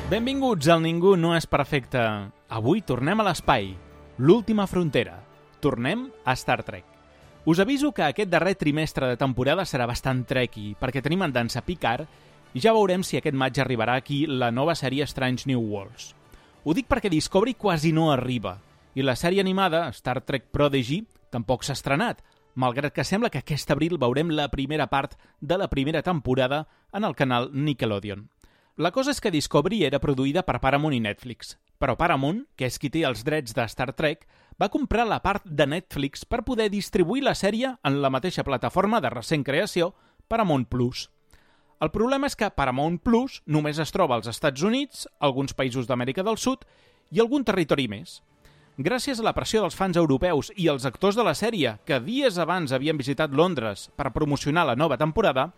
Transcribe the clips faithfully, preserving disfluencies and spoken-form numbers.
Benvinguts al Ningú no és perfecte. Avui tornem a l'espai, l'última frontera. Tornem a Star Trek. Us aviso que aquest darrer trimestre de temporada serà bastant trekky, perquè tenim en dansa Picard i ja veurem si aquest maig arribarà aquí la nova sèrie Strange New Worlds. Ho dic perquè Discovery quasi no arriba, i la sèrie animada, Star Trek Prodigy, tampoc s'ha estrenat, malgrat que sembla que aquest abril veurem la primera part de la primera temporada en el canal Nickelodeon. La cosa és que Discovery era produïda per Paramount i Netflix, però Paramount, que és qui té els drets de Star Trek, va comprar la part de Netflix per poder distribuir la sèrie en la mateixa plataforma de recent creació, Paramount Plus. El problema és que Paramount Plus només es troba als Estats Units, alguns països d'Amèrica del Sud i algun territori més. Gràcies a la pressió dels fans europeus i els actors de la sèrie, que dies abans havien visitat Londres per promocionar la nova temporada,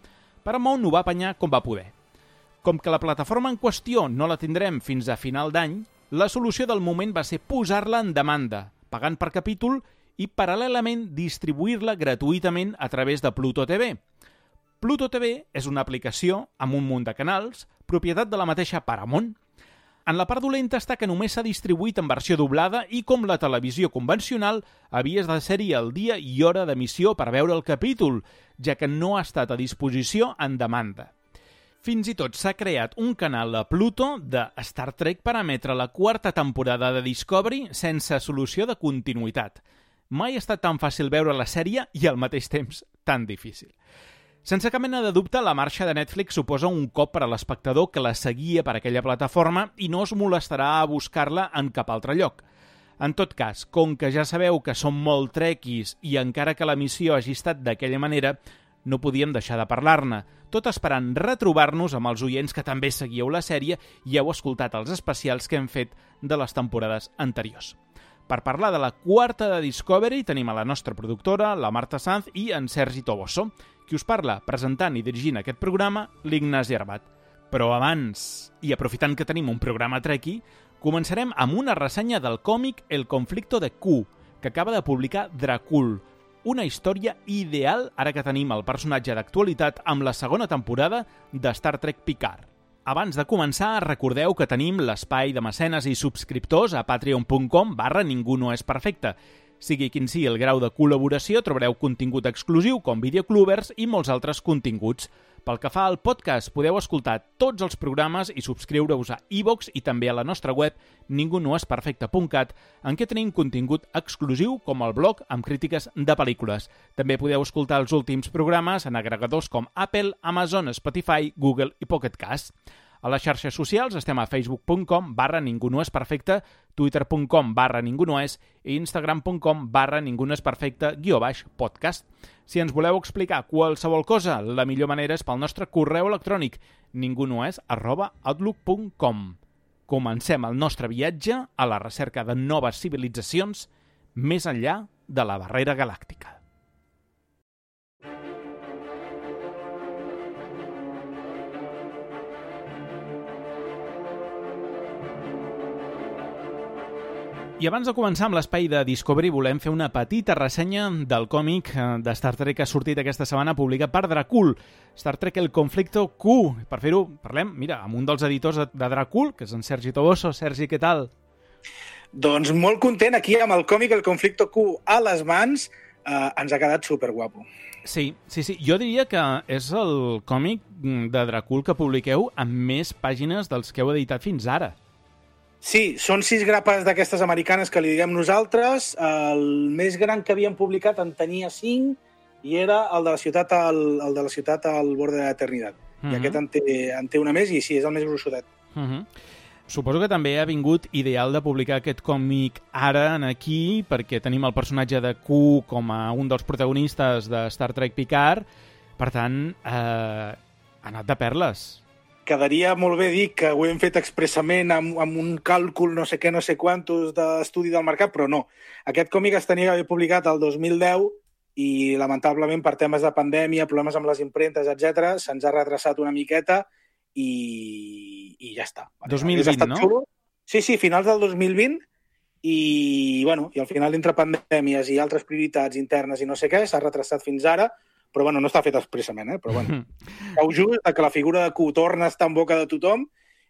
Paramount ho va apanyar com va poder. Com que la plataforma en qüestió no la tindrem fins a final d'any, la solució del moment va ser posar-la en demanda, pagant per capítol i paral·lelament distribuir-la gratuïtament a través de Pluto T V. Pluto T V és una aplicació amb un munt de canals, propietat de la mateixa Paramount. En la part dolenta està que només s'ha distribuït en versió doblada i com la televisió convencional havies de ser-hi el dia i hora d'emissió per veure el capítol, ja que no ha estat a disposició en demanda. Fins i tot s'ha creat un canal a Pluto de Star Trek per emetre la quarta temporada de Discovery sense solució de continuïtat. Mai ha estat tan fàcil veure la sèrie i al mateix temps tan difícil. Sense cap mena de dubte, la marxa de Netflix suposa un cop per a l'espectador que la seguia per aquella plataforma i no es molestarà a buscar-la en cap altre lloc. En tot cas, com que ja sabeu que som molt trekkies i encara que l'emissió hagi estat d'aquella manera, no podíem deixar de parlar-ne, tot esperant retrobar-nos amb els oients que també seguieu la sèrie i heu escoltat els especials que hem fet de les temporades anteriors. Per parlar de la quarta de Discovery tenim a la nostra productora, la Marta Sanz i en Sergi Toboso, qui us parla presentant i dirigint aquest programa, l'Ignasi Arbat. Però abans, i aprofitant que tenim un programa trekky, començarem amb una ressenya del còmic El conflicto de Q, que acaba de publicar Dracul, una història ideal ara que tenim el personatge d'actualitat amb la segona temporada de Star Trek Picard. Abans de començar, recordeu que tenim l'espai de mecenes i subscriptors a patreon punt com barra ningú no és perfecte. Sigui quin sigui el grau de col·laboració, trobareu contingut exclusiu com videoclubers i molts altres continguts. Pel que fa al podcast, podeu escoltar tots els programes i subscriure-us a iVoox i també a la nostra web ningú no és perfecte punt cat, en què tenim contingut exclusiu com el blog amb crítiques de pel·lícules. També podeu escoltar els últims programes en agregadors com Apple, Amazon, Spotify, Google i Pocket Cast. A les xarxes socials estem a facebook punt com barra ningú no és perfecte, twitter punt com barra ningú no és i instagram punt com barra ningú no és perfecte guió baix podcast. Si ens voleu explicar qualsevol cosa, la millor manera és pel nostre correu electrònic ningunoes arroba outlook punt com. Comencem el nostre viatge a la recerca de noves civilitzacions més enllà de la barrera galàctica. I abans de començar amb l'espai de Discovery volem fer una petita ressenya del còmic de Star Trek que ha sortit aquesta setmana publicat per Dracul, Star Trek El conflicto Q. Per fer-ho, parlem, mira, amb un dels editors de Dracul, que és en Sergi Toboso. Sergi, què tal? Doncs molt content aquí amb el còmic El conflicto Q a les mans. Eh, ens ha quedat superguapo. Sí, sí, sí. Jo diria que és el còmic de Dracul que publiqueu amb més pàgines dels que heu editat fins ara. Sí, són sis grapes d'aquestes americanes que li diguem nosaltres. El més gran que havíem publicat en tenia cinc i era el de la ciutat al, el de la ciutat al bord de l'eternitat. Uh-huh. I aquest en té, en té una més i sí, és el més grossotet. Uh-huh. Suposo que també ha vingut ideal de publicar aquest còmic ara en aquí perquè tenim el personatge de Q com a un dels protagonistes de Star Trek Picard. Per tant, eh, ha anat de perles. Quedaria molt bé dir que ho hem fet expressament amb, amb un càlcul no sé què, no sé quantos d'estudi del mercat, però no. Aquest còmic es tenia d'haver publicat el dos mil deu i, lamentablement, per temes de pandèmia, problemes amb les impremtes, etcètera, se'ns ha retrasat una miqueta i, i ja està. dos mil vint, no? Xulo. Sí, sí, finals del dos mil vint i, bueno, i al final, entre pandèmies i altres prioritats internes i no sé què, s'ha retrasat fins ara, però bueno, no està fet expressament, eh? Però bueno, cau just que la figura de Q torna a estar en boca de tothom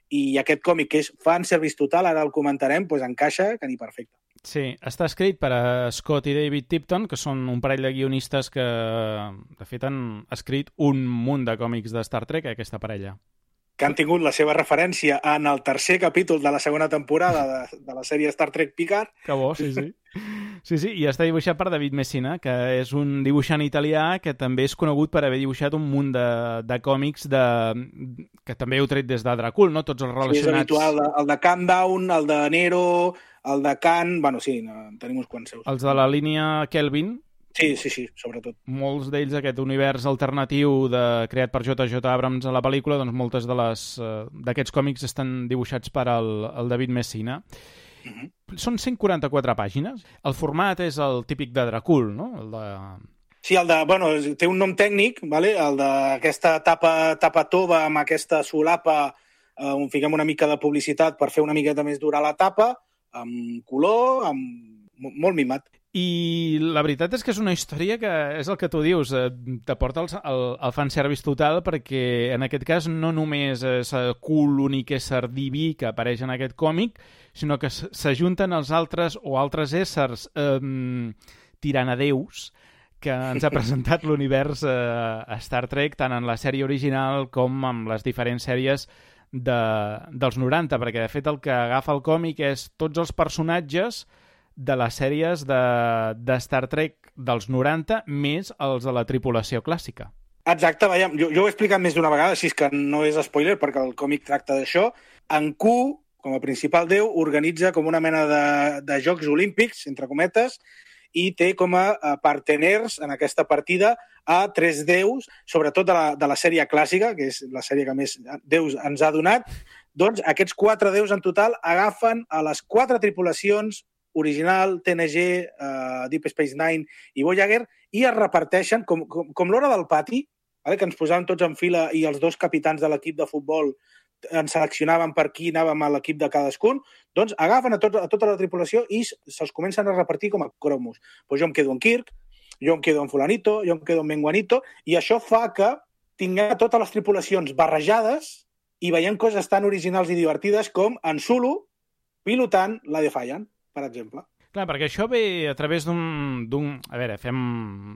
i aquest còmic, que és fanservice total, ara el comentarem, doncs encaixa que ni perfecte. Sí, està escrit per a Scott i David Tipton, que són un parell de guionistes que, de fet, han escrit un munt de còmics de Star Trek, aquesta parella. Que han tingut la seva referència en el tercer capítol de la segona temporada de, de la sèrie Star Trek Picard. Que bo, sí, sí. Sí, sí, i està dibuixat per David Messina, que és un dibuixant italià que també és conegut per haver dibuixat un munt de, de còmics de, que també heu tret des de Dracul, no? Tots els relacionats... Sí, és habitual, el de Countdown, el de Nero, el de Khan... Bueno, sí, no, tenim uns quants seus. Els de la línia Kelvin. Sí, sí, sí, sobretot. Molts d'ells, aquest univers alternatiu de, creat per J J Abrams a la pel·lícula, doncs moltes de les d'aquests còmics estan dibuixats per el, el David Messina. Uh-huh. Són cent quaranta-quatre pàgines. El format és el típic de Dracul, no? El de... Sí, el de, bueno, té un nom tècnic, vale? El d'aquesta tapa, tapa tova amb aquesta solapa eh, on fiquem una mica de publicitat per fer una miqueta més dura la tapa, amb color, amb... molt mimat. I la veritat és que és una història que és el que tu dius, eh, t'aporta el, el, el fanservice total, perquè en aquest cas no només és Kul l'únic ésser diví que apareix en aquest còmic, sinó que s'ajunten els altres o altres éssers eh, tiranadeus que ens ha presentat l'univers eh, Star Trek, tant en la sèrie original com amb les diferents sèries de, dels noranta, perquè de fet el que agafa el còmic és tots els personatges de les sèries de, de Star Trek dels noranta més els de la tripulació clàssica. Exacte, veiem, jo, jo ho he explicat més d'una vegada, així que no és spoiler perquè el còmic tracta d'això. En Q, com a principal déu, organitza com una mena de, de Jocs Olímpics, entre cometes, i té com a parteners en aquesta partida a tres déus, sobretot de la, de la sèrie clàssica, que és la sèrie que més déus ens ha donat. Doncs aquests quatre déus en total agafen a les quatre tripulacions original, T N G, uh, Deep Space Nine i Voyager, i es reparteixen com, com, com l'hora del pati, vale? Que ens posàvem tots en fila i els dos capitans de l'equip de futbol ens seleccionaven per qui anàvem a l'equip de cadascun, doncs agafen a, tot, a tota la tripulació i se'ls comencen a repartir com a cromos. Pues jo em quedo en Kirk, jo em quedo en Fulanito, jo em quedo en Menguanito, i això fa que tinguem totes les tripulacions barrejades i veiem coses tan originals i divertides com en Sulu pilotant la Defiant, per exemple. Clar, perquè això ve a través d'un... A veure, fem...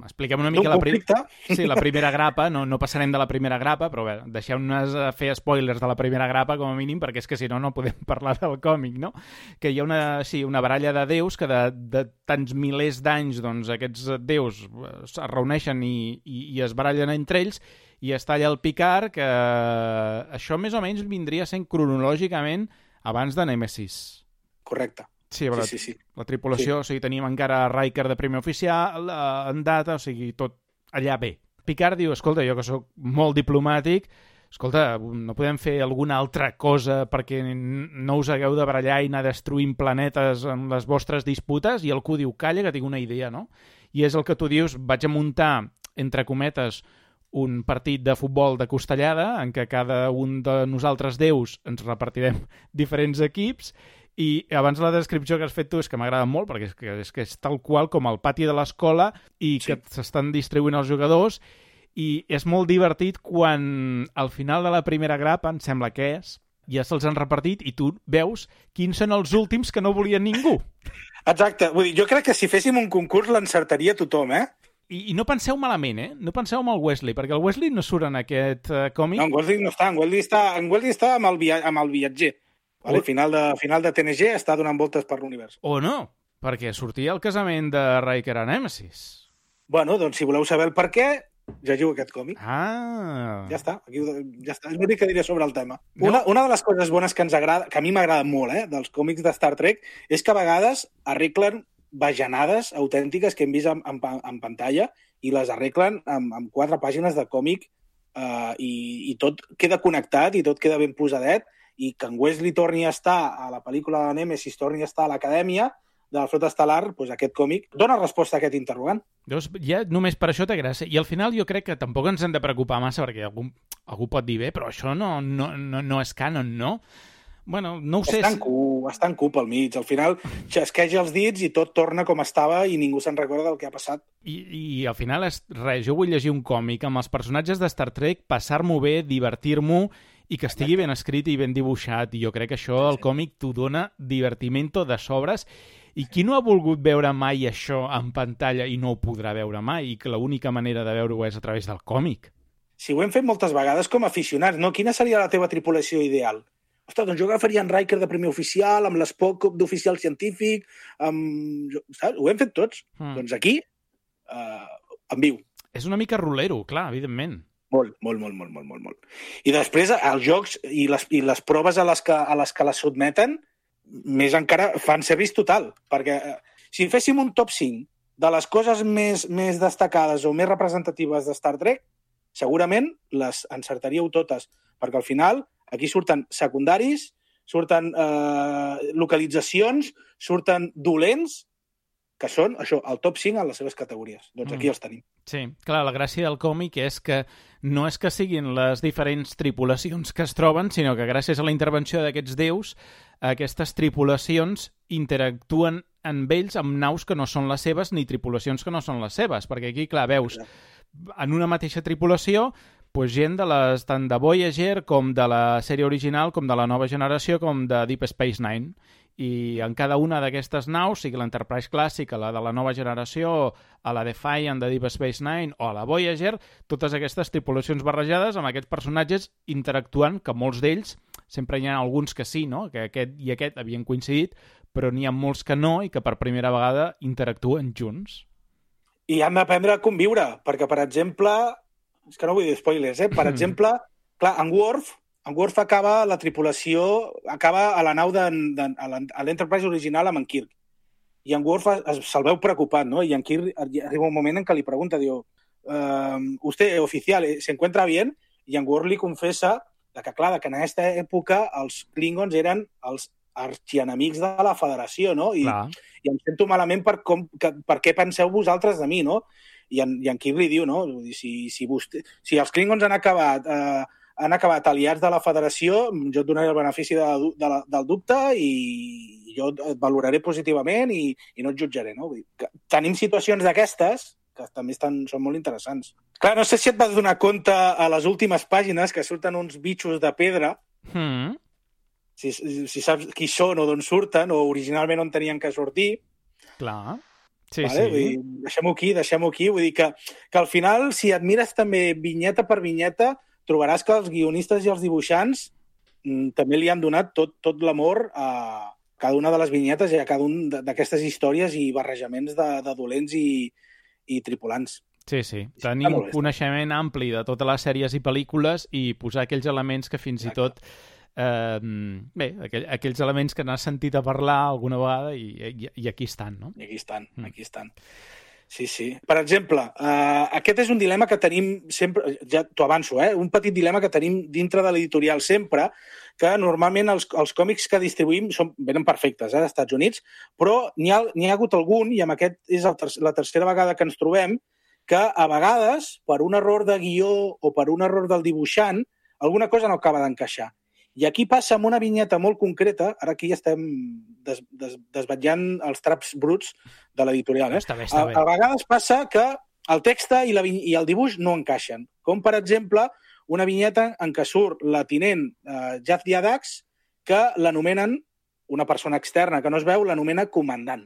expliquem una mica la, prim... sí, la primera grapa. No, no passarem de la primera grapa, però bé, deixeu-nos fer spoilers de la primera grapa, com a mínim, perquè és que si no, no podem parlar del còmic, no? Que hi ha una, sí, una baralla de déus que de, de tants milers d'anys, doncs, aquests déus es reuneixen i, i, i es barallen entre ells, i està allà el Picard, que això més o menys vindria sent cronològicament abans de Nemesis. Correcte. Sí, la, sí, sí, sí. La tripulació, sí. O sigui, teníem encara Riker de primer oficial, en data, o sigui, tot allà bé. Picard diu, escolta, jo que sóc molt diplomàtic, escolta, no podem fer alguna altra cosa perquè no us hagueu de barallar i anar destruint planetes en les vostres disputes? I el Q diu, calla, que tinc una idea, no? I és el que tu dius, vaig a muntar, entre cometes, un partit de futbol de costellada en què cada un de nosaltres déus ens repartirem diferents equips. I abans la descripció que has fet tu és que m'agrada molt, perquè és que, és que és tal qual com el pati de l'escola i sí. Que s'estan distribuint els jugadors, i és molt divertit quan al final de la primera grapa, em sembla que és, ja se'ls han repartit i tu veus quins són els últims que no volien ningú. Exacte. Vull dir, jo crec que si féssim un concurs l'encertaria tothom, eh? I, I no penseu malament, eh? No penseu amb el Wesley, perquè el Wesley no surt en aquest uh, còmic. No, en Wesley no està. En Wesley està, en Wesley està amb, el via amb el viatger. Vale, o... final, de, final de T N G està donant voltes per l'univers. O no, perquè sortia el casament de Riker a Nemesis. Bueno, doncs si voleu saber el per què, llegiu aquest còmic. Ah. Ja està, aquí, ja està. És l'únic que diré sobre el tema. No. Una, una de les coses bones que ens agrada, que a mi m'agrada molt, eh, dels còmics de Star Trek, és que a vegades arreglen bajanades autèntiques que hem vist en, en, en pantalla i les arreglen amb, amb quatre pàgines de còmic eh, i, i tot queda connectat i tot queda ben posadet, i que en Wesley torni a estar a la pel·lícula de Nemesis, torni a estar a l'acadèmia de la Flota Estel·lar, doncs aquest còmic dona resposta a aquest interrogant. Llavors, ja només per això té gràcia. I al final jo crec que tampoc ens hem de preocupar massa, perquè algú, algú pot dir, bé, però això no, no, no, no és canon, no? Bueno, no ho sé. Està en cu, està en cu pel mig. Al final xasqueja els dits i tot torna com estava i ningú se'n recorda del que ha passat. I, i al final és res, jo vull llegir un còmic amb els personatges de Star Trek, passar-m'ho bé, divertir-m'ho i que estigui ben escrit i ben dibuixat, i jo crec que això el còmic t'ho dona divertimento de sobres, i qui no ha volgut veure mai això en pantalla i no ho podrà veure mai, i que l'única manera de veure-ho és a través del còmic? Sí, ho hem fet moltes vegades com a aficionats, no? Quina seria la teva tripulació ideal? Ostres, doncs jo agafaria en Riker de primer oficial, amb l'Spock d'oficial científic, amb... saps? Ho hem fet tots. Mm. Doncs aquí, eh, en viu. És una mica rolero, clar, evidentment. Molt, molt, molt, molt, molt, molt. I després els jocs i les, i les proves a les que, a les que les sotmeten, més encara fan service total, perquè eh, si féssim un top cinc de les coses més, més destacades o més representatives de Star Trek, segurament les encertaríeu totes, perquè al final aquí surten secundaris, surten eh, localitzacions, surten dolents, que són, això, el top cinc en les seves categories. Doncs aquí els tenim. Sí, clar, la gràcia del còmic és que no és que siguin les diferents tripulacions que es troben, sinó que gràcies a la intervenció d'aquests déus, aquestes tripulacions interactuen amb ells amb naus que no són les seves ni tripulacions que no són les seves, perquè aquí, clar, veus, en una mateixa tripulació, pues gent de les, tant de Voyager com de la sèrie original, com de la nova generació, com de Deep Space Nine. I en cada una d'aquestes naus, sigui l'Enterprise clàssica, la de la nova generació, a la Defiant de Deep Space Nine o a la Voyager, totes aquestes tripulacions barrejades amb aquests personatges interactuant, que molts d'ells, sempre hi ha alguns que sí, no? Que aquest i aquest havien coincidit, però n'hi ha molts que no i que per primera vegada interactuen junts. I han d'aprendre a conviure, perquè, per exemple, és que no vull dir spoilers, eh? Per exemple, clar, en Worf, en Worf acaba la tripulació, acaba a la nau de, de, a l'Enterprise original amb en Kirk. I en Worf se'l veu preocupat, ¿no? Y en Kirk arriba un moment en què li pregunta, diu, uh, usted, oficial, ¿se encuentra bien? I en Worf li confessa que, clar, que en aquesta època els Klingons eren els arxienemics de la Federació, no? I, i em sento malament per, com, que, per què penseu vosaltres de mi, no? I en, i en Kirk li diu, no? Si, si, vostè, si els Klingons han acabat... Eh, han acabat aliats de la Federació, jo et donaré el benefici de, de la, del dubte i jo et valoraré positivament i, i no et jutjaré, no? Vull dir que tenim situacions d'aquestes que també estan, són molt interessants. Clar, no sé si et vas donar compte a les últimes pàgines que surten uns bitxos de pedra, mm. si, si saps qui són o d'on surten, o originalment on tenien que sortir. Clar. Sí, vale? sí. Deixem-ho aquí, deixem-ho aquí. Vull dir que, que al final, si et mires també vinyeta per vinyeta, trobaràs que els guionistes i els dibuixants mm, també li han donat tot, tot l'amor a cada una de les vinyetes i a cada una d'aquestes històries i barrejaments de, de dolents i, i tripulants. Sí, sí. Tenim un coneixement ampli de totes les sèries i pel·lícules i posar aquells elements que fins Exacte. i tot... Eh, bé, aquell, aquells elements que n'has sentit a parlar alguna vegada i, i, i aquí estan, no? I aquí estan, mm. aquí estan. Sí, sí. Per exemple, uh, aquest és un dilema que tenim sempre, ja t'ho avanço, eh? un petit dilema que tenim dintre de l'editorial sempre, que normalment els, els còmics que distribuïm són, venen perfectes, eh, als Estats Units, però n'hi ha, n'hi ha hagut algun, i amb aquest és el ter la tercera vegada que ens trobem, que a vegades, per un error de guió o per un error del dibuixant, alguna cosa no acaba d'encaixar. I aquí passa amb una vinyeta molt concreta, ara aquí ja estem des, des, desvetllant els traps bruts de l'editorial. Eh? Està bé, està bé. A, a vegades passa que el text i, la, i el dibuix no encaixen. Com, per exemple, una vinyeta en què surt la tinent eh, Jadzia Dax, que l'anomenen, una persona externa que no es veu, l'anomena comandant.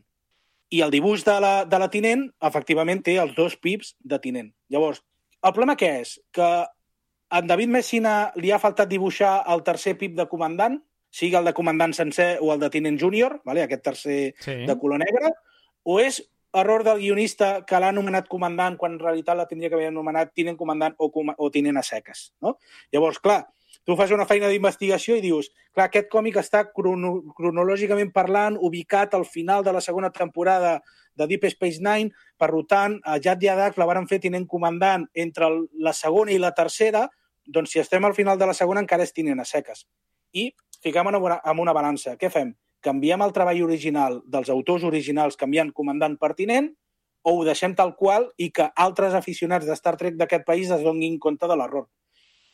I el dibuix de la, de la tinent, efectivament, té els dos pips de tinent. Llavors, el problema què és? Que a en David Messina li ha faltat dibuixar el tercer pip de comandant, sigui el de comandant sencer o el de tinent júnior, vale? Aquest tercer sí. de color negre, o és error del guionista que l'ha anomenat comandant quan en realitat la tindria que haver anomenat tinent comandant o, com o tinent a seques. No? Llavors, clar, tu fas una feina d'investigació i dius, clar, aquest còmic està crono cronològicament parlant, ubicat al final de la segona temporada de Deep Space Nine, per tant, a Jadzia Dax la varen fer tinent comandant entre la segona i la tercera, doncs si estem al final de la segona encara és tinent a seques. I fiquem en una, en una balança. Què fem? Canviem el treball original dels autors originals canviant comandant per tinent o ho deixem tal qual i que altres aficionats de Star Trek d'aquest país es donin compte de l'error?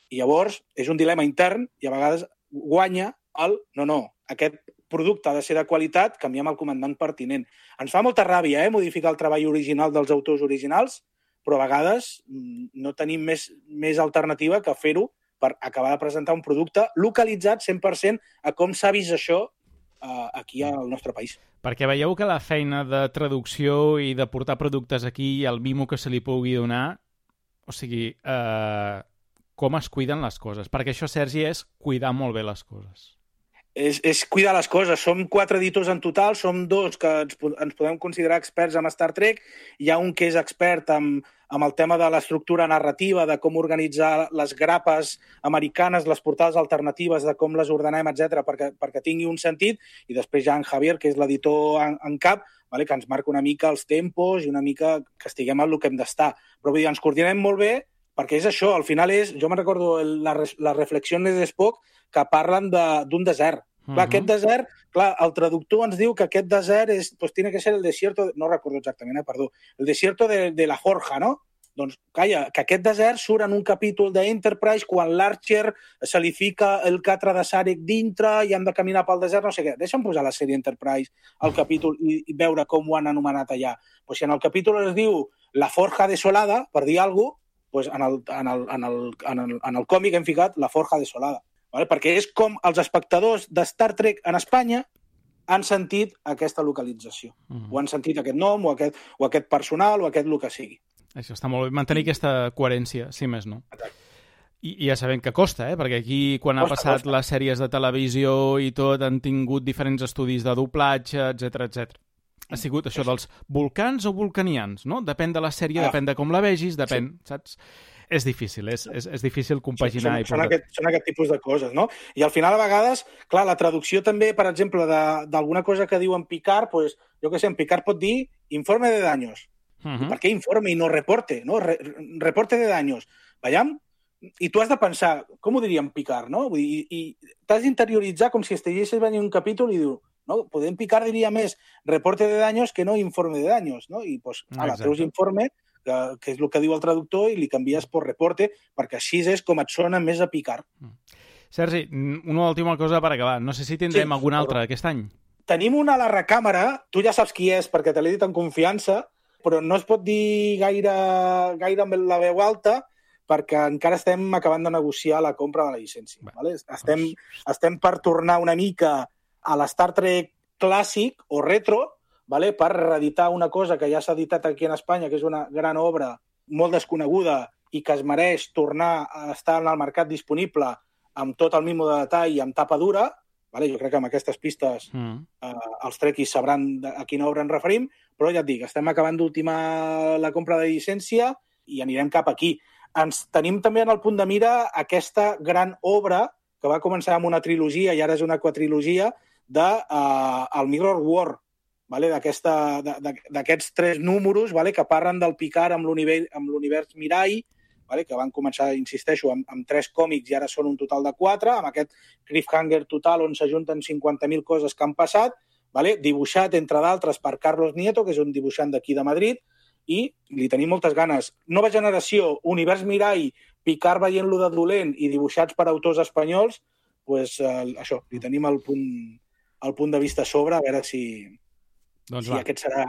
I llavors és un dilema intern i a vegades guanya el no, no, aquest producte ha de ser de qualitat, canviem el comandant per tinent. Ens fa molta ràbia, eh, modificar el treball original dels autors originals, però a vegades no tenim més, més alternativa que fer-ho per acabar de presentar un producte localitzat cent per cent a com s'ha vist això uh, aquí al nostre país. Perquè veieu que la feina de traducció i de portar productes aquí i el mimo que se li pugui donar, o sigui, eh, com es cuiden les coses. Perquè això, Sergi, és cuidar molt bé les coses. És, és cuidar les coses. Som quatre editors en total, som dos que ens, ens podem considerar experts en Star Trek, hi ha un que és expert en, en el tema de l'estructura narrativa, de com organitzar les grapes americanes, les portades alternatives, de com les ordenem, etcètera, perquè, perquè tingui un sentit, i després hi ha en Javier, que és l'editor en, en cap, vale, que ens marca una mica els tempos i una mica que estiguem en el que hem d'estar. Però vull dir, ens coordinem molt bé, perquè és això, al final és... Jo me'n recordo la, la reflexió de Spock que parlen d'un de, desert. Uh-huh. Clar, aquest desert, clar, el traductor ens diu que aquest desert és, pues, tiene que ser el desierto... No recordo exactament, eh, perdó. El desierto de, de la Forja, no? Doncs, calla, que aquest desert surt en un capítol d'Enterprise quan l'Archer se li fica el catre de Sarek dintre i han de caminar pel desert, no sé què. Deixa'm posar la sèrie Enterprise al capítol i, i veure com ho han anomenat allà. Pues si en el capítol es diu La Forja Desolada, per dir alguna cosa, pues en, el, en, el, en, el, en, el, en el còmic hem ficat La Forja Desolada. Vale? Perquè és com els espectadors de Star Trek en Espanya han sentit aquesta localització. Mm. O han sentit aquest nom, o aquest, o aquest personal, o aquest el que sigui. Això està molt bé, mantenir aquesta coherència, si més no. I, i ja sabem que costa, eh? Perquè aquí, quan costa, ha passat costa. Les sèries de televisió i tot, han tingut diferents estudis de doblatge, etcètera, etcètera. Ha sigut això dels volcans o vulcanians, no? Depèn de la sèrie, ah. depèn de com la vegis, depèn, sí. Saps? És difícil, és, és, és difícil compaginar. Sí, són, i són, aquest, són aquest tipus de coses, no? I al final, a vegades, clar, la traducció també, per exemple, d'alguna cosa que diu en Picard, pues, jo què sé, en Picard pot dir informe de daños. Uh-huh. Per què informe i no reporte? No? Re reporte de daños. Veiem? I tu has de pensar, com ho diria en Picard, no? Vull dir, i, i t'has d'interioritzar com si estiguessis venint un capítol i diu, no? Podem Picard diria més reporte de daños que no informe de daños, no? I, pues, ala, treus informe, que, que és el que diu el traductor, i li canvies per reporte, perquè així és com et sona més a Picard. Sergi, una última cosa per acabar. No sé si tindrem sí, algun altre aquest any. Tenim una a la recàmera, tu ja saps qui és, perquè te l'he dit en confiança, però no es pot dir gaire, gaire amb la veu alta perquè encara estem acabant de negociar la compra de la llicència. Bé, vale? estem, doncs... estem per tornar una mica a l'Star Trek clàssic o retro, vale? Per reeditar una cosa que ja s'ha editat aquí en Espanya, que és una gran obra molt desconeguda i que es mereix tornar a estar en el mercat disponible amb tot el mimo de detall i amb tapa dura. Vale? Jo crec que amb aquestes pistes mm. eh, els trequis sabran a quina obra ens referim, però ja et dic, estem acabant d'ultimar la compra de llicència i anirem cap aquí. Ens tenim també en el punt de mira aquesta gran obra que va començar amb una trilogia i ara és una quatrilogia de uh, el Mirror War, vale? D'aquests tres números, vale? Que parlen del Picard amb l'univers Mirai, vale? Que van començar, insisteixo, amb, amb tres còmics i ara són un total de quatre, amb aquest cliffhanger total on s'ajunten cinquanta mil coses que han passat, vale? Dibuixat, entre d'altres, per Carlos Nieto, que és un dibuixant d'aquí de Madrid, i li tenim moltes ganes. Nova generació, univers Mirai, Picard veient-lo de dolent i dibuixats per autors espanyols, pues, eh, això, li tenim el punt, el punt de vista a sobre, a veure si... Doncs sí, va. Aquest serà,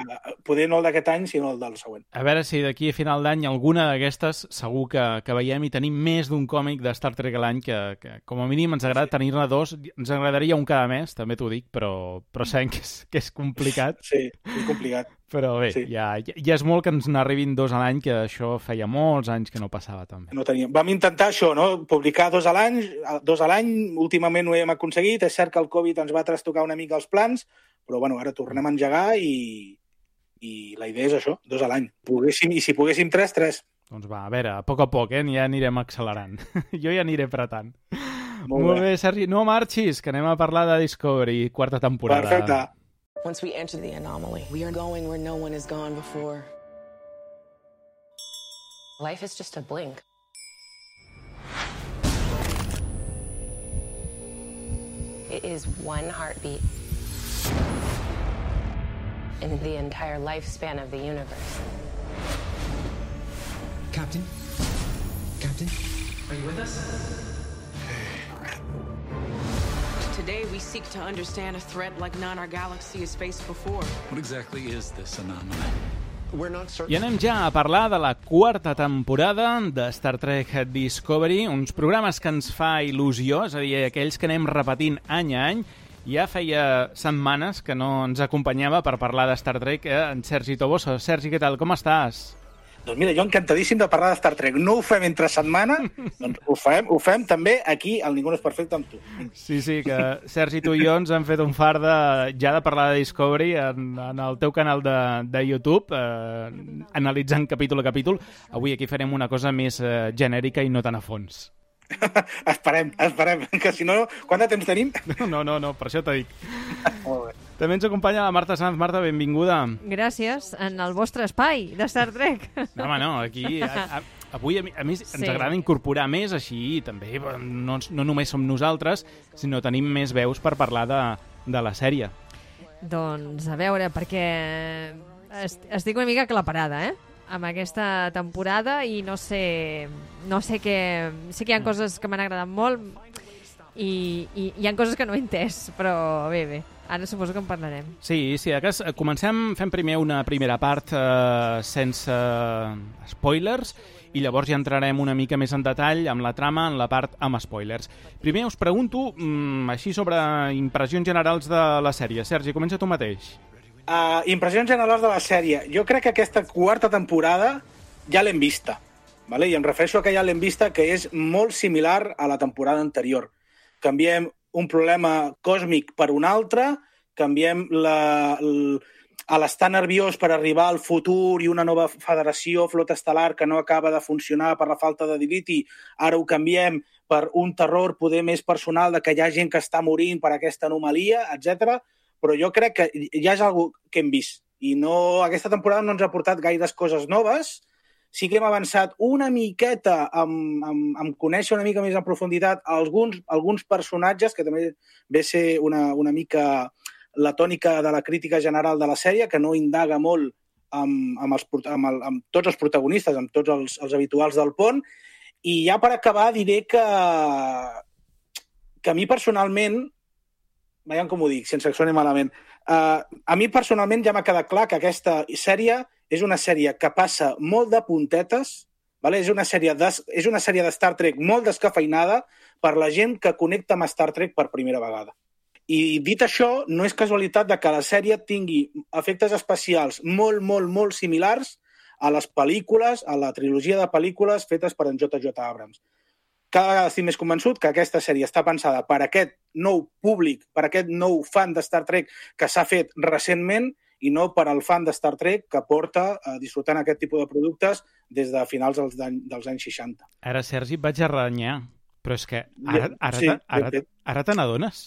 poder no el d'aquest any, sinó el del següent. A veure si d'aquí a final d'any alguna d'aquestes segur que, que veiem i tenim més d'un còmic de Star Trek a l'any que, que com a mínim ens agrada sí. tenir-ne dos. Ens agradaria un cada mes, també t'ho dic, però, però sabem que és, que és complicat. Sí, és complicat. Però bé, sí. ja, ja és molt que ens n'arribin dos a l'any, que això feia molts anys que no passava també. No teníem. Vam intentar això, no? Publicar dos a l'any, dos a l'any, últimament ho hem aconseguit. És cert que el Covid ens va trastocar una mica els plans, però bueno, ara tornem a engegar i, i la idea és això, dos a l'any. I si poguéssim tres, tres. Doncs va, a veure, a poc a poc, eh? Ja anirem accelerant. Jo ja aniré apretant. Molt, Molt bé. bé, Sergi. No marxis, que anem a parlar de Discovery, quarta temporada. Perfecte. Once we enter the anomaly, we are going where no one has gone before. Life is just a blink. It is one heartbeat in the entire lifespan of the universe. Captain? Captain? Are you with us? Today, we seek to understand a threat like none our galaxy has faced before. What exactly is this anomaly? I anem ja a parlar de la quarta temporada de Star Trek Discovery, uns programes que ens fa il·lusió, és a dir, aquells que anem repetint any a any. Ja feia setmanes que no ens acompanyava per parlar de Star Trek eh, en Sergi Toboso. Sergi, què tal? Com estàs? Doncs mira, jo encantadíssim de parlar de Star Trek. No ho fem entre setmana, doncs ho fem, ho fem també aquí, al Ningú no és perfecte, amb tu. Sí, sí, que Sergi, tu i jo ens hem fet un far de, ja de parlar de Discovery en, en el teu canal de, de YouTube, eh, analitzant capítol a capítol. Avui aquí farem una cosa més eh, genèrica i no tan a fons. esperem, esperem, que si no, quant de temps tenim? No, no, no, per això t'ho dic. Molt bé. També ens acompanya la Marta Sanz. Marta, benvinguda. Gràcies, en el vostre espai de Star Trek. No, home, no, aquí... A, a, avui, a, a més, ens Sí. agrada incorporar més, així també no, no només som nosaltres, sinó tenim més veus per parlar de, de la sèrie. Doncs a veure, perquè est estic una mica aclaparada, eh? Amb aquesta temporada i no sé... No sé què... Sé que hi ha coses que m'han agradat molt i, i hi ha coses que no he entès, però bé, bé. Ara suposo que en parlarem. Sí, sí, a cas, comencem fent primer una primera part eh, sense spoilers i llavors ja entrarem una mica més en detall amb la trama en la part amb spoilers. Primer us pregunto, mm, així sobre impressions generals de la sèrie. Sergi, comença tu mateix. Uh, impressions generals de la sèrie. Jo crec que aquesta quarta temporada ja l'hem vista, vale? I em refereixo a que ja l'hem vista, que és molt similar a la temporada anterior. Canviem un problema còsmic per un altre, canviem la, l, a l'estar nerviós per arribar al futur i una nova federació, flota estel·lar, que no acaba de funcionar per la falta de diliti, ara ho canviem per un terror poder més personal de que hi ha gent que està morint per aquesta anomalia, etcètera. Però jo crec que ja és algo que hem vist. I no, aquesta temporada no ens ha portat gaires coses noves. Sí que hem avançat una miqueta amb, amb, amb conèixer una mica més en profunditat alguns, alguns personatges, que també ve a ser una, una mica la tònica de la crítica general de la sèrie, que no indaga molt amb, amb, els, amb, el, amb tots els protagonistes, amb tots els, els habituals del pont. I ja per acabar diré que, que a mi personalment, veiem com ho dic, sense que soni malament, uh, a mi personalment ja m'ha quedat clar que aquesta sèrie és una sèrie que passa molt de puntetes, vale? és, una sèrie de, és una sèrie de Star Trek molt descafeinada per la gent que connecta amb Star Trek per primera vegada. I dit això, no és casualitat de que la sèrie tingui efectes especials molt, molt, molt similars a les pel·lícules, a la trilogia de pel·lícules fetes per en J J Abrams. Cada vegada estic més convençut que aquesta sèrie està pensada per aquest nou públic, per aquest nou fan de Star Trek que s'ha fet recentment i no per al fan de Star Trek que porta a disfrutant aquest tipus de productes des de finals dels, dels anys seixanta. Ara, Sergi, et vaig a renyar, però és que ara, ara, Sí, ara, ara, ara te n'adones?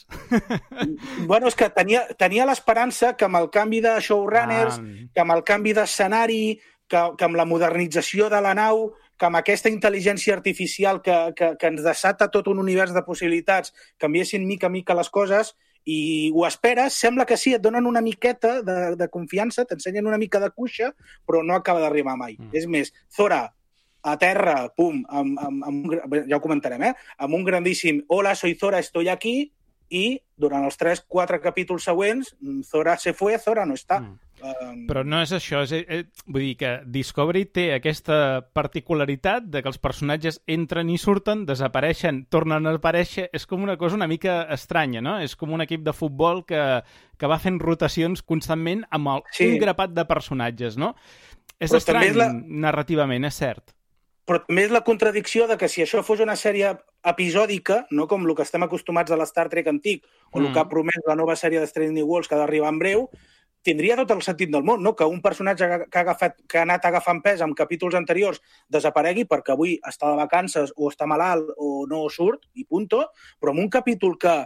Bueno, és que tenia, tenia l'esperança que amb el canvi de showrunners, Ah. que amb el canvi d'escenari, que, que amb la modernització de la nau, que amb aquesta intel·ligència artificial que, que, que ens desata tot un univers de possibilitats, canviessin mica a mica les coses i ho esperes, sembla que sí, et donen una miqueta de, de confiança, t'ensenyen una mica de cuixa, però no acaba d'arribar mai. Mm. És més, Zora, a terra, pum, amb, amb, amb un, ja ho comentarem, eh? Amb un grandíssim hola, soy Zora, estoy aquí, i durant els tres quatre capítols següents, Zora se fue, Zora no està. Mm. Um... Però no és això, és, és, vull dir que Discovery té aquesta particularitat de que els personatges entren i surten, desapareixen, tornen a aparèixer, és com una cosa una mica estranya, no? És com un equip de futbol que, que va fent rotacions constantment amb el, sí. un grapat de personatges, no? És Però estrany és la... narrativament, és cert. Però també és la contradicció de que si això fos una sèrie episòdica, no com el que estem acostumats a l'Star Trek antic, o mm. el que ha promès la nova sèrie de Strange New Worlds que ha d'arribar en breu, tindria tot el sentit del món, no? Que un personatge que ha, agafat, que ha anat agafant pes en capítols anteriors desaparegui perquè avui està de vacances o està malalt o no surt, i punto, però en un capítol que,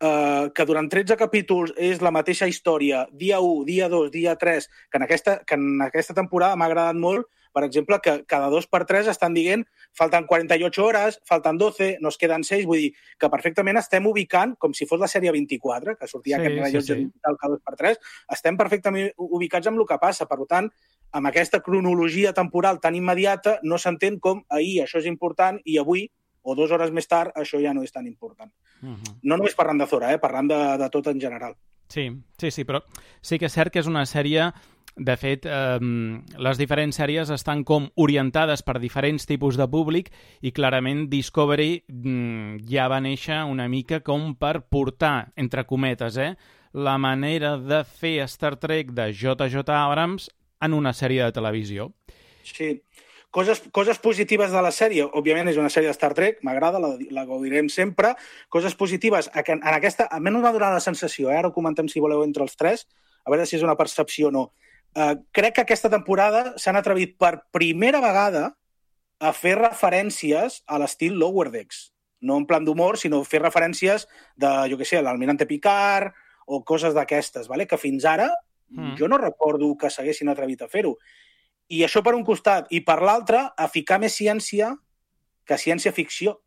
eh, que durant tretze capítols és la mateixa història, dia u, dia dos, dia tres, que en aquesta, que en aquesta temporada m'ha agradat molt, per exemple, que cada dos per tres estan dient falten quaranta-ocho hores, falten doce, nos queden seis, vull dir que perfectament estem ubicant, com si fos la sèrie vint-i-quatre, que sortia sí, aquest rellotge sí, sí. digital cada dos per tres, estem perfectament ubicats amb el que passa. Per tant, amb aquesta cronologia temporal tan immediata, no s'entén com ahir això és important i avui, o dues hores més tard, això ja no és tan important. Uh-huh. No només parlant de Zora, eh? Parlant de, de tot en general. Sí, sí, sí, però sí que és cert que és una sèrie De fet, eh, les diferents sèries estan com orientades per diferents tipus de públic i clarament Discovery mm, ja va néixer una mica com per portar, entre cometes, eh, la manera de fer Star Trek de J J Abrams en una sèrie de televisió. Sí. Coses, coses positives de la sèrie, òbviament és una sèrie de Star Trek, m'agrada, la, la gaudirem sempre. Coses positives, en aquesta, almenys m'ha donat la sensació, eh? Ara ho comentem si voleu entre els tres, a veure si és una percepció o no. Uh, crec que aquesta temporada s'han atrevit per primera vegada a fer referències a l'estil Lower Decks. No en plan d'humor, sinó fer referències de, jo què sé, l'Almirante Picard o coses d'aquestes, vale? Que fins ara mm. jo no recordo que s'haguessin atrevit a fer-ho. I això per un costat. I per l'altre, a ficar més ciència que ciència-ficció.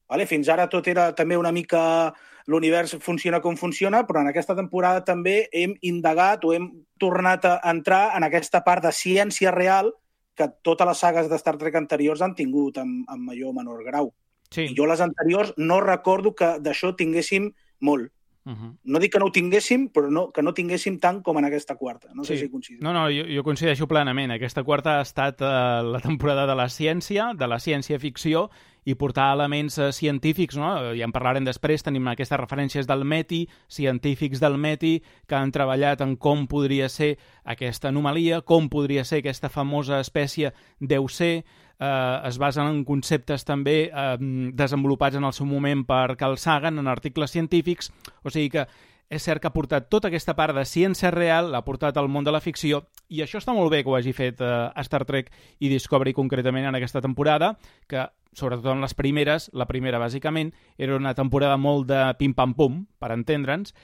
Vale? Fins ara tot era també una mica... L'univers funciona com funciona, però en aquesta temporada també hem indagat o hem tornat a entrar en aquesta part de ciència real que totes les sagues de Star Trek anteriors han tingut en, en major o menor grau. Sí. I jo les anteriors no recordo que d'això tinguéssim molt. Uh-huh. No dic que no ho tinguéssim, però no, que no tinguéssim tant com en aquesta quarta. No sí. sé si coincidim. No, no, jo, jo coincideixo plenament. Aquesta quarta ha estat eh, la temporada de la ciència, de la ciència-ficció, i portar elements eh, científics, no? Ja en parlarem després, tenim aquestes referències del Meti, científics del Meti, que han treballat en com podria ser aquesta anomalia, com podria ser aquesta famosa espècie deu ser, eh, es basen en conceptes també eh, desenvolupats en el seu moment per Carl Sagan, en articles científics, o sigui que és cert que ha portat tota aquesta part de ciència real, l'ha portat al món de la ficció, i això està molt bé que ho hagi fet eh, a Star Trek i Discovery concretament en aquesta temporada, que sobretot en les primeres, la primera bàsicament, era una temporada molt de pim-pam-pum, per entendre'ns,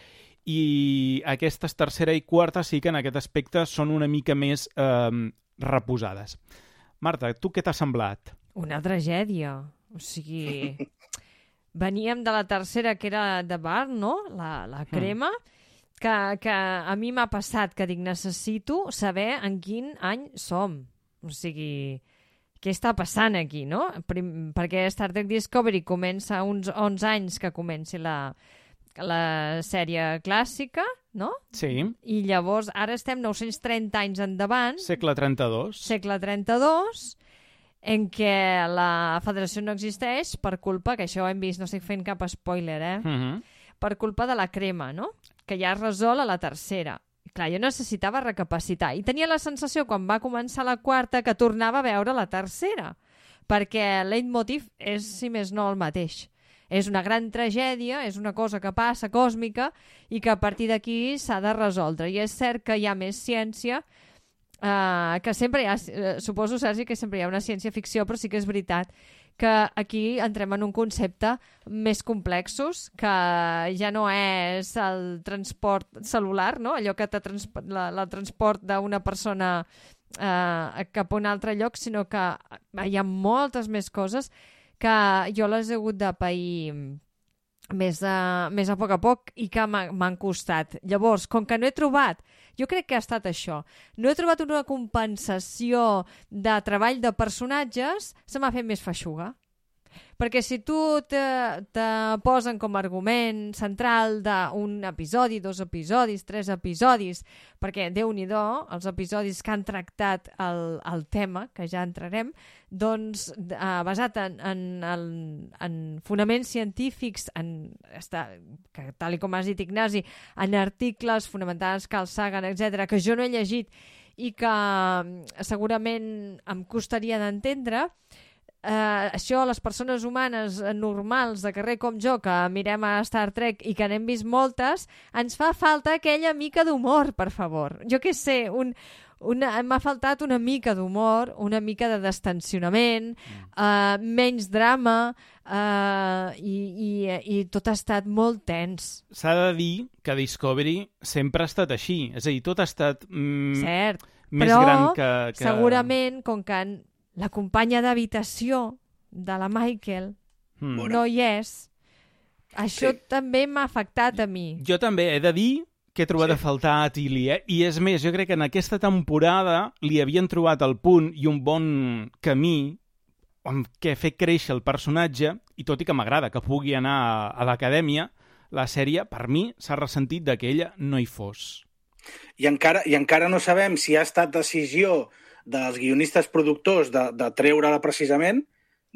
i aquestes tercera i quarta sí que en aquest aspecte són una mica més eh, reposades. Marta, tu què t'ha semblat? Una tragèdia. O sigui... Veníem de la tercera, que era de bar, no? La, la crema, mm. que, que a mi m'ha passat que dic, necessito saber en quin any som. O sigui, què està passant aquí, no? Prim, perquè Star Trek Discovery comença uns onze anys que comenci la, la sèrie clàssica, no? Sí. I llavors ara estem nou-cents trenta anys endavant. Segle trenta-dos. Segle trenta-dos, en què la federació no existeix per culpa, que això ho hem vist, no estic fent cap spoiler, eh? Uh-huh. Per culpa de la crema, no? Que ja es resol a la tercera. Clar, jo necessitava recapacitar. I tenia la sensació, quan va començar la quarta, que tornava a veure la tercera. Perquè el leitmotiv és, si més no, el mateix. És una gran tragèdia, és una cosa que passa, còsmica, i que a partir d'aquí s'ha de resoldre. I és cert que hi ha més ciència, Uh, que sempre hi ha, uh, suposo, Sergi, que sempre hi ha una ciència-ficció, però sí que és veritat que aquí entrem en un concepte més complexos, que ja no és el transport celular, no? Allò que te transp la, la transport d'una persona uh, cap a un altre lloc, sinó que hi ha moltes més coses que jo les he hagut de pair més a, més a poc a poc i que m'han costat. Llavors, com que no he trobat, jo crec que ha estat això, no he trobat una compensació de treball de personatges, se m'ha fet més feixuga. Perquè si tu te, te posen com a argument central d'un episodi, dos episodis, tres episodis, perquè Déu-n'hi-do, els episodis que han tractat el, el tema, que ja entrarem, doncs eh, basat en, en, en, en fonaments científics, en, està, que, tal com has dit, Ignasi, en articles fonamentats, Carl Sagan, etcètera, que jo no he llegit i que segurament em costaria d'entendre. Uh, això, les persones humanes normals de carrer com jo, que mirem a Star Trek i que n'hem vist moltes, ens fa falta aquella mica d'humor, per favor. Jo què sé, un, una, m'ha faltat una mica d'humor, una mica de destensionament, uh, menys drama, uh, i, i, i tot ha estat molt tens. S'ha de dir que Discovery sempre ha estat així, és a dir, tot ha estat mm, Cert, més però gran que, que... segurament, com que la companya d'habitació de la Michael mm. no hi és, això sí. també m'ha afectat a mi. Jo també he de dir que he trobat sí. a faltar a Tilly, eh? I és més, jo crec que en aquesta temporada li havien trobat el punt i un bon camí amb què fer créixer el personatge, i tot i que m'agrada que pugui anar a, a l'acadèmia, la sèrie, per mi, s'ha ressentit de que ella no hi fos. I encara, i encara no sabem si ha estat decisió dels guionistes productors de, de treure-la precisament,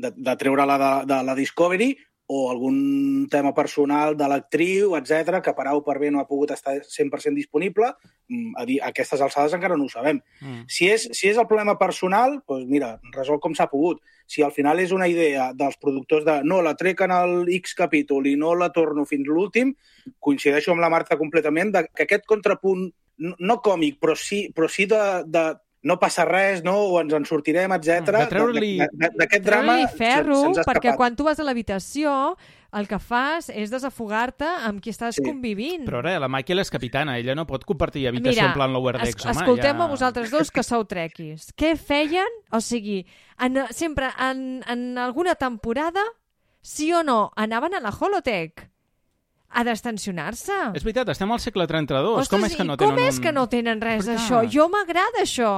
de, de treure-la de, de la Discovery, o algun tema personal de l'actriu, etcètera, que per A o per B no ha pogut estar cent per cent disponible. A, dir, a aquestes alçades encara no ho sabem. Mm. Si, és, si és el problema personal, doncs mira, resol com s'ha pogut. Si al final és una idea dels productors de no, la trec en el X capítol i no la torno fins l'últim, coincideixo amb la Marta completament de que aquest contrapunt, no còmic, però sí, però sí de, de no passa res, no? O ens en sortirem, etcètera. D'aquest drama ferro, se'ns ha escapat. Perquè quan tu vas a l'habitació el que fas és desafogar-te amb qui estàs sí. convivint. Però ara, la Michael és capitana, ella no pot compartir habitació Mira, en plan Lower Decks, es, home. Escoltem-me ja... vosaltres dos que sou trequis. Què feien? O sigui, en, sempre en, en alguna temporada, sí o no, anaven a la holoteca a destensionar-se. És veritat, estem al segle trenta-dos. Ostres, com és que no com tenen és un... que no tenen res Però d'això? Jo m'agrada això.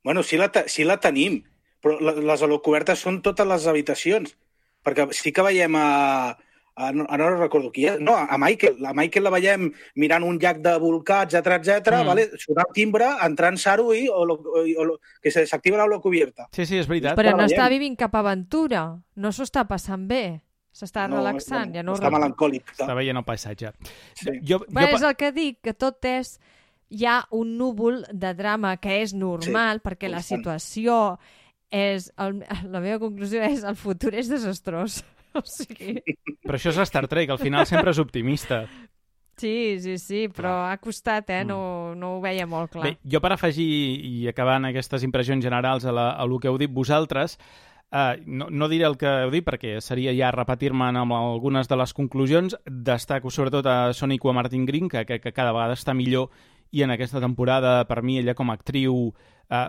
Bueno, sí la, sí la tenim, però les holocobertes són totes les habitacions. Perquè sí que veiem a... a no, no recordo qui és. No, a Michael. A Michael la veiem mirant un llac de volcà, etcètera, etcètera, mm. vale? Sonar el timbre, entrant Saru i holo, holo, que s'activa la holocubierta. Sí, sí, és veritat. Però no està vivint cap aventura. No s'ho està passant bé. S'està no, relaxant. No, ja no està melancòlic. Està veient el paisatge. Sí. Jo, Bé, jo... és el que dic, que tot és... Hi ha un núvol de drama que és normal, sí, perquè la situació és... El, la meva conclusió és el futur és desastrós. O sigui... Però això és Star Trek, al final sempre és optimista. Sí, sí, sí, però ha costat, eh? No, no ho veia molt clar. Bé, jo per afegir i acabant aquestes impressions generals a, la, a el que heu dit vosaltres, Uh, no, no diré el que heu dit perquè seria ja repetir-me'n amb algunes de les conclusions. Destaco sobretot a Sonequa Martin-Green, que, que, que cada vegada està millor, i en aquesta temporada, per mi, ella com a actriu uh,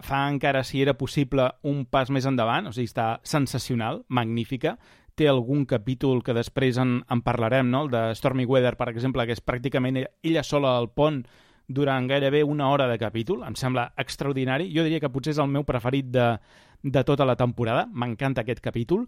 fa encara, si era possible, un pas més endavant. O sigui, està sensacional, magnífica. Té algun capítol que després en, en parlarem, no? El de Stormy Weather, per exemple, que és pràcticament ella, ella sola al pont durant gairebé una hora de capítol. Em sembla extraordinari. Jo diria que potser és el meu preferit de de tota la temporada. M'encanta aquest capítol.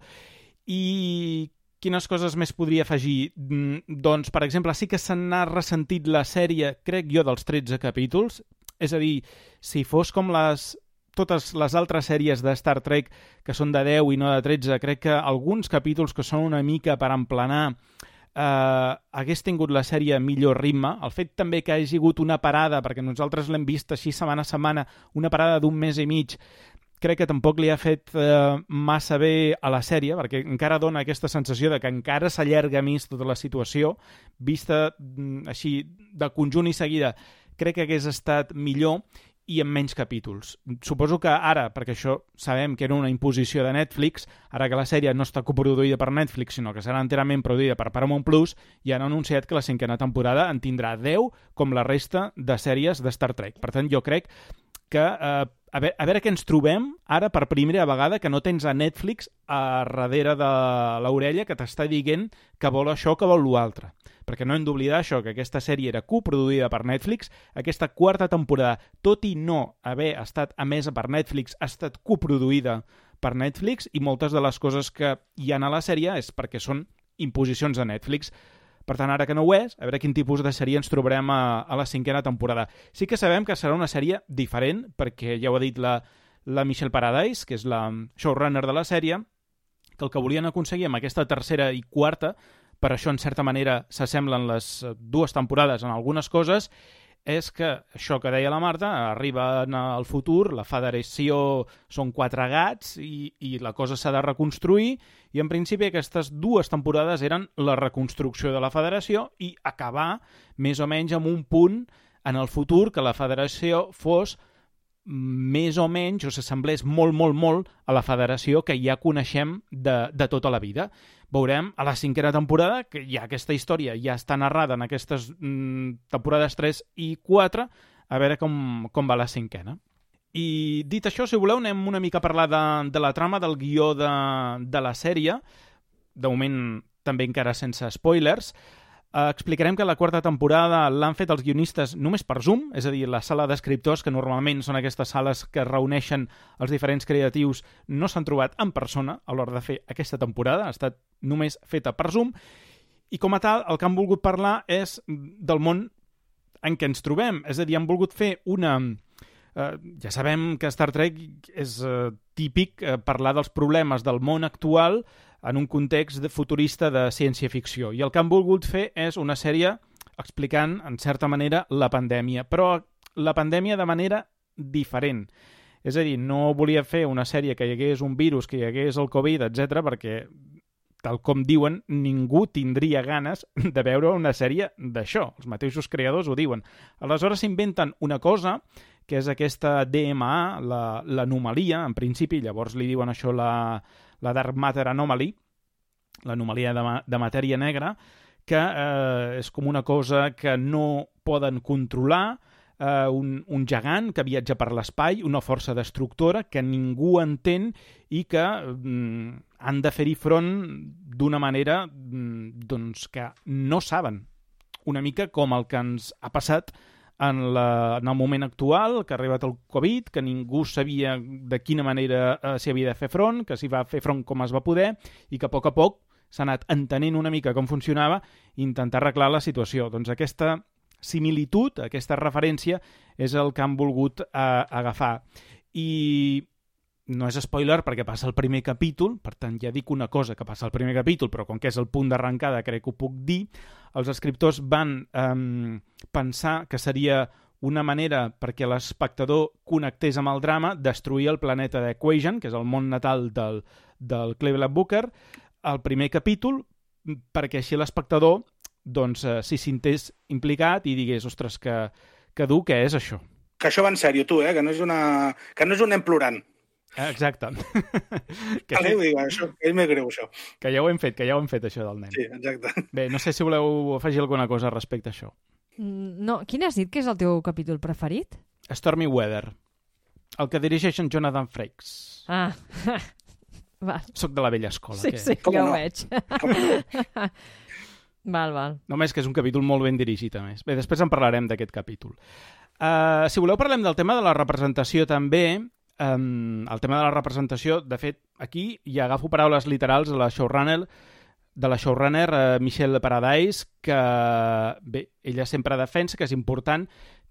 I quines coses més podria afegir? Doncs, per exemple, sí que se n'ha ressentit la sèrie, crec jo, dels tretze capítols. És a dir, si fos com les totes les altres sèries de Star Trek, que són de deu i no de tretze, crec que alguns capítols que són una mica per emplenar eh, hagués tingut la sèrie millor ritme. El fet també que hagi hagut una parada, perquè nosaltres l'hem vist així setmana a setmana, una parada d'un mes i mig, crec que tampoc li ha fet eh, massa bé a la sèrie, perquè encara dona aquesta sensació de que encara s'allarga més tota la situació. Vista mm, així de conjunt i seguida, crec que hagués estat millor i amb menys capítols. Suposo que ara, perquè això sabem que era una imposició de Netflix, ara que la sèrie no està coproduïda per Netflix, sinó que serà enterament produïda per Paramount Plus, i han anunciat que la cinquena temporada en tindrà deu, com la resta de sèries de Star Trek. Per tant, jo crec que eh, a, veure, a veure què ens trobem ara per primera vegada que no tens a Netflix a darrere de l'orella que t'està dient que vol això, que vol l'altre. Perquè no hem d'oblidar això, que aquesta sèrie era coproduïda per Netflix, aquesta quarta temporada, tot i no haver estat emesa per Netflix, ha estat coproduïda per Netflix, i moltes de les coses que hi ha a la sèrie és perquè són imposicions de Netflix. Per tant, ara que no ho és, a veure quin tipus de sèrie ens trobarem a, a la cinquena temporada. Sí que sabem que serà una sèrie diferent, perquè ja ho ha dit la, la Michelle Paradise, que és la showrunner de la sèrie, que el que volien aconseguir amb aquesta tercera i quarta, per això en certa manera s'assemblen les dues temporades en algunes coses, és que això que deia la Marta, arriba al futur, la federació són quatre gats i, i la cosa s'ha de reconstruir, i en principi aquestes dues temporades eren la reconstrucció de la federació i acabar més o menys amb un punt en el futur que la federació fos més o menys, o s'assemblés molt, molt, molt a la federació que ja coneixem de, de tota la vida. Veurem a la cinquena temporada que ja aquesta història ja està narrada en aquestes mm, temporades tres i quatre, a veure com, com va la cinquena. I dit això, si voleu, anem una mica a parlar de, de la trama, del guió de, de la sèrie. De moment també encara sense spoilers. Uh, explicarem que la quarta temporada l'han fet els guionistes només per Zoom, és a dir, la sala d'escriptors, que normalment són aquestes sales que reuneixen els diferents creatius, no s'han trobat en persona a l'hora de fer aquesta temporada, ha estat només feta per Zoom, i com a tal, el que han volgut parlar és del món en què ens trobem. És a dir, han volgut fer una... Eh, ja sabem que Star Trek és eh, típic eh, parlar dels problemes del món actual en un context de futurista de ciència-ficció. I el que han volgut fer és una sèrie explicant, en certa manera, la pandèmia. Però la pandèmia de manera diferent. És a dir, no volia fer una sèrie que hi hagués un virus, que hi hagués el Covid, etcètera, perquè, tal com diuen, ningú tindria ganes de veure una sèrie d'això. Els mateixos creadors ho diuen. Aleshores s'inventen una cosa que és aquesta D M A, la, l'anomalia, en principi, llavors li diuen això la, la Dark Matter Anomaly, l'anomalia de, ma, de matèria negra, que eh, és com una cosa que no poden controlar, eh, un, un gegant que viatja per l'espai, una força destructora que ningú entén i que mm, han de fer-hi front d'una manera mm, doncs, que no saben. Una mica com el que ens ha passat en, la, en el moment actual, que ha arribat el Covid, que ningú sabia de quina manera eh, s'hi havia de fer front, que s'hi va fer front com es va poder, i que a poc a poc s'ha anat entenent una mica com funcionava i intentar arreglar la situació. Doncs aquesta similitud, aquesta referència, és el que han volgut eh, agafar. I no és spoiler perquè passa el primer capítol, per tant ja dic una cosa que passa el primer capítol, però com que és el punt d'arrencada crec que ho puc dir, els escriptors van eh, pensar que seria una manera perquè l'espectador connectés amb el drama, destruir el planeta d'Equation, que és el món natal del, del Cleveland Booker, al primer capítol, perquè així l'espectador doncs, eh, s'hi sentés implicat i digués, ostres, que, que dur, què és això? Que això va en sèrio, tu, eh? Que no és, una... que no és un nen plorant. Exacte. que vale, sí, dic, això, és més greu, això. Que ja ho hem fet, que ja ho hem fet, això del nen. Sí, exacte. Bé, no sé si voleu afegir alguna cosa respecte a això. No, quin has dit que és el teu capítol preferit? Stormy Weather, el que dirigeix en Jonathan Frakes. Ah, val. Soc de la vella escola. Sí, que... sí, Com ja no? ho veig. Val, val. Només que és un capítol molt ben dirigit, a més. Bé, després en parlarem d'aquest capítol. Uh, si voleu parlem del tema de la representació també. Um, el tema de la representació, de fet, aquí ja agafo paraules literals de la showrunner, de la showrunner uh, Michelle Paradise, que bé, ella sempre defensa que és important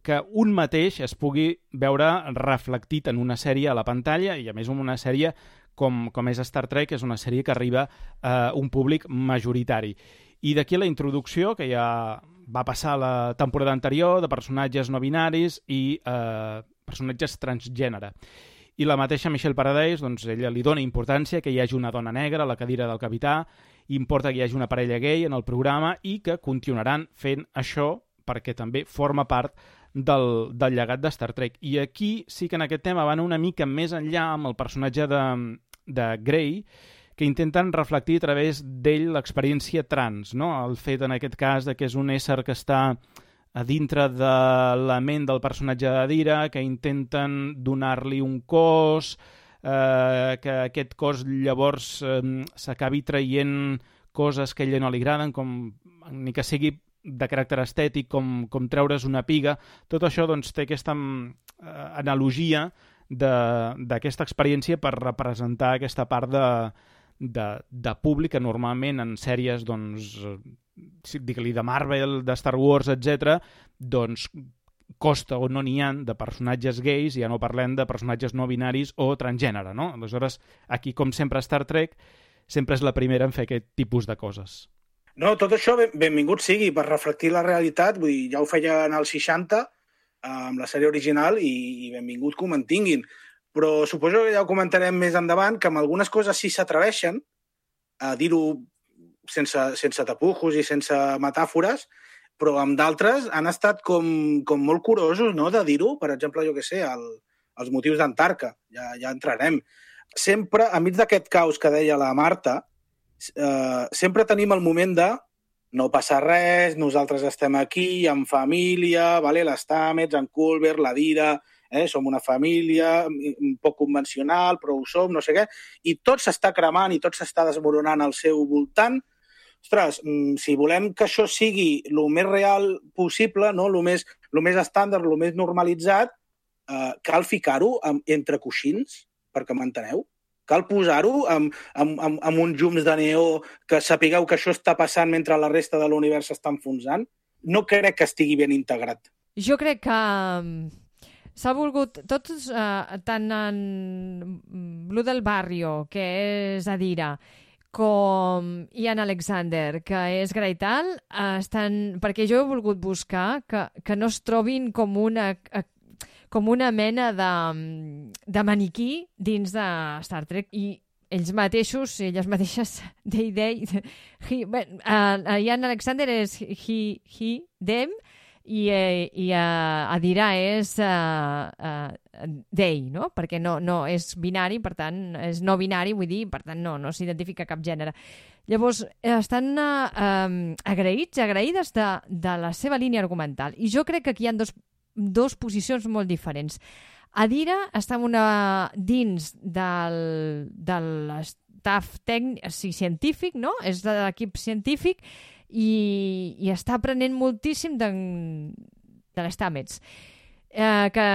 que un mateix es pugui veure reflectit en una sèrie a la pantalla, i a més en una sèrie com, com és Star Trek, és una sèrie que arriba a uh, un públic majoritari. I d'aquí la introducció, que ja va passar la temporada anterior, de personatges no binaris i eh, personatges transgènere. I la mateixa Michelle Paradise, doncs, ella li dona importància que hi hagi una dona negra a la cadira del capità, importa que hi hagi una parella gay en el programa i que continuaran fent això perquè també forma part del, del llegat de Star Trek. I aquí sí que en aquest tema van una mica més enllà amb el personatge de, de Grey, que intenten reflectir a través d'ell l'experiència trans, no? El fet, en aquest cas, de que és un ésser que està a dintre de la ment del personatge de Dira, que intenten donar-li un cos, eh, que aquest cos llavors eh, s'acabi traient coses que a ella no li agraden, com ni que sigui de caràcter estètic, com, com treure's una piga. Tot això doncs, té aquesta eh, analogia d'aquesta experiència per representar aquesta part de De, de públic que normalment en sèries, doncs, digue-li de Marvel, de Star Wars, etcètera, doncs costa o no n'hi ha de personatges gais, ja no parlem de personatges no binaris o transgènere, no? Aleshores, aquí, com sempre a Star Trek, sempre és la primera en fer aquest tipus de coses. No, tot això ben, benvingut sigui per reflectir la realitat, vull dir, ja ho feien als seixanta eh, amb la sèrie original i, i benvingut que ho mantinguin. Però suposo que ja ho comentarem més endavant, que amb algunes coses sí s'atreveixen a dir-ho sense, sense tapujos i sense metàfores, però amb d'altres han estat com, com molt curosos, no?, de dir-ho. Per exemple, jo què sé, el, els motius d'Antarca, ja, ja entrarem. Sempre, enmig d'aquest caos que deia la Marta, eh, sempre tenim el moment de no passa res, nosaltres estem aquí, en família, vale? Les Stamets, en Culber, la Dira... Eh, som una família un poc convencional, però ho som, no sé què, i tot s'està cremant i tot s'està desmoronant al seu voltant. Ostres, si volem que això sigui el més real possible, no? el, més, el més estàndard, el més normalitzat, eh, cal ficar-ho entre coixins, perquè m'enteneu? Cal posar-ho amb, amb, amb, amb uns llums de neó que sapigueu que això està passant mentre la resta de l'univers s'està enfonsant? No crec que estigui ben integrat. jo crec que s'ha volgut, tots, eh, tant en Blue del Barrio, que és Adira, com Ian Alexander, que és Graital, eh, estan, perquè jo he volgut buscar que, que no es trobin com una... Eh, com una mena de, de maniquí dins de Star Trek, i ells mateixos, elles mateixes, they, they, he, bueno, uh, Ian Alexander és he, he, them, i, eh, i uh, Adira és uh, uh, they, no? Perquè no, no és binari, per tant, és no binari, vull dir, per tant, no, no s'identifica cap gènere. Llavors, estan uh, um, agraïts, agraïdes de, de la seva línia argumental, i jo crec que aquí hi ha dos dos posicions molt diferents. Adira està una, dins del, de l'estaf tècnic, o sigui, científic, no? És de l'equip científic i, i està aprenent moltíssim de, de les Stamets. Eh, que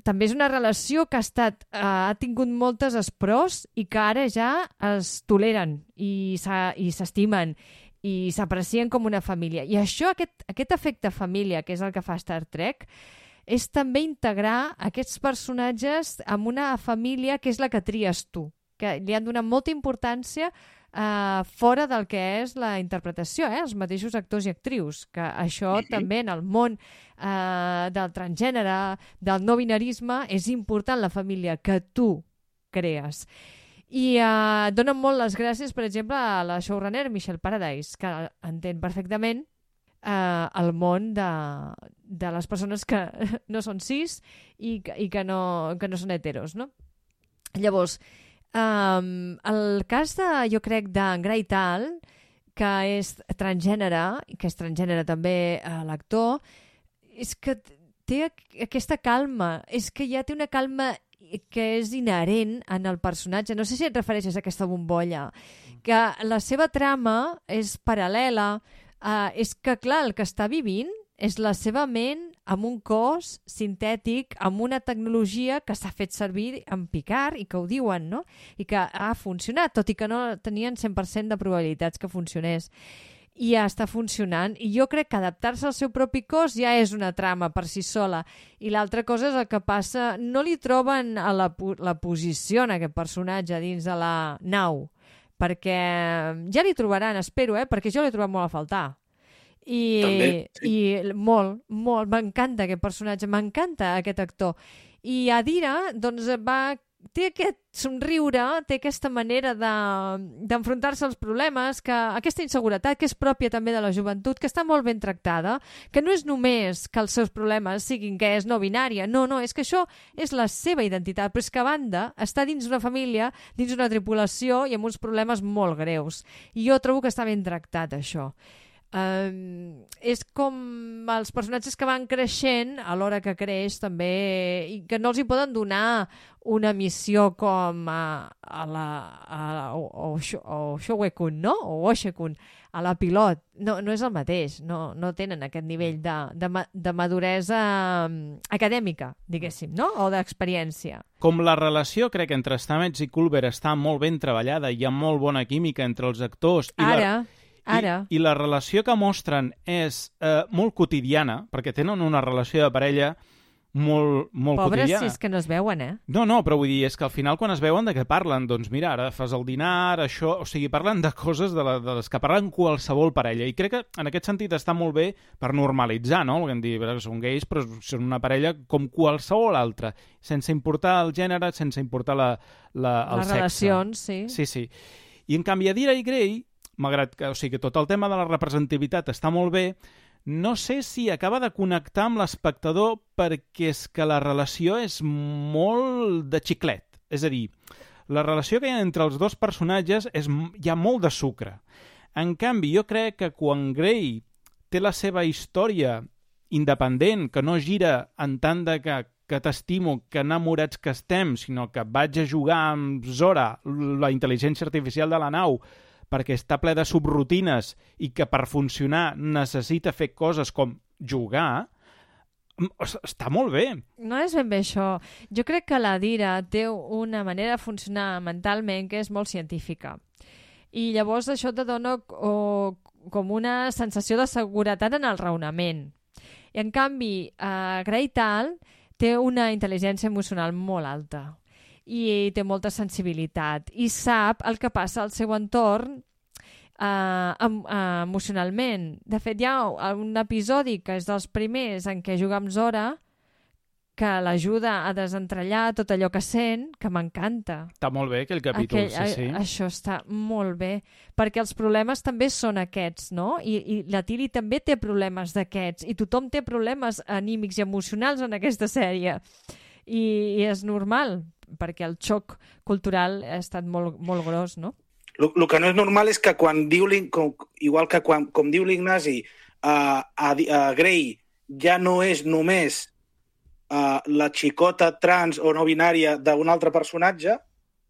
també és una relació que ha, estat, eh, ha tingut moltes espros i que ara ja es toleren i s'estimen i s'aprecien com una família. I això, aquest, aquest efecte família, que és el que fa Star Trek, és també integrar aquests personatges en una família que és la que tries tu, que li han donat molta importància eh, fora del que és la interpretació, eh? Els mateixos actors i actrius, que això mm-hmm. també en el món eh, del transgènere, del no binarisme, és important la família que tu crees. I eh, donen molt les gràcies, per exemple, a la showrunner Michelle Paradise, que entén perfectament eh, el món de, de les persones que no són cis i, i que, no, que no són heteros, no? Llavors, um, el cas de, jo crec, d'en Graital, que és transgènere, que és transgènere també eh, l'actor, és que té aquesta calma, és que ja té una calma que és inherent en el personatge. No sé si et refereixes a aquesta bombolla, que la seva trama és paral·lela, Uh, és que, clar, el que està vivint és la seva ment amb un cos sintètic, amb una tecnologia que s'ha fet servir en Picard i que ho diuen, no? I que ha funcionat, tot i que no tenien cent per cent de probabilitats que funcionés. I ja està funcionant. I jo crec que adaptar-se al seu propi cos ja és una trama per si sola. I l'altra cosa és el que passa... No li troben a la, la posició en aquest personatge dins de la nau, perquè ja li trobaran, espero, eh? Perquè jo l'he trobat molt a faltar. I, També, sí. i molt, molt, m'encanta aquest personatge, m'encanta aquest actor. I Adira, doncs, va, té aquest somriure, té aquesta manera de, d'enfrontar-se als problemes, que, aquesta inseguretat que és pròpia també de la joventut, que està molt ben tractada, que no és només que els seus problemes siguin que és no binària, no, no, és que això és la seva identitat, però és que a banda està dins d'una família, dins d'una tripulació i amb uns problemes molt greus. I jo trobo que està ben tractat, això. Um, és com els personatges que van creixent a l'hora que creix també, i que no els hi poden donar una missió com a, a la a, o, o Showe-kun, no? O Oshe-kun, a la pilot. No, no és el mateix, no, no tenen aquest nivell de, de, de maduresa acadèmica, diguéssim, no? O d'experiència. Com la relació, crec, entre Stamets i Culber està molt ben treballada, hi ha molt bona química entre els actors. I Ara... La... Ara. I, I la relació que mostren és eh, molt quotidiana, perquè tenen una relació de parella molt, molt Pobres, quotidiana. si és que no es veuen, eh? No, no, però vull dir, és que al final quan es veuen de què parlen? Doncs mira, ara fas el dinar, això... O sigui, parlen de coses de, la, de les que parlen qualsevol parella. I crec que en aquest sentit està molt bé per normalitzar, no? Volguem dir, són gais, però són una parella com qualsevol altra, sense importar el gènere, sense importar la, la, el les sexe. Relacions, sí. Sí, sí. I en canvi, Adira i Grey, malgrat que, o sigui, que tot el tema de la representativitat està molt bé, no sé si acaba de connectar amb l'espectador perquè és que la relació és molt de xiclet. És a dir, la relació que hi ha entre els dos personatges és, hi ha molt de sucre. En canvi, jo crec que quan Grey té la seva història independent, que no gira en tant de que, que t'estimo, que enamorats que estem, sinó que vaig a jugar amb Zora, la intel·ligència artificial de la nau, perquè està ple de subrutines i que per funcionar necessita fer coses com jugar, està molt bé. No és ben bé això. Jo crec que la Dira té una manera de funcionar mentalment que és molt científica. I llavors això te dona o, com una sensació de seguretat en el raonament. I, en canvi, uh, Greytal té una intel·ligència emocional molt alta i té molta sensibilitat i sap el que passa al seu entorn uh, em, uh, emocionalment. De fet, hi ha un episodi que és dels primers en què juga amb Zora que l'ajuda a desentrellar tot allò que sent, que m'encanta. Està molt bé aquell capítol, aquell, sí, sí. A, això està molt bé, perquè els problemes també són aquests, no? I, i la Tilly també té problemes d'aquests, i tothom té problemes anímics i emocionals en aquesta sèrie. I, i és normal, perquè el xoc cultural ha estat molt, molt gros, no? El que no és normal és que quan diu, com, igual que quan, com diu l'Ignasi, uh, a, a Grey ja no és només Uh, la xicota trans o no binària d'un altre personatge,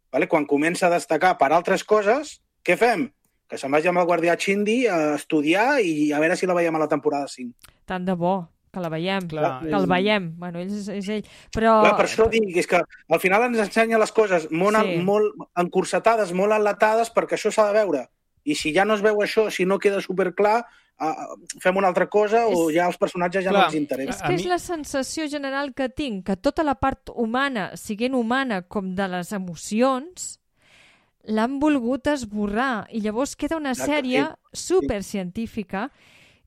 vale? Quan comença a destacar per altres coses, què fem? Que se'n vagi amb el guardià Chindi a estudiar i a veure si la veiem a la temporada cinc. Tant de bo que la veiem, Clar, que el veiem. Bueno, ell és, és ell. Però... Clar, per això dic, és que al final ens ensenya les coses molt, sí. molt encursetades, molt enlatades, perquè això s'ha de veure. I si ja no es veu això, si no queda superclar, Uh, fem una altra cosa o ja els personatges ja Clar, no ens interessen. És que és la sensació general que tinc, que tota la part humana, siguent humana com de les emocions, l'han volgut esborrar i llavors queda una sèrie supercientífica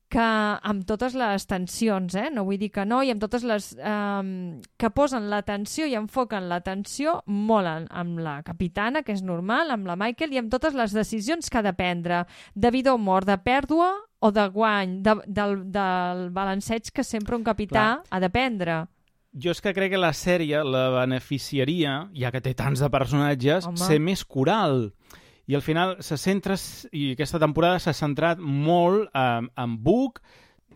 que amb totes les tensions, eh? No vull dir que no, i amb totes les... Um, que posen l'atenció i enfoquen l'atenció molt en, amb la capitana, que és normal, amb la Michael, i amb totes les decisions que ha de prendre, de vida o mort, de pèrdua o de guany, de, del, del balanceig que sempre un capità Clar. ha de prendre. Jo és que crec que la sèrie la beneficiaria, ja que té tants de personatges, Home. ser més coral. I al final se centra, i aquesta temporada s'ha centrat molt en, en Book.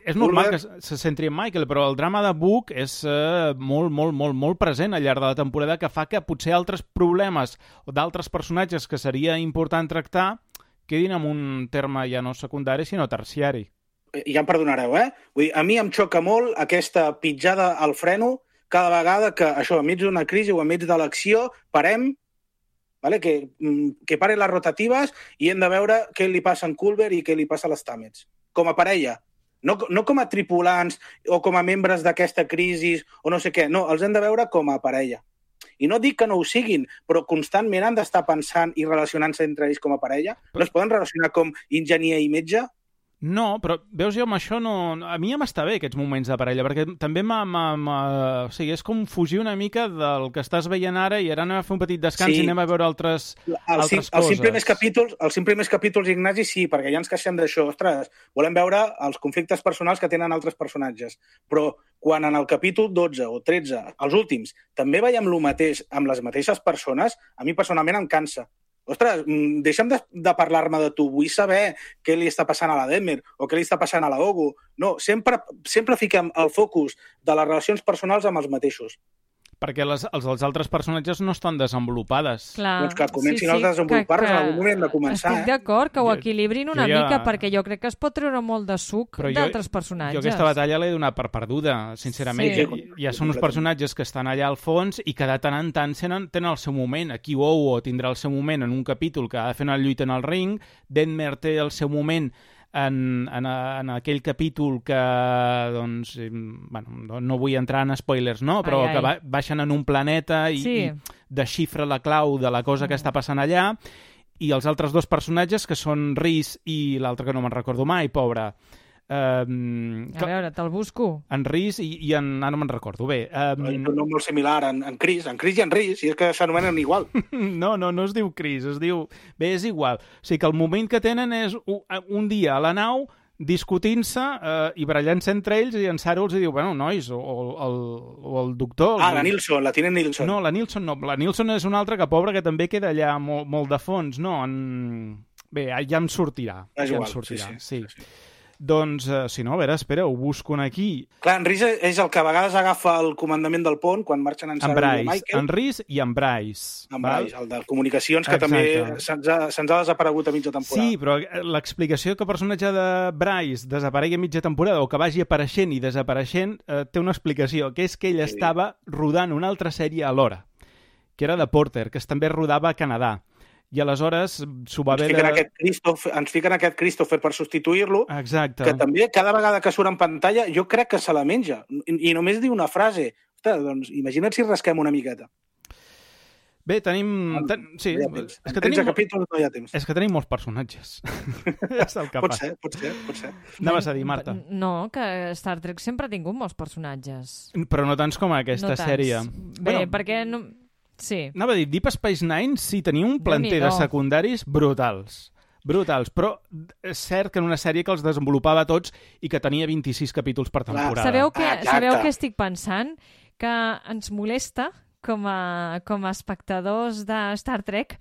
És normal que se centri en Michael, però el drama de Book és uh, molt, molt, molt, molt present al llarg de la temporada, que fa que potser altres problemes o d'altres personatges que seria important tractar quedin en un terme ja no secundari, sinó terciari. Ja em perdonareu, eh? Vull dir, a mi em xoca molt aquesta pitjada al freno cada vegada que, això, enmig d'una crisi o enmig de l'acció, parem, vale? que, que paren les rotatives i hem de veure què li passa a en Culber i què li passa a les Stamets. Com a parella. No, no com a tripulants o com a membres d'aquesta crisi o no sé què. No, els hem de veure com a parella. I no dic que no ho siguin, però constantment han d'estar pensant i relacionant-se entre ells com a parella. No es poden relacionar com enginyer i metge? No, però veus, jo amb això no... A mi ja m'està bé aquests moments de parella, perquè també m'ha... O sigui, és com fugir una mica del que estàs veient ara i ara anem a fer un petit descans sí. i anem a veure altres, el, altres coses. Els cinc primers capítols, els cinc primers capítols, Ignasi, sí, perquè ja ens queixem d'això. Ostres, volem veure els conflictes personals que tenen altres personatges. Però quan en el capítol dotze o tretze, els últims, també veiem el mateix amb les mateixes persones, a mi personalment em cansa. Ostres, deixa'm de, de parlar-me de tu, vull saber què li està passant a la Demer o què li està passant a la Ogu. No, sempre, sempre fiquem el focus de les relacions personals amb els mateixos. Perquè les, els, els altres personatges no estan desenvolupades. Clar, doncs que comencin sí, sí, a desenvolupar-los en algun moment de començar. Estic d'acord que ho equilibrin una jo ja... mica, perquè jo crec que es pot treure molt de suc d'altres personatges. Jo aquesta batalla l'he donat per perduda, sincerament. Sí. Ja, ja són uns personatges que estan allà al fons i que de tant en tant tenen, tenen el seu moment. Aquí Owo tindrà el seu moment en un capítol que ha de fer una lluita en el ring, Denmer té el seu moment En, en, en aquell capítol que, doncs, bueno, no vull entrar en spoilers, no? Però ai, ai. que ba baixen en un planeta i, sí. i desxifra la clau de la cosa que està passant allà, i els altres dos personatges, que són Rhys i l'altre que no me'n recordo mai, pobre. Um, a veure, te'l busco. En Rhys i, i en... Ara no me'n recordo. Bé, um... un nom molt similar, en, en Chris, en Chris i en Rhys, i és que s'anomenen igual. no, no, no es diu Chris, es diu... Bé, és igual. O sigui que el moment que tenen és un, un dia a la nau discutint-se eh, i barallant-se entre ells, i en Saro els diu, bueno, nois, o, o, el, o el doctor... Ah, el... la Nilsson, la tinent Nilsson. No, la Nilsson no. La Nilsson és una altra que, pobra, que també queda allà molt, molt de fons. No, en... Bé, ja em sortirà. És ja igual, em sortirà. sí, sí. sí. sí, sí. Doncs, uh, si no, a veure, espera, ho busco aquí. Clar, en Rhys és el que a vegades agafa el comandament del pont quan marxen en Sarah i Michael. En Rhys i en Bryce. En Bryce, el de comunicacions, que Exacte. també se'ns ha, se ha desaparegut a mitja temporada. Sí, però l'explicació que el personatge de Bryce desaparegui a mitja temporada o que vagi apareixent i desapareixent eh, té una explicació, que és que ell sí. estava rodant una altra sèrie alhora, que era de Porter, que també rodava a Canadà. I aleshores s'ho va ens haver fiquen, de... aquest Christopher, ens fiquen aquest Christopher per substituir-lo, Exacte. que també cada vegada que surt en pantalla jo crec que se la menja. I, i només diu una frase. Ostres, doncs imagina't si rasquem una miqueta. Bé, tenim... Ten... Sí, no hi ha temps. és que En tretze tenim... capítols no hi ha temps. És que tenim molts personatges. És el que Pot passa. ser, pot ser, pot ser. Anaves a dir, Marta. No, que Star Trek sempre ha tingut molts personatges. Però no tants com aquesta no tants. sèrie. Bé, bueno, perquè... No... Sí. Anava a dir, Deep Space Nine sí tenia un planter de secundaris brutals. Brutals, però és cert que en una sèrie que els desenvolupava tots i que tenia vint-i-sis capítols per temporada. Sabeu què, Ah, sabeu què estic pensant? Que ens molesta com a, com a espectadors de Star Trek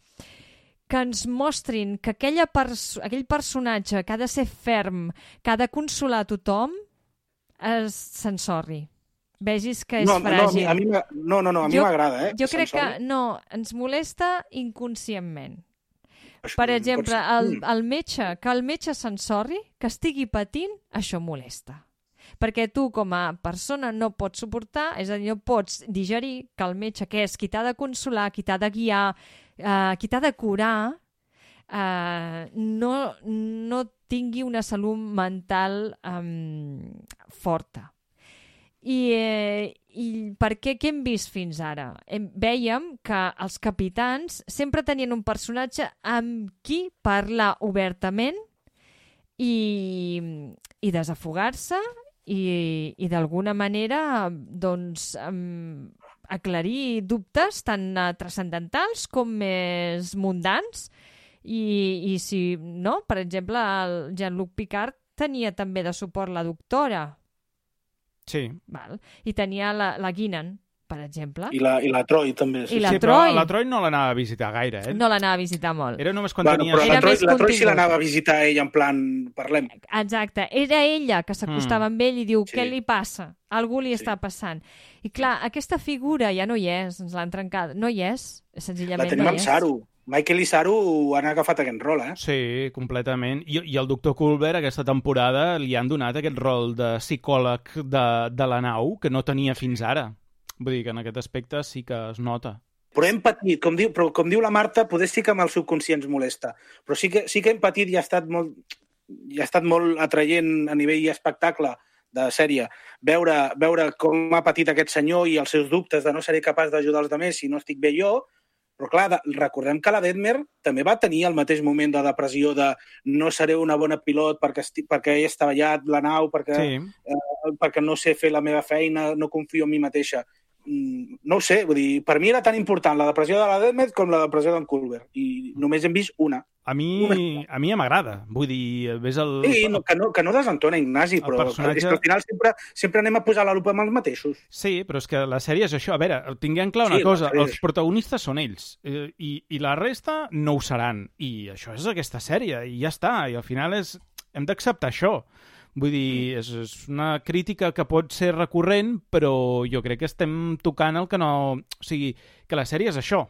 que ens mostrin que aquella perso aquell personatge que ha de ser ferm, que ha de consolar a tothom, s'ensorri. Vegis que és no, fràgil. No, a mi, no, no, no, a mi m'agrada. Eh, jo crec que no, ens molesta inconscientment. Per exemple, el, el metge, que el metge s'ensorri, que estigui patint, això molesta. Perquè tu, com a persona, no pots suportar, és a dir, no pots digerir que el metge, que és qui t'ha de consolar, qui t'ha de guiar, eh, qui t'ha de curar, eh, no, no tingui una salut mental eh, forta. I, eh, i per què? Què hem vist fins ara? Hem, vèiem que els capitans sempre tenien un personatge amb qui parlar obertament i, i desafogar-se i, i d'alguna manera doncs, um, aclarir dubtes tan uh, transcendentals com més mundans i, i si, no? Per exemple, el Jean-Luc Picard tenia també de suport la doctora. Sí. Val. I tenia la, la Guinan, per exemple. I la, i la Troy, també. I la sí, Troy. però la Troy no l'anava a visitar gaire, eh? No l'anava a visitar molt. Era només quan Bueno, tenia... però Era la Troy, més la Troy sí contingut. l'anava a visitar ell en plan, parlem. Exacte. Era ella que s'acostava Mm. amb ell i diu, Sí. què li passa? Algú li Sí. està passant. I clar, aquesta figura ja no hi és, ens l'han trencat. No hi és, senzillament La tenim no amb hi és. Saru. Michael i Saru han agafat aquest rol, eh? Sí, completament. I, i el doctor Culber aquesta temporada li han donat aquest rol de psicòleg de, de la nau que no tenia fins ara. Vull dir que en aquest aspecte sí que es nota. Però hem patit, com diu, però com diu la Marta, poder sí que amb el subconscient ens molesta. Però sí que, sí que hem patit i ha estat molt, i ha estat molt atraient a nivell espectacle de sèrie. Veure, veure com ha patit aquest senyor i els seus dubtes de no seré capaç d'ajudar els altres si no estic bé jo. Però clar, recordem que la Detmer també va tenir el mateix moment de depressió de no seré una bona pilot perquè, estic, perquè he estavellat la nau, perquè, Sí. eh, perquè no sé fer la meva feina, no confio en mi mateixa. Mm, no ho sé, vull dir, per mi era tan important la depressió de la Detmer com la depressió d'en Culber. I només hem vist una. A mi, a mi m'agrada. Vull dir, ves el... Sí, no, que, no, que no desentona, Ignasi, El però personatge- és que al final sempre, sempre anem a posar la lupa amb els mateixos. Sí, però és que la sèrie és això. A veure, tinguem clar una Sí, la cosa, sèrie els és- protagonistes són ells, eh, i, i la resta no ho seran. I això és aquesta sèrie, i ja està. I al final és... hem d'acceptar això. Vull dir, és, és una crítica que pot ser recurrent, però jo crec que estem tocant el que no... O sigui, que la sèrie és això.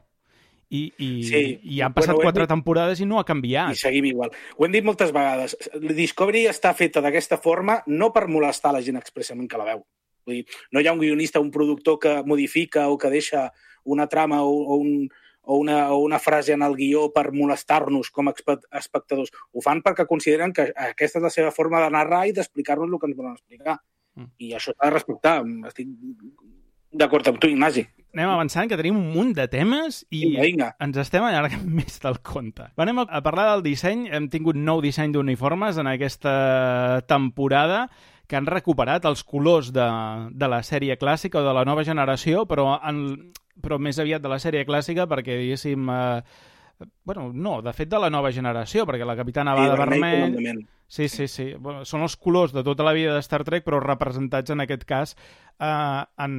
I, i, Sí. i han passat Bueno, ho hem quatre dit- temporades i no ha canviat. I seguim igual. Ho hem dit moltes vegades. Discovery està feta d'aquesta forma no per molestar la gent expressament que la veu. Vull dir, no hi ha un guionista, un productor que modifica o que deixa una trama o, o, un, o, una, o una frase en el guió per molestar-nos com a espe- espectadors. Ho fan perquè consideren que aquesta és la seva forma de narrar i d'explicar-nos el que ens volen explicar. Mm. I això s'ha de respectar. Estic d'acord amb tu, Ignasi. Anem avançant, que tenim un munt de temes i Vinga, vinga. ens estem allargant més del compte. Anem a a parlar del disseny. Hem tingut nou disseny d'uniformes en aquesta temporada que han recuperat els colors de, de la sèrie clàssica o de la nova generació, però, en, però més aviat de la sèrie clàssica perquè, diguéssim... Eh, bueno, no, de fet de la nova generació, perquè la Capitana va de vermell... comandament. Sí, sí, sí. Bueno, són els colors de tota la vida de Star Trek, però representats en aquest cas eh, en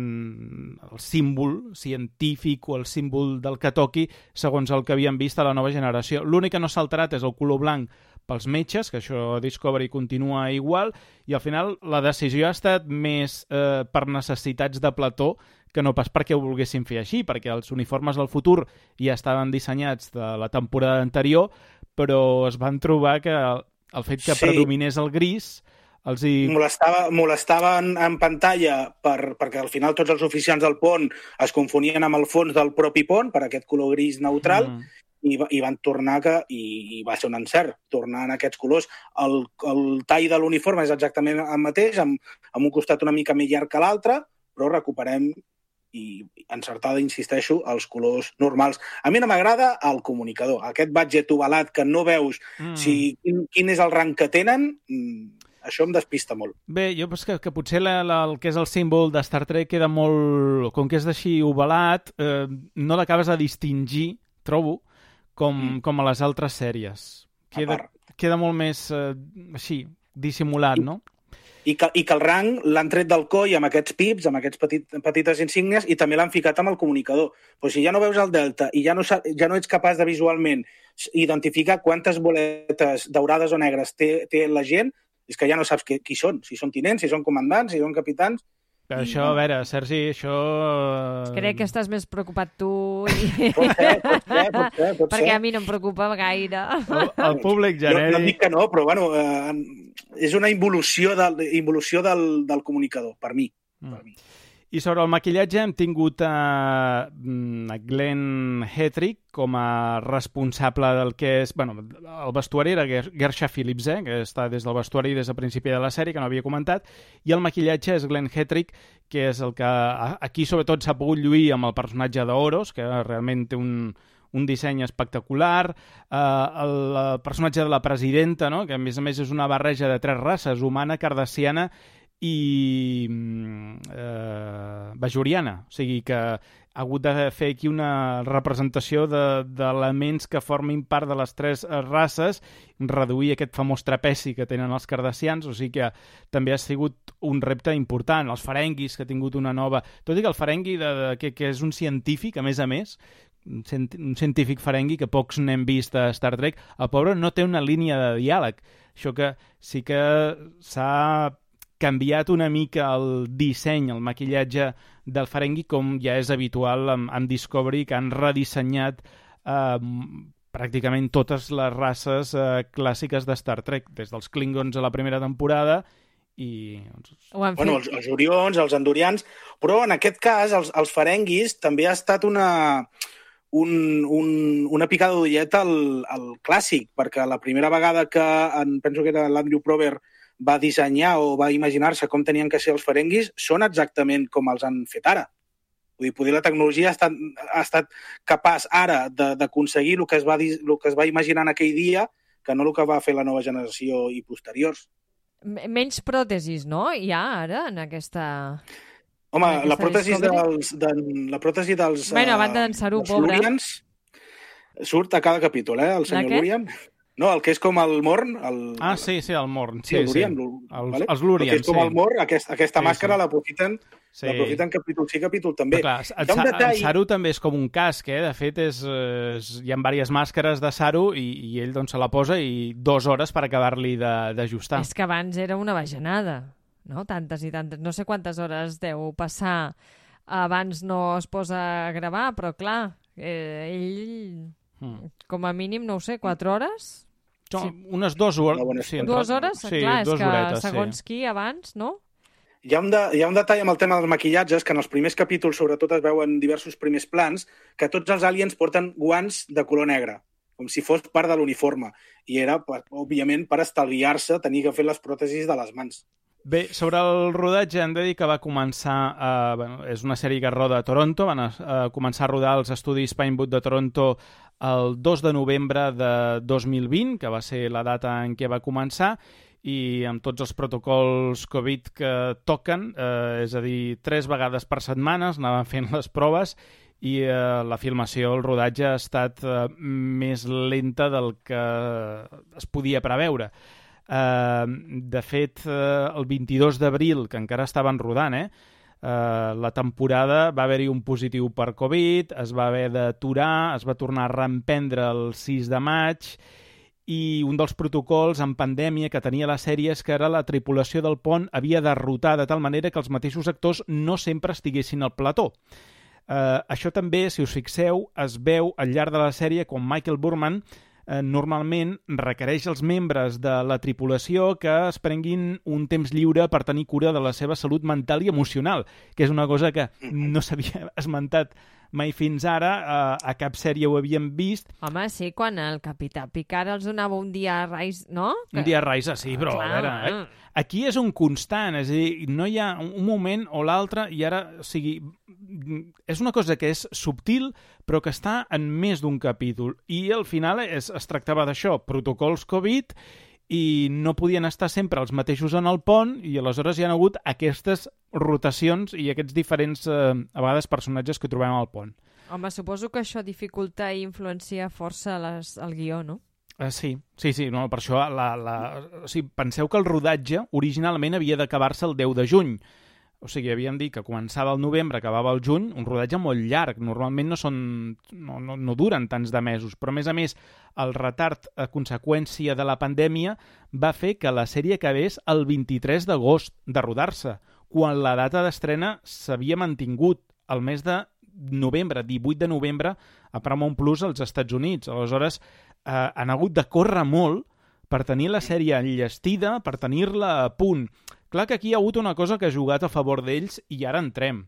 el símbol científic o el símbol del que toqui, segons el que havíem vist a la nova generació. L'únic que no s'ha alterat és el color blanc pels metges, que això Discovery continua igual, i al final la decisió ha estat més eh, per necessitats de plató que no pas perquè ho volguessin fer així, perquè els uniformes del futur ja estaven dissenyats de la temporada anterior, però es van trobar que el, el fet que Sí. predominés el gris els hi... Molestava, molestava en, en pantalla per, perquè al final tots els oficials del pont es confonien amb el fons del propi pont per aquest color gris neutral, Mm. i, i van tornar que, i, i va ser un encert, tornar en aquests colors. El, el tall de l'uniforme és exactament el mateix, amb, amb un costat una mica més llarg que l'altre, però recuperem i encertada, insisteixo, els colors normals. A mi no m'agrada el comunicador, aquest budget ovalat que no veus mm. si, quin, quin és el rang que tenen, això em despista molt. Bé, jo penso que, que potser la, la, el que és el símbol de Star Trek queda molt... Com que és d'així ovalat, eh, no l'acabes de distingir, trobo, com, mm. com a les altres sèries. Queda, queda molt més, eh, així, dissimulat, no? I que, i que el rang l'han tret del coll amb aquests pips, amb aquests petit, petites insígnies, i també l'han ficat amb el comunicador. Però si ja no veus el delta i ja no, ja no ets capaç de visualment identificar quantes boletes daurades o negres té, té la gent, és que ja no saps qui, qui són, si són tinents, si són comandants, si són capitans. Però I... això, a veure, Sergi, això... Crec que estàs més preocupat tu. I... Pot ser, pot ser, pot ser. Pot Perquè ser. a mi no em preocupa gaire. El, el públic genèric... No, no dic que no, però bueno, eh, és una involució del, involució del, del comunicador, per mi. Mm. Per mi. I sobre el maquillatge hem tingut a, a Glenn Hetrick com a responsable del que és... Bueno, el vestuari era Gersha Phillips, eh, que està des del vestuari des del principi de la sèrie, que no havia comentat, i el maquillatge és Glenn Hetrick, que és el que aquí sobretot s'ha pogut lluir amb el personatge d'Oros, que realment té un, un disseny espectacular, uh, el, el personatge de la presidenta, no? Que a més a més és una barreja de tres races, humana, cardassiana i eh, bajoriana, o sigui que ha hagut de fer aquí una representació d'elements de, que formin part de les tres races, reduir aquest famós trapeci que tenen els cardassians, o sigui que també ha sigut un repte important. Els ferenguis, que ha tingut una nova... Tot i que el ferengui, de, de, que, que és un científic, a més a més, un científic ferengui que pocs n'hem vist a Star Trek, el pobre no té una línia de diàleg. Això que sí que s'ha canviat una mica el disseny, el maquillatge del ferengui, com ja és habitual amb, amb Discovery, que han redissenyat eh, pràcticament totes les races eh, clàssiques de Star Trek, des dels Klingons a la primera temporada i... Bueno, els, els Orions, els Andorians, però en aquest cas els, els ferenguis també ha estat una... Un, un, una picada d'ullet al, al clàssic, perquè la primera vegada que, en, penso que era l'Andrew Prober, va dissenyar o va imaginar-se com tenien que ser els ferenguis, són exactament com els han fet ara. Vull dir, poder la tecnologia ha estat, ha estat capaç ara d'aconseguir el que es va dir, el que es va imaginar en aquell dia, que no el que va fer la nova generació i posteriors. Menys pròtesis, no? Hi ha ara en aquesta... Home, en aquesta la pròtesi dels, de, la pròtesi dels... Bueno, a banda d'en Saru, pobre. Lurians, surt a cada capítol, eh, el senyor Lurian. No, el que és com el Morn... El... Ah, sí, sí, el Morn. Sí, sí, el Lurian, sí. El, vale? Els Lurians, sí. El que és com sí. el Morn, aquest, aquesta sí, màscara sí. l'aprofiten sí. l'aprofiten capítol sí, capítol també. Però clar, el, detall... el Saru també és com un casc, eh? De fet, és, és, hi ha diverses màscares de Saru i, i ell doncs, se la posa i dues hores per acabar-li d'ajustar. És que abans era una bajanada, no? Tantes i tantes. No sé quantes hores deu passar. Abans no es posa a gravar, però clar, eh, ell... Hmm. Com a mínim, no ho sé, quatre hores? No, sí. Unes dues hores. Sí, dues hores? Sí, clar, és que horetes, segons sí. qui abans, no? Hi ha, un de, hi ha un detall amb el tema dels maquillatges, que en els primers capítols sobretot es veuen diversos primers plans, que tots els aliens porten guants de color negre, com si fos part de l'uniforme. I era, òbviament, per estalviar-se tenir que fer les pròtesis de les mans. Bé, sobre el rodatge hem de dir que va començar, eh, bueno, és una sèrie que roda a Toronto, van a, a començar a rodar als estudis Pinewood de Toronto el dos de novembre de dos mil vint, que va ser la data en què va començar, i amb tots els protocols Covid que toquen, eh, és a dir, tres vegades per setmanes anaven fent les proves i eh, la filmació, el rodatge ha estat eh, més lenta del que es podia preveure. Uh, de fet, uh, el vint-i-dos d'abril, que encara estaven rodant, eh, uh, la temporada va haver-hi un positiu per Covid, es va haver d'aturar, es va tornar a reemprendre el sis de maig, i un dels protocols en pandèmia que tenia la sèrie és que ara la tripulació del pont havia de rotar de tal manera que els mateixos actors no sempre estiguessin al plató. Uh, això també, si us fixeu, es veu al llarg de la sèrie quan Michael Burman Eh, normalment requereix als membres de la tripulació que es prenguin un temps lliure per tenir cura de la seva salut mental i emocional, que és una cosa que no s'havia esmentat mai fins ara uh, a cap sèrie ho havíem vist. Home, sí, quan el Capità Picard els donava un dia a Rise, no? Que... Un dia a Rise, sí, però Clar, a veure... Eh? Aquí és un constant, és a dir, no hi ha un moment o l'altre i ara, o sigui, és una cosa que és subtil però que està en més d'un capítol i al final es, es tractava d'això, protocols Covid i no podien estar sempre els mateixos en el pont i aleshores hi ha hagut aquestes rotacions i aquests diferents, eh, a vegades, personatges que trobem al pont. Home, suposo que això dificulta i influencia força les, el guió, no? Uh, sí, sí, sí, no, per això la, la... O sigui, penseu que el rodatge originalment havia d'acabar-se el deu de juny. O sigui, havíem dit que començava el novembre, acabava el juny, un rodatge molt llarg. Normalment no són no, no, no duren tants de mesos, però a més a més el retard a conseqüència de la pandèmia va fer que la sèrie acabés el vint-i-tres d'agost de rodar-se, quan la data d'estrena s'havia mantingut el mes de novembre, divuit de novembre, a Paramount Plus als Estats Units. Aleshores, eh, han hagut de córrer molt per tenir la sèrie enllestida, per tenir-la a punt. Clar que aquí hi ha hagut una cosa que ha jugat a favor d'ells i ara entrem,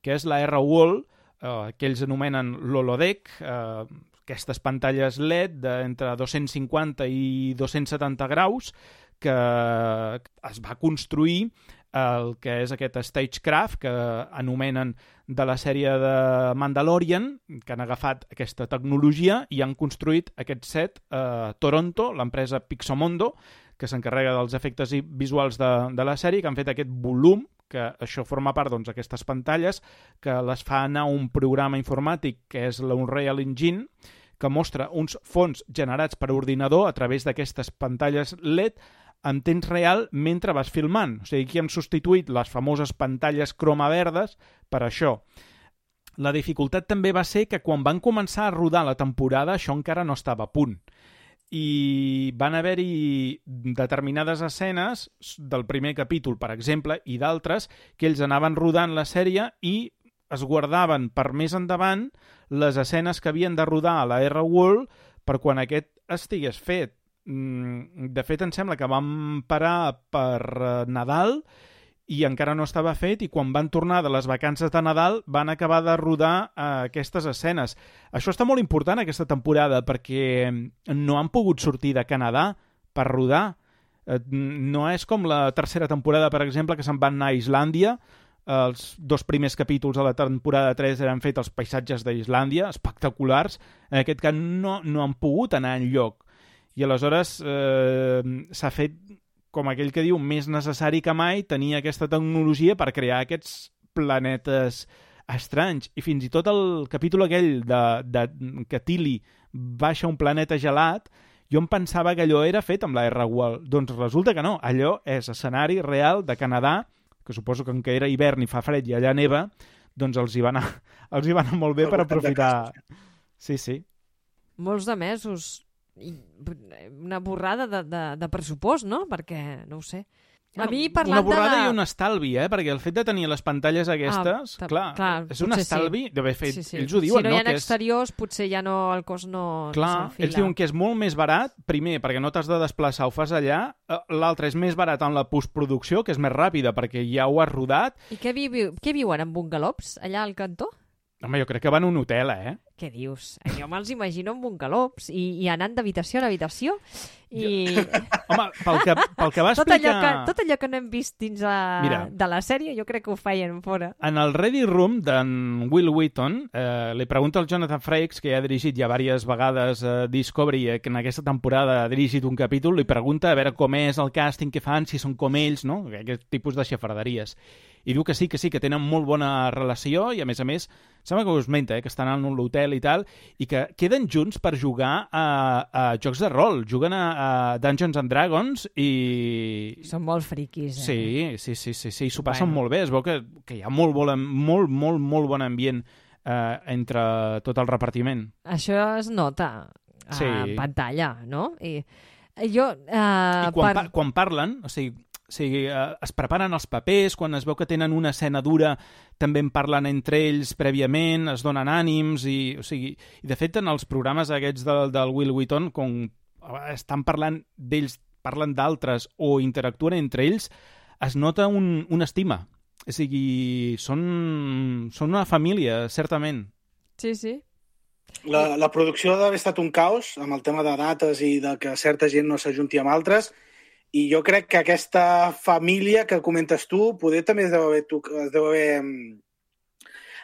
que és la R-Wall, eh, que ells anomenen l'Holodeck, eh, aquestes pantalles L E D d'entre dos-cents cinquanta i dos-cents setanta graus, que es va construir el que és aquest Stagecraft, que anomenen de la sèrie de Mandalorian, que han agafat aquesta tecnologia i han construït aquest set a Toronto, l'empresa Pixomondo, que s'encarrega dels efectes visuals de, de la sèrie, que han fet aquest volum, que això forma part doncs, d'aquestes pantalles, que les fa anar un programa informàtic que és l'Unreal Engine, que mostra uns fons generats per ordinador a través d'aquestes pantalles L E D en temps real mentre vas filmant. O sigui, aquí hem substituït les famoses pantalles croma verdes per això. La dificultat també va ser que quan van començar a rodar la temporada això encara no estava a punt. I van haver-hi determinades escenes del primer capítol, per exemple, i d'altres, que ells anaven rodant la sèrie i es guardaven per més endavant les escenes que havien de rodar a la R-Wall per quan aquest estigués fet. De fet, em sembla que vam parar per Nadal i encara no estava fet i quan van tornar de les vacances de Nadal van acabar de rodar uh, aquestes escenes. Això està molt important aquesta temporada perquè no han pogut sortir de Canadà per rodar. Uh, no és com la tercera temporada, per exemple, que se'n van anar a Islàndia. Els dos primers capítols de la temporada tres eren fets als paisatges d'Islàndia, espectaculars. En aquest cas no, no han pogut anar enlloc. I aleshores eh, s'ha fet, com aquell que diu, més necessari que mai tenir aquesta tecnologia per crear aquests planetes estranys. I fins i tot el capítol aquell de, de, que Tilly baixa un planeta gelat, jo em pensava que allò era fet amb la R-Wall. Doncs resulta que no, allò és escenari real de Canadà, que suposo que en què era hivern i fa fred i allà neva, doncs els hi va anar, els hi va anar molt bé per aprofitar. Sí, sí. Molts de mesos. I una borrada de, de, de pressupost, no? Perquè, no ho sé. A mi, parlant una borrada de la... i un estalvi, eh? Perquè el fet de tenir les pantalles aquestes, ah, clar, clar, és un estalvi sí. d'haver fet... Sí, sí. Ells ho diuen, si no, no hi ha que exteriors, és... potser ja no, el cos no, clar, no s'enfila. Ells diuen que és molt més barat, primer, perquè no t'has de desplaçar, ho fas allà, l'altre és més barat en la postproducció, que és més ràpida, perquè ja ho has rodat. I què, vi què viuen, en bungalops, allà al cantó? Home, jo crec que van a un hotel, eh? Què dius? Jo me'ls imagino en bungalops i, i anant d'habitació en habitació i... Home, pel que, pel que va tot explicar... Allò que, tot allò que no hem vist dins a... Mira, de la sèrie, jo crec que ho feien fora. En el Ready Room d'en Will Wheaton, eh, li pregunta al Jonathan Frakes, que ja ha dirigit ja diverses vegades eh, Discovery, eh, que en aquesta temporada ha dirigit un capítol, li pregunta a veure com és el càsting que fan, si són com ells, no? Aquest tipus de xafarderies. I diu que sí, que sí, que tenen molt bona relació i, a més a més, sembla que us menta, eh, que estan en l'hotel i tal, i que queden junts per jugar a, a jocs de rol. Juguen a, a Dungeons and Dragons i... Són molt friquis, eh? Sí, sí, sí, sí, sí, s'ho passen bueno. molt bé. Es veu que, que hi ha molt, molt, molt, molt, molt bon ambient eh, entre tot el repartiment. Això es nota a sí. pantalla, no? I jo... Eh, I quan, per... pa quan parlen, o sigui... O sigui, eh, es preparen els papers, quan es veu que tenen una escena dura també en parlen entre ells prèviament, es donen ànims i, o sigui, i de fet en els programes aquests del, del Will Wheaton, com estan parlant d'ells, parlen d'altres o interactuen entre ells, es nota un, una estima. O sigui, són, són una família, certament. Sí, sí. La, la producció ha d'haver estat un caos amb el tema de dates i de que certa gent no s'ajunti amb altres, i jo crec que aquesta família que comentes tu poder també es deu haver, es deu haver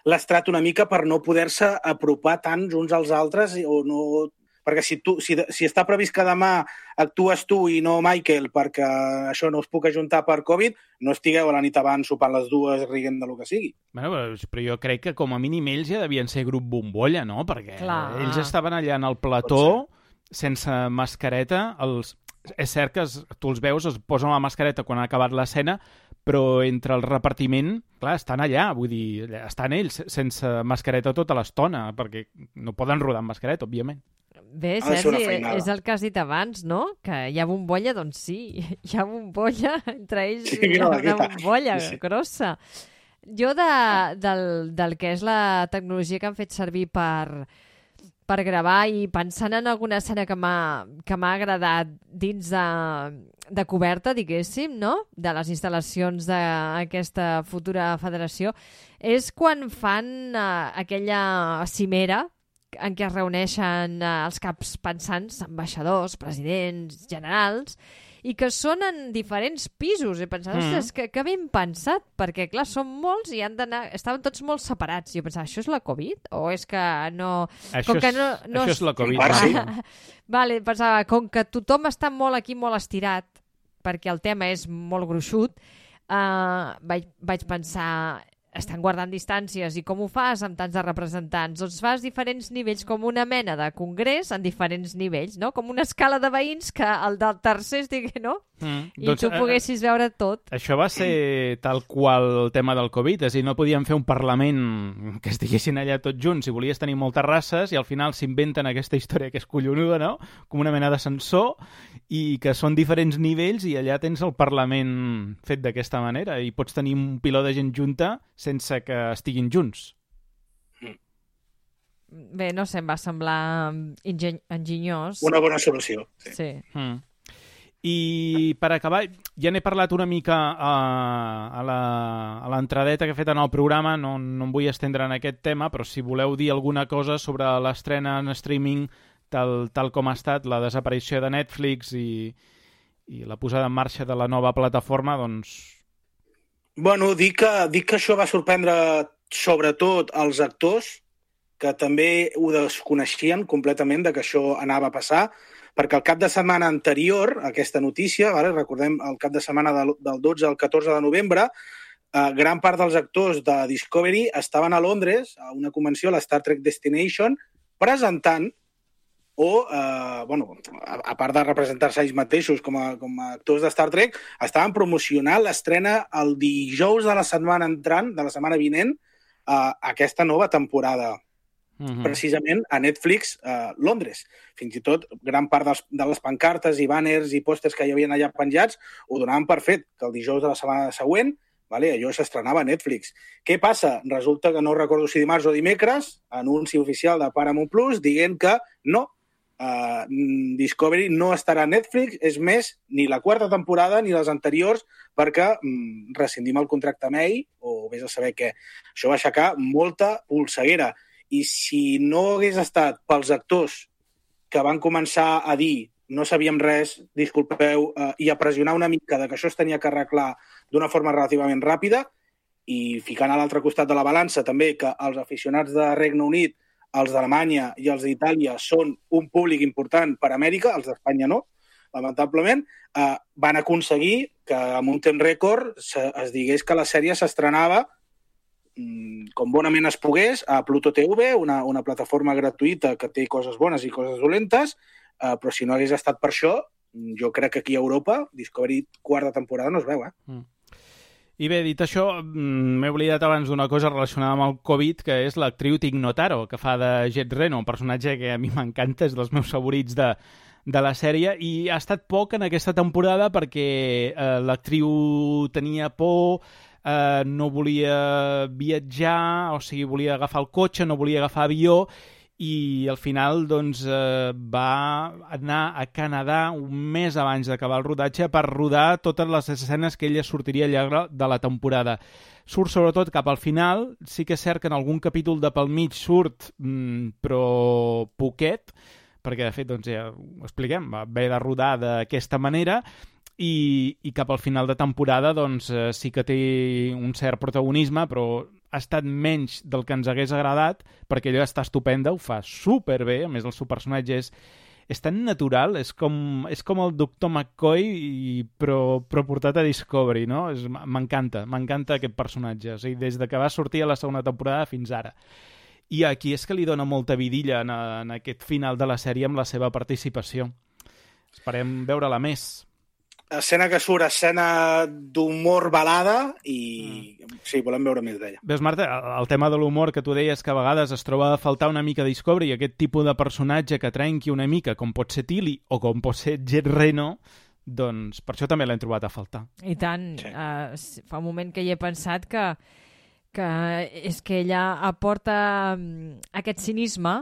lastrat una mica per no poder-se apropar tant uns als altres, o no... Perquè si, tu, si, si està previst que demà actues tu i no Michael perquè això no us puc ajuntar per Covid, no estigueu a la nit abans sopant les dues riguent de lo que sigui. Bueno, però jo crec que com a mínim ells ja devien ser grup bombolla, no? Perquè Clar. ells estaven allà en el plató sense mascareta. Els... És cert que es, tu els veus, es posen la mascareta quan ha acabat l'escena, però entre el repartiment, clar, estan allà, vull dir, estan ells sense mascareta tota l'estona, perquè no poden rodar amb mascareta, òbviament. Bé, Sergi, és el que has dit abans, no? Que hi ha bombolla, doncs sí, hi ha bombolla, entre ells sí, hi ha una bombolla sí, sí. grossa. Jo de, del, del que és la tecnologia que han fet servir per, per gravar i pensant en alguna escena que m'ha que m'ha agradat dins de, de coberta, diguéssim, no? De les instal·lacions d'aquesta futura federació, és quan fan uh, aquella cimera en què es reuneixen eh, els caps pensants, ambaixadors, presidents, generals, i que són en diferents pisos. He pensat, mm. ostres, que, que ben pensat, perquè, clar, són molts i han d'anar... Estaven tots molt separats. Jo pensava, això és la Covid? O és que no... Això, com és, que no, no això és la Covid. Ah, sí. Vale, pensava, com que tothom està molt aquí, molt estirat, perquè el tema és molt gruixut, eh, vaig, vaig pensar... estan guardant distàncies, i com ho fas amb tants de representants? Doncs fas diferents nivells, com una mena de congrés en diferents nivells, no? Com una escala de veïns que el del tercer estigui, no? Mm, I doncs, tu poguessis eh, veure tot. Això va ser tal qual el tema del Covid, és a dir, no podíem fer un Parlament que estiguessin allà tots junts, si volies tenir moltes races, i al final s'inventen aquesta història que és collonuda, no? Com una mena d'ascensor, i que són diferents nivells, i allà tens el Parlament fet d'aquesta manera, i pots tenir un piló de gent junta sense que estiguin junts. Bé, no sé, em va semblar ingen enginyós. Una bona solució. Sí. sí. Mm. I per acabar, ja n'he parlat una mica a, a l'entradeta que he fet en el programa, no, no em vull estendre en aquest tema, però si voleu dir alguna cosa sobre l'estrena en streaming tal, tal com ha estat la desaparició de Netflix i, i la posada en marxa de la nova plataforma, doncs... Bueno, dic que, dic que això va sorprendre sobretot els actors, que també ho desconeixien completament de que això anava a passar, perquè el cap de setmana anterior a aquesta notícia, vale, recordem el cap de setmana del, del dotze al catorze de novembre, eh, gran part dels actors de Discovery estaven a Londres, a una convenció, la Star Trek Destination, presentant o, eh, bueno, a, a part de representar-se ells mateixos com a, com a actors de Star Trek, estaven promocionant l'estrena el dijous de la setmana entrant, de la setmana vinent, eh, aquesta nova temporada. Uh-huh. Precisament a Netflix eh, Londres. Fins i tot gran part dels, de les pancartes i banners i pòsters que hi havia allà penjats ho donaven per fet, que el dijous de la setmana següent, vale, allò s'estrenava a Netflix. Què passa? Resulta que no recordo si dimarts o dimecres, anunci oficial de Paramount Plus dient que no, Uh, Discovery no estarà a Netflix, és més, ni la quarta temporada ni les anteriors, perquè um, rescindim el contracte amb ell, o vés a saber què. Això va aixecar molta polseguera. I si no hagués estat pels actors que van començar a dir no sabíem res, disculpeu, uh, i a pressionar una mica de que això es tenia que arreglar d'una forma relativament ràpida, i ficant a l'altre costat de la balança també que els aficionats de Regne Unit, els d'Alemanya i els d'Itàlia són un públic important per a Amèrica, els d'Espanya no, lamentablement, eh, van aconseguir que amb un temps rècord se, es digués que la sèrie s'estrenava mm, com bonament es pogués a Pluto T V, una, una plataforma gratuïta que té coses bones i coses dolentes, eh, però si no hagués estat per això, jo crec que aquí a Europa Discovery quarta temporada no es veu, eh? Mm. I bé, dit això, m'he oblidat abans d'una cosa relacionada amb el Covid, que és l'actriu Tig Notaro, que fa de Jet Reno, un personatge que a mi m'encanta, és dels meus favorits de, de la sèrie, i ha estat poc en aquesta temporada perquè eh, l'actriu tenia por, eh, no volia viatjar, o sigui, volia agafar el cotxe, no volia agafar avió, i al final doncs, eh, va anar a Canadà un mes abans d'acabar el rodatge per rodar totes les escenes que ella sortiria al llarg de la temporada. Surt sobretot cap al final, sí que és cert que en algun capítol de pel mig surt, mmm, però poquet, perquè de fet doncs, ja ho expliquem, va haver de rodar d'aquesta manera, i, i cap al final de temporada doncs, eh, sí que té un cert protagonisme, però ha estat menys del que ens hagués agradat, perquè ella està estupenda, ho fa superbé, a més el seu personatge és, és tan natural, és com, és com el doctor McCoy, i, però, però portat a Discovery, no? És, m'encanta, m'encanta aquest personatge, o sigui, des de que va sortir a la segona temporada fins ara. I aquí és que li dona molta vidilla en, en aquest final de la sèrie amb la seva participació. Esperem veure-la més. Escena que surt, escena d'humor balada i mm. sí, volem veure més d'ella. Veus, Marta, el tema de l'humor que tu deies que a vegades es troba a faltar una mica de Discovery i aquest tipus de personatge que trenqui una mica, com pot ser Tilly o com pot ser Jet Reno, doncs per això també l'hem trobat a faltar. I tant, sí. uh, fa un moment que hi he pensat que, que és que ella aporta um, aquest cinisme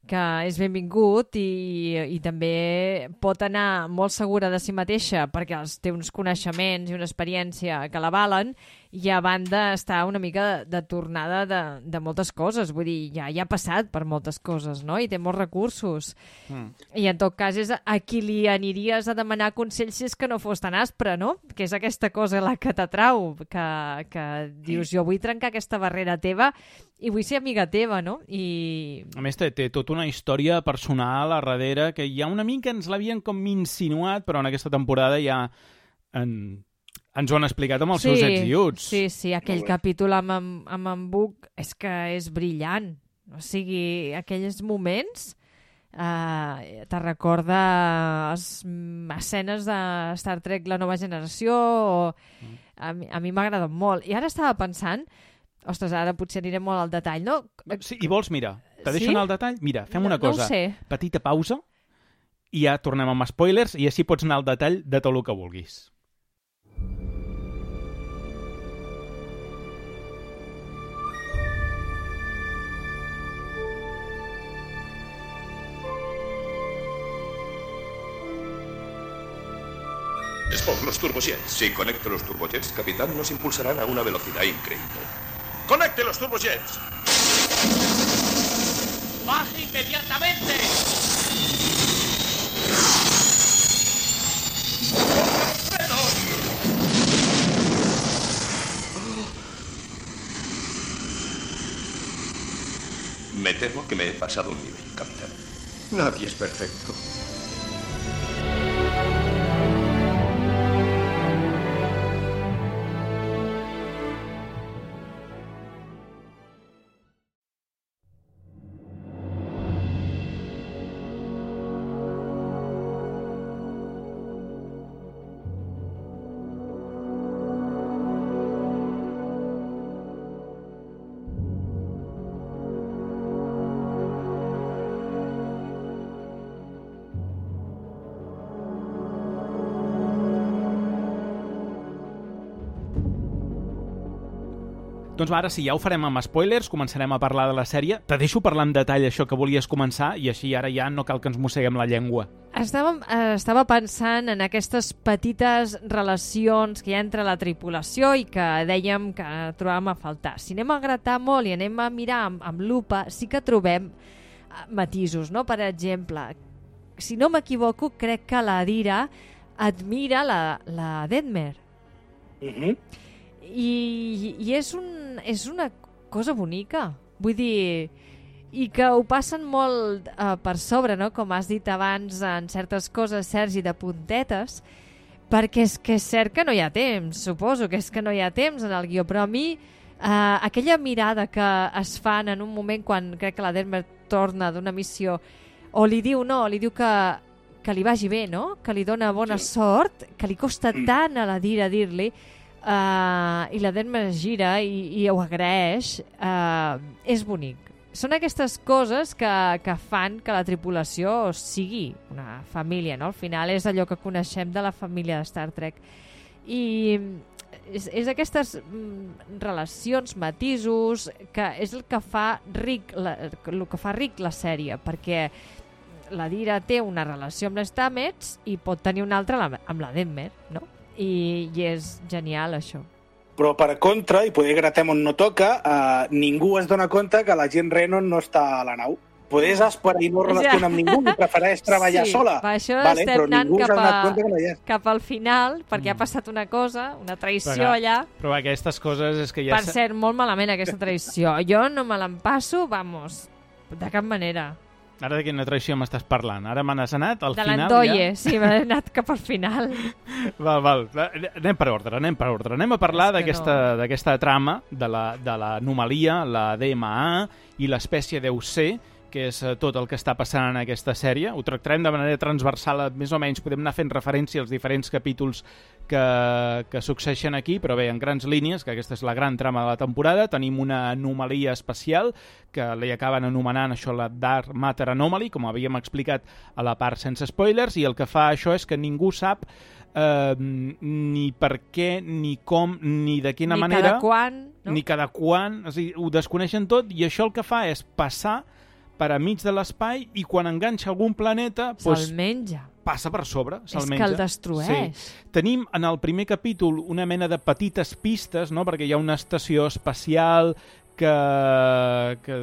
que és benvingut i, i també pot anar molt segura de si mateixa perquè els té uns coneixements i una experiència que l'avalen i a banda està una mica de, de tornada de, de moltes coses, vull dir, ja, ja ha passat per moltes coses, no? I té molts recursos. Mm. I en tot cas és a qui li aniries a demanar consells si és que no fos tan aspre, no? Que és aquesta cosa la que t'atrau, que, que dius, jo vull trencar aquesta barrera teva i vull ser amiga teva, no? I... A més, té, té tota una història personal a darrere que ja una mica ens l'havien com insinuat, però en aquesta temporada ja en, ens ho han explicat amb els sí, seus ets i uts. Sí, sí, aquell capítol amb, amb, amb en Buck és que és brillant. O sigui, aquells moments eh, te recorda les escenes de Star Trek La Nova Generació o... a mi, a mi m'agrada molt. I ara estava pensant... Ostres, ara potser anirem molt al detall, no? Sí, i vols, mira, te deixo sí? anar al detall? Mira, fem una no, cosa. No ho sé. Petita pausa i ja tornem amb spoilers i així pots anar al detall de tot el que vulguis. Es por los turbojets. Si conecto los turbojets, capitán, nos impulsarán a una velocidad increíble. ¡Conecte los turbojets! ¡Baje inmediatamente! ¡Frenos! Me temo que me he pasado un nivel, capitán. Nadie es perfecto. Doncs va, ara sí, ja ho farem amb spoilers, començarem a parlar de la sèrie. Te deixo parlar en detall això que volies començar i així ara ja no cal que ens mosseguem la llengua. Estava, eh, estava pensant en aquestes petites relacions que hi ha entre la tripulació i que dèiem que trobàvem a faltar. Si anem a gratar molt i anem a mirar amb, amb lupa, sí que trobem matisos, no? Per exemple, si no m'equivoco, crec que la Dira admira la, la Detmer. Mhm. I, i és, un, és una cosa bonica, vull dir, i que ho passen molt uh, per sobre, no? Com has dit abans, en certes coses, Sergi, de puntetes, perquè és que és cert que no hi ha temps, suposo que és que no hi ha temps en el guió, però a mi uh, aquella mirada que es fan en un moment quan crec que la Detmer torna d'una missió, o li diu no, li diu que, que li vagi bé, no? Que li dona bona sí. sort, que li costa tant a la Dira dir-li, Uh, i la Detmer es gira i, i ho agraeix, uh, és bonic. Són aquestes coses que, que fan que la tripulació sigui una família, no? Al final és allò que coneixem de la família de Star Trek. I és, és aquestes mm, relacions, matisos, que és el que fa ric la, el que fa ric la sèrie, perquè la Dira té una relació amb les Stamets i pot tenir una altra amb la Denmer, no? I, i és genial, això. Però, per contra, i poder gratem on no toca, eh, ningú es dona compte que la Jean Renon no està a la nau. Podés esperar i no relaciona amb ningú i prefereix treballar sí, sola. Per això vale, estem anant cap, a, que no cap al final, perquè mm. ha passat una cosa, una traïció però, allà. Però aquestes coses és que ja... Per cert, molt malament aquesta traïció. Jo no me l'empasso, vamos, de cap manera. Ara de quina traïció m'estàs parlant? Ara me n'has anat al de final l'Andoye, ja? sí, m'he anat cap al final. Val, val. Anem per ordre, anem per ordre. Anem a parlar d'aquesta no. trama, de l'anomalia, la, la D M A i l'espècie deu ser, que és tot el que està passant en aquesta sèrie. Ho tractarem de manera transversal, més o menys podem anar fent referència als diferents capítols que, que succeeixen aquí, però bé, en grans línies, que aquesta és la gran trama de la temporada, tenim una anomalia espacial, que li acaben anomenant això la Dark Matter Anomaly, com havíem explicat a la part sense spoilers, i el que fa això és que ningú sap eh, ni per què, ni com, ni de quina ni manera... Ni cada quan, no? Ni cada quan, és a dir, ho desconeixen tot, i això el que fa és passar per a mig de l'espai i quan enganxa algun planeta... Se'l doncs, menja. Passa per sobre, se'l és menja. És que el destrueix. Sí. Tenim en el primer capítol una mena de petites pistes, no? Perquè hi ha una estació espacial que, que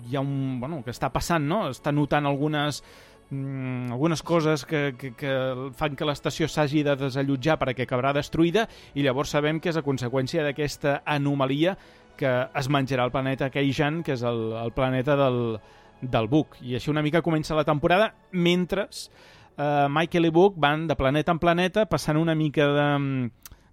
hi ha un, bueno, que està passant, no? Està notant algunes, mm, algunes coses que, que, que fan que l'estació s'hagi de desallotjar perquè acabarà destruïda i llavors sabem que és a conseqüència d'aquesta anomalia que es menjarà el planeta Keijan, que és el, el planeta del, del Book. I així una mica comença la temporada, mentre eh, Michael i Book van de planeta en planeta passant una mica de,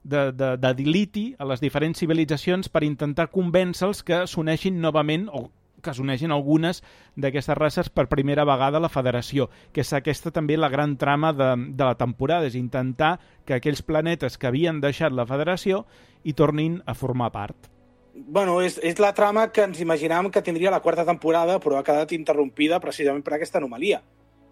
de, de, de diliti a les diferents civilitzacions per intentar convèncer-los que s'uneixin novament o que s'uneixin algunes d'aquestes races per primera vegada a la Federació, que és aquesta també la gran trama de, de la temporada, és intentar que aquells planetes que havien deixat la Federació hi tornin a formar part. Bueno, és, és la trama que ens imaginàvem que tindria la quarta temporada, però ha quedat interrompida precisament per aquesta anomalia.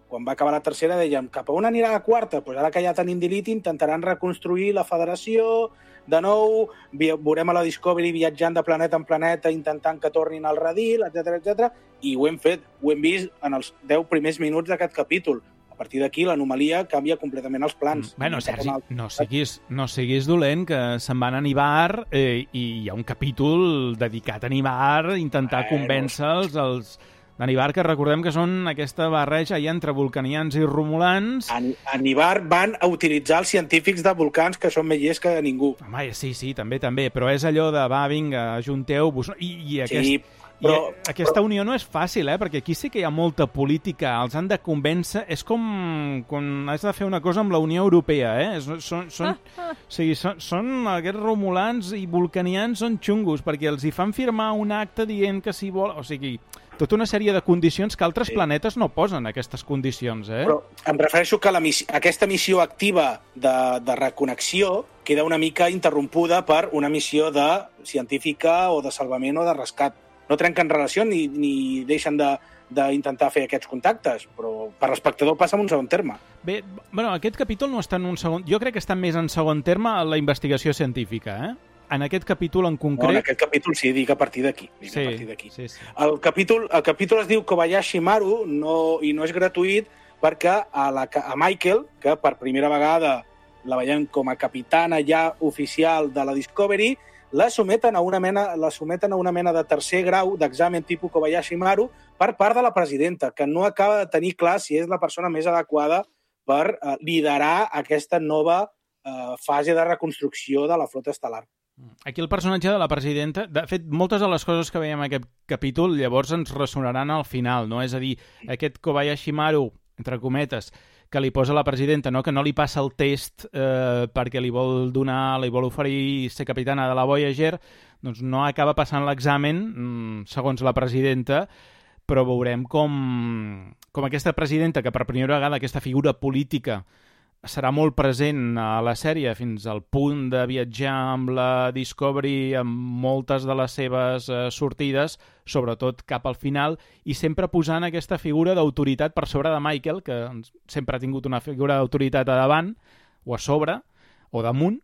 Quan va acabar la tercera dèiem, cap a on anirà la quarta? Pues ara que ja tenim Dilith, intentaran reconstruir la Federació, de nou, veurem a la Discovery viatjant de planeta en planeta, intentant que tornin al redil, etcètera, etcètera, i ho hem fet, ho hem vist en els deu primers minuts d'aquest capítol. A partir d'aquí, l'anomalia canvia completament els plans. Mm. Bueno, Sergi, no siguis, no siguis dolent, que se'n van a Nibar eh, i hi ha un capítol dedicat a Nibar, intentar eh, convèncer-los els de Nibar, que recordem que són aquesta barreja ja entre vulcanians i romulans. A, a Nibar van a utilitzar els científics de volcans, que són més llests que ningú. Home, sí, sí, també, també, però és allò de, va, vinga, ajunteu-vos. I, i aquest... Sí, però, I aquesta unió no és fàcil, eh? Perquè aquí sí que hi ha molta política, els han de convèncer, és com quan has de fer una cosa amb la Unió Europea, eh? Són, són, o sigui, són, són aquests romulans i vulcanians són xungos, perquè els hi fan firmar un acte dient que si vol... O sigui, tota una sèrie de condicions que altres sí. planetes no posen, aquestes condicions, eh? Però em refereixo que la missió, aquesta missió activa de, de reconnexió queda una mica interrompuda per una missió de científica o de salvament o de rescat. No trenquen relació ni, ni deixen de, d'intentar fer aquests contactes, però per l'espectador passa en un segon terme. Bé, bueno, aquest capítol no està en un segon... Jo crec que està més en segon terme la investigació científica, eh? En aquest capítol en concret... No, en aquest capítol sí, dic a partir d'aquí. Sí, a partir d'aquí. Sí, sí. El, capítol, el capítol es diu Kobayashi Maru no, i no és gratuït perquè a, la, a Michael, que per primera vegada la veiem com a capitana ja oficial de la Discovery, la someten a una mena, la someten a una mena de tercer grau d'examen tipus Kobayashi Maru per part de la presidenta, que no acaba de tenir clar si és la persona més adequada per eh, liderar aquesta nova eh, fase de reconstrucció de la flota estel·lar. Aquí el personatge de la presidenta... De fet, moltes de les coses que veiem en aquest capítol llavors ens ressonaran al final, no? És a dir, aquest Kobayashi Maru, entre cometes, que li posa la presidenta, no? Que no li passa el test eh, perquè li vol donar, li vol oferir ser capitana de la Voyager, doncs no acaba passant l'examen, mm, segons la presidenta, però veurem com, com aquesta presidenta, que per primera vegada aquesta figura política serà molt present a la sèrie fins al punt de viatjar amb la Discovery amb moltes de les seves eh, sortides, sobretot cap al final, i sempre posant aquesta figura d'autoritat per sobre de Michael, que sempre ha tingut una figura d'autoritat a davant, o a sobre, o damunt,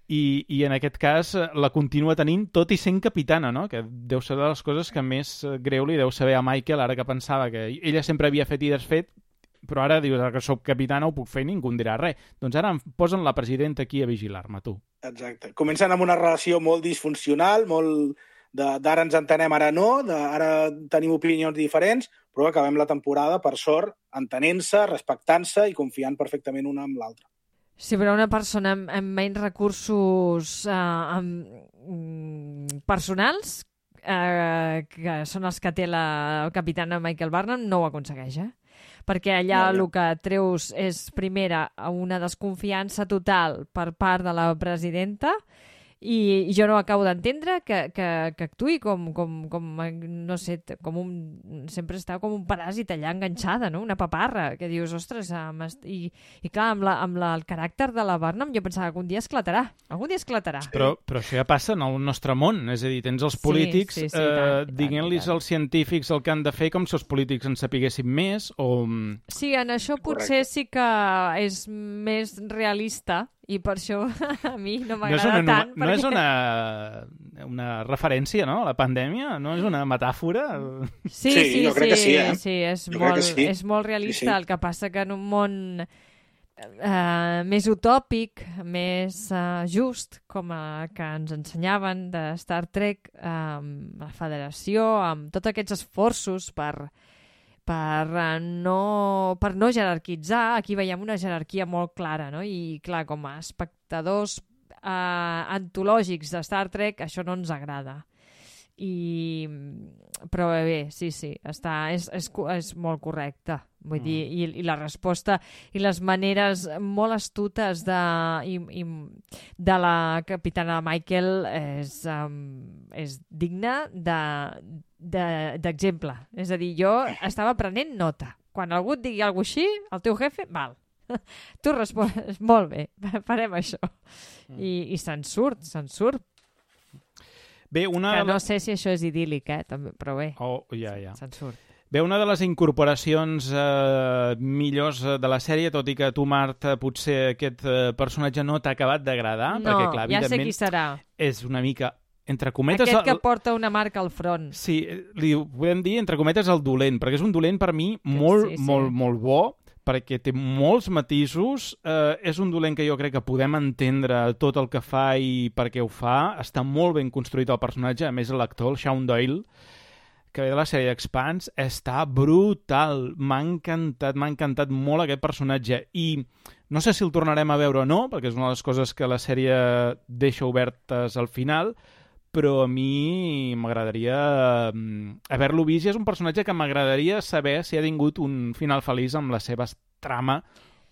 i, i en aquest cas la continua tenint tot i sent capitana, no? Que deu ser de les coses que més greu li deu saber a Michael, ara que pensava que ella sempre havia fet i desfet, però ara dius que soc capitana ho puc fer i ningú em dirà res. Doncs ara em posen la presidenta aquí a vigilar-me, tu. Exacte. Comencen amb una relació molt disfuncional, molt d'ara ens entenem, ara no, ara tenim opinions diferents, però acabem la temporada, per sort, entenent-se, respectant-se i confiant perfectament una amb l'altra. Sí, però una persona amb, amb menys recursos eh, amb, personals, eh, que són els que té la capitana Michael Burnham, no ho aconsegueix, eh? Perquè allà no, no. el que treus és, primera, una desconfiança total per part de la presidenta, i jo no acabo d'entendre que, que, que actuï com, com, com, no sé, com un, sempre està com un paràsit allà enganxada, no? Una paparra, que dius, ostres, i, i clar, amb, la, amb la, el caràcter de la Burnham jo pensava que un dia esclatarà, algun dia esclatarà. Però, però això ja passa en el nostre món, és a dir, tens els polítics sí, sí, sí, eh, diguent-los als científics el que han de fer com si els polítics en sapiguessin més, o... Sí, en això potser sí que és més realista, i per això a mi no m'agrada no tant. No perquè... és una, una referència, no?, a la pandèmia? No és una metàfora? Sí, sí, sí, jo crec que sí, eh? sí, és, jo molt, sí. és molt realista, sí, sí. El que passa que en un món eh, més utòpic, més eh, just, com el que ens ensenyaven de Star Trek, eh, la Federació, amb tots aquests esforços per... Per no, per no jerarquitzar, aquí veiem una jerarquia molt clara, no? I clar, com a espectadors eh, antològics de Star Trek, això no ens agrada. I... Però bé, sí, sí, està, és, és, és molt correcte. Vull mm. dir, i, i la resposta i les maneres molt astutes de, i, i, de la capitana Michael és, um, és digna de... d'exemple. És a dir, jo estava prenent nota. Quan algú et digui alguna cosa així, el teu jefe, val. Tu respons, molt bé, farem això. I, i se'n surt, se'n surt. Bé, una... Que no sé si això és idíl·lic, eh, també, però bé, oh, ja, ja. se'n surt. Bé, una de les incorporacions eh, millors de la sèrie, tot i que tu, Marta, potser aquest eh, personatge no t'ha acabat d'agradar, no, perquè, clar, ja sé qui serà. És una mica... Entre cometes, aquest que porta una marca al front. Sí, li podem dir, entre cometes, el dolent, perquè és un dolent per mi molt, sí, sí. molt, molt bo, perquè té molts matisos, eh, és un dolent que jo crec que podem entendre tot el que fa i per què ho fa, està molt ben construït el personatge, a més l'actor, el Shaun Doyle, que ve de la sèrie Expanse, està brutal, m'ha encantat, m'ha encantat molt aquest personatge, i no sé si el tornarem a veure o no, perquè és una de les coses que la sèrie deixa obertes al final, però a mi m'agradaria haver-lo vist, i és un personatge que m'agradaria saber si ha tingut un final feliç amb la seva trama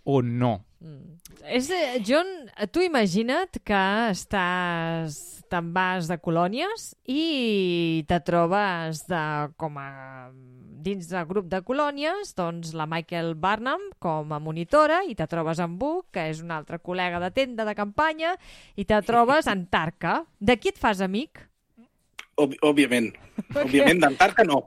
o no. Mm. És, John, tu imagina't que estàs, te'n vas de colònies i te trobes de, com a, dins del grup de colònies, doncs la Michael Burnham com a monitora, i te trobes amb Buck, que és un altre col·lega de tenda de campanya, i te trobes en Tarka. De qui et fas amic? Ob òbviament. Òbviament, d'Antarca no.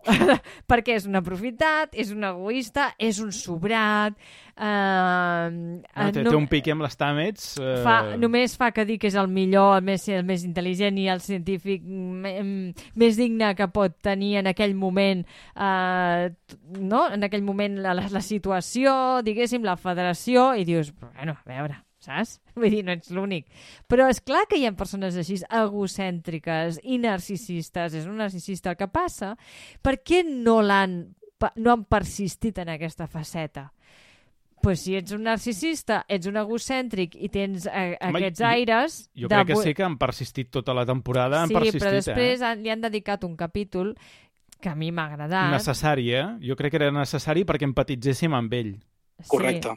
Perquè és un aprofitat, és un egoista, és un sobrat... Eh, no, té, no, té un pique amb les tàmets... Eh... Fa, només fa que dir que és el millor, el més, el més intel·ligent i el científic més digne que pot tenir en aquell moment, eh, no? En aquell moment la, la situació, diguéssim, la federació, i dius, bueno, a veure... saps? Vull dir, no ets l'únic. Però és clar que hi ha persones així egocèntriques i narcisistes. És un narcisista el que passa. Per què no l'han no han persistit en aquesta faceta? Pues si ets un narcisista, ets un egocèntric i tens eh, aquests aires... Jo, jo crec de... que sí que han persistit tota la temporada. Han sí, persistit, però després eh? han, li han dedicat un capítol que a mi m'ha agradat. Necessari, eh? Jo crec que era necessari perquè empatitzéssim amb ell. Sí. Correcte.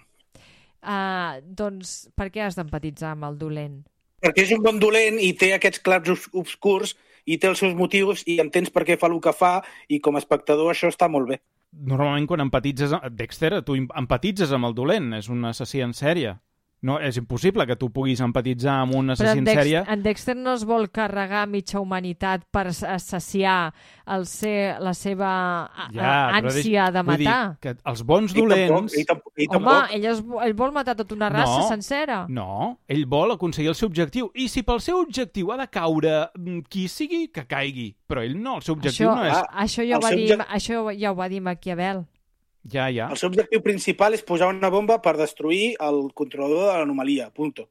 Uh, doncs per què has d'empatitzar amb el dolent? Perquè és un bon dolent i té aquests clars obscurs i té els seus motius i entens per què fa el que fa, i com a espectador això està molt bé. Normalment quan empatitzes... Dexter, tu empatitzes amb el dolent, és un assassí en sèrie. No, és impossible que tu puguis empatitzar amb un Però assassí en, en Dex sèrie. en Dexter no es vol carregar mitja humanitat per saciar el ser, la seva a- Ja, a- però ànsia deix- de vull dir matar. que els bons Ell dolents... tampoc, ell tampoc, ell Home, tampoc. ell, es, ell vol matar tota una raça No, sencera. No, ell vol aconseguir el seu objectiu. I si pel seu objectiu ha de caure mm, qui sigui, que caigui. Però ell no, el seu objectiu Això, no és... Ah, això, ja ho el va seu dir, objec- això ja ho va dir Maquiavel. Ja, ja. El seu objectiu principal és posar una bomba per destruir el controlador de l'anomalia, punto.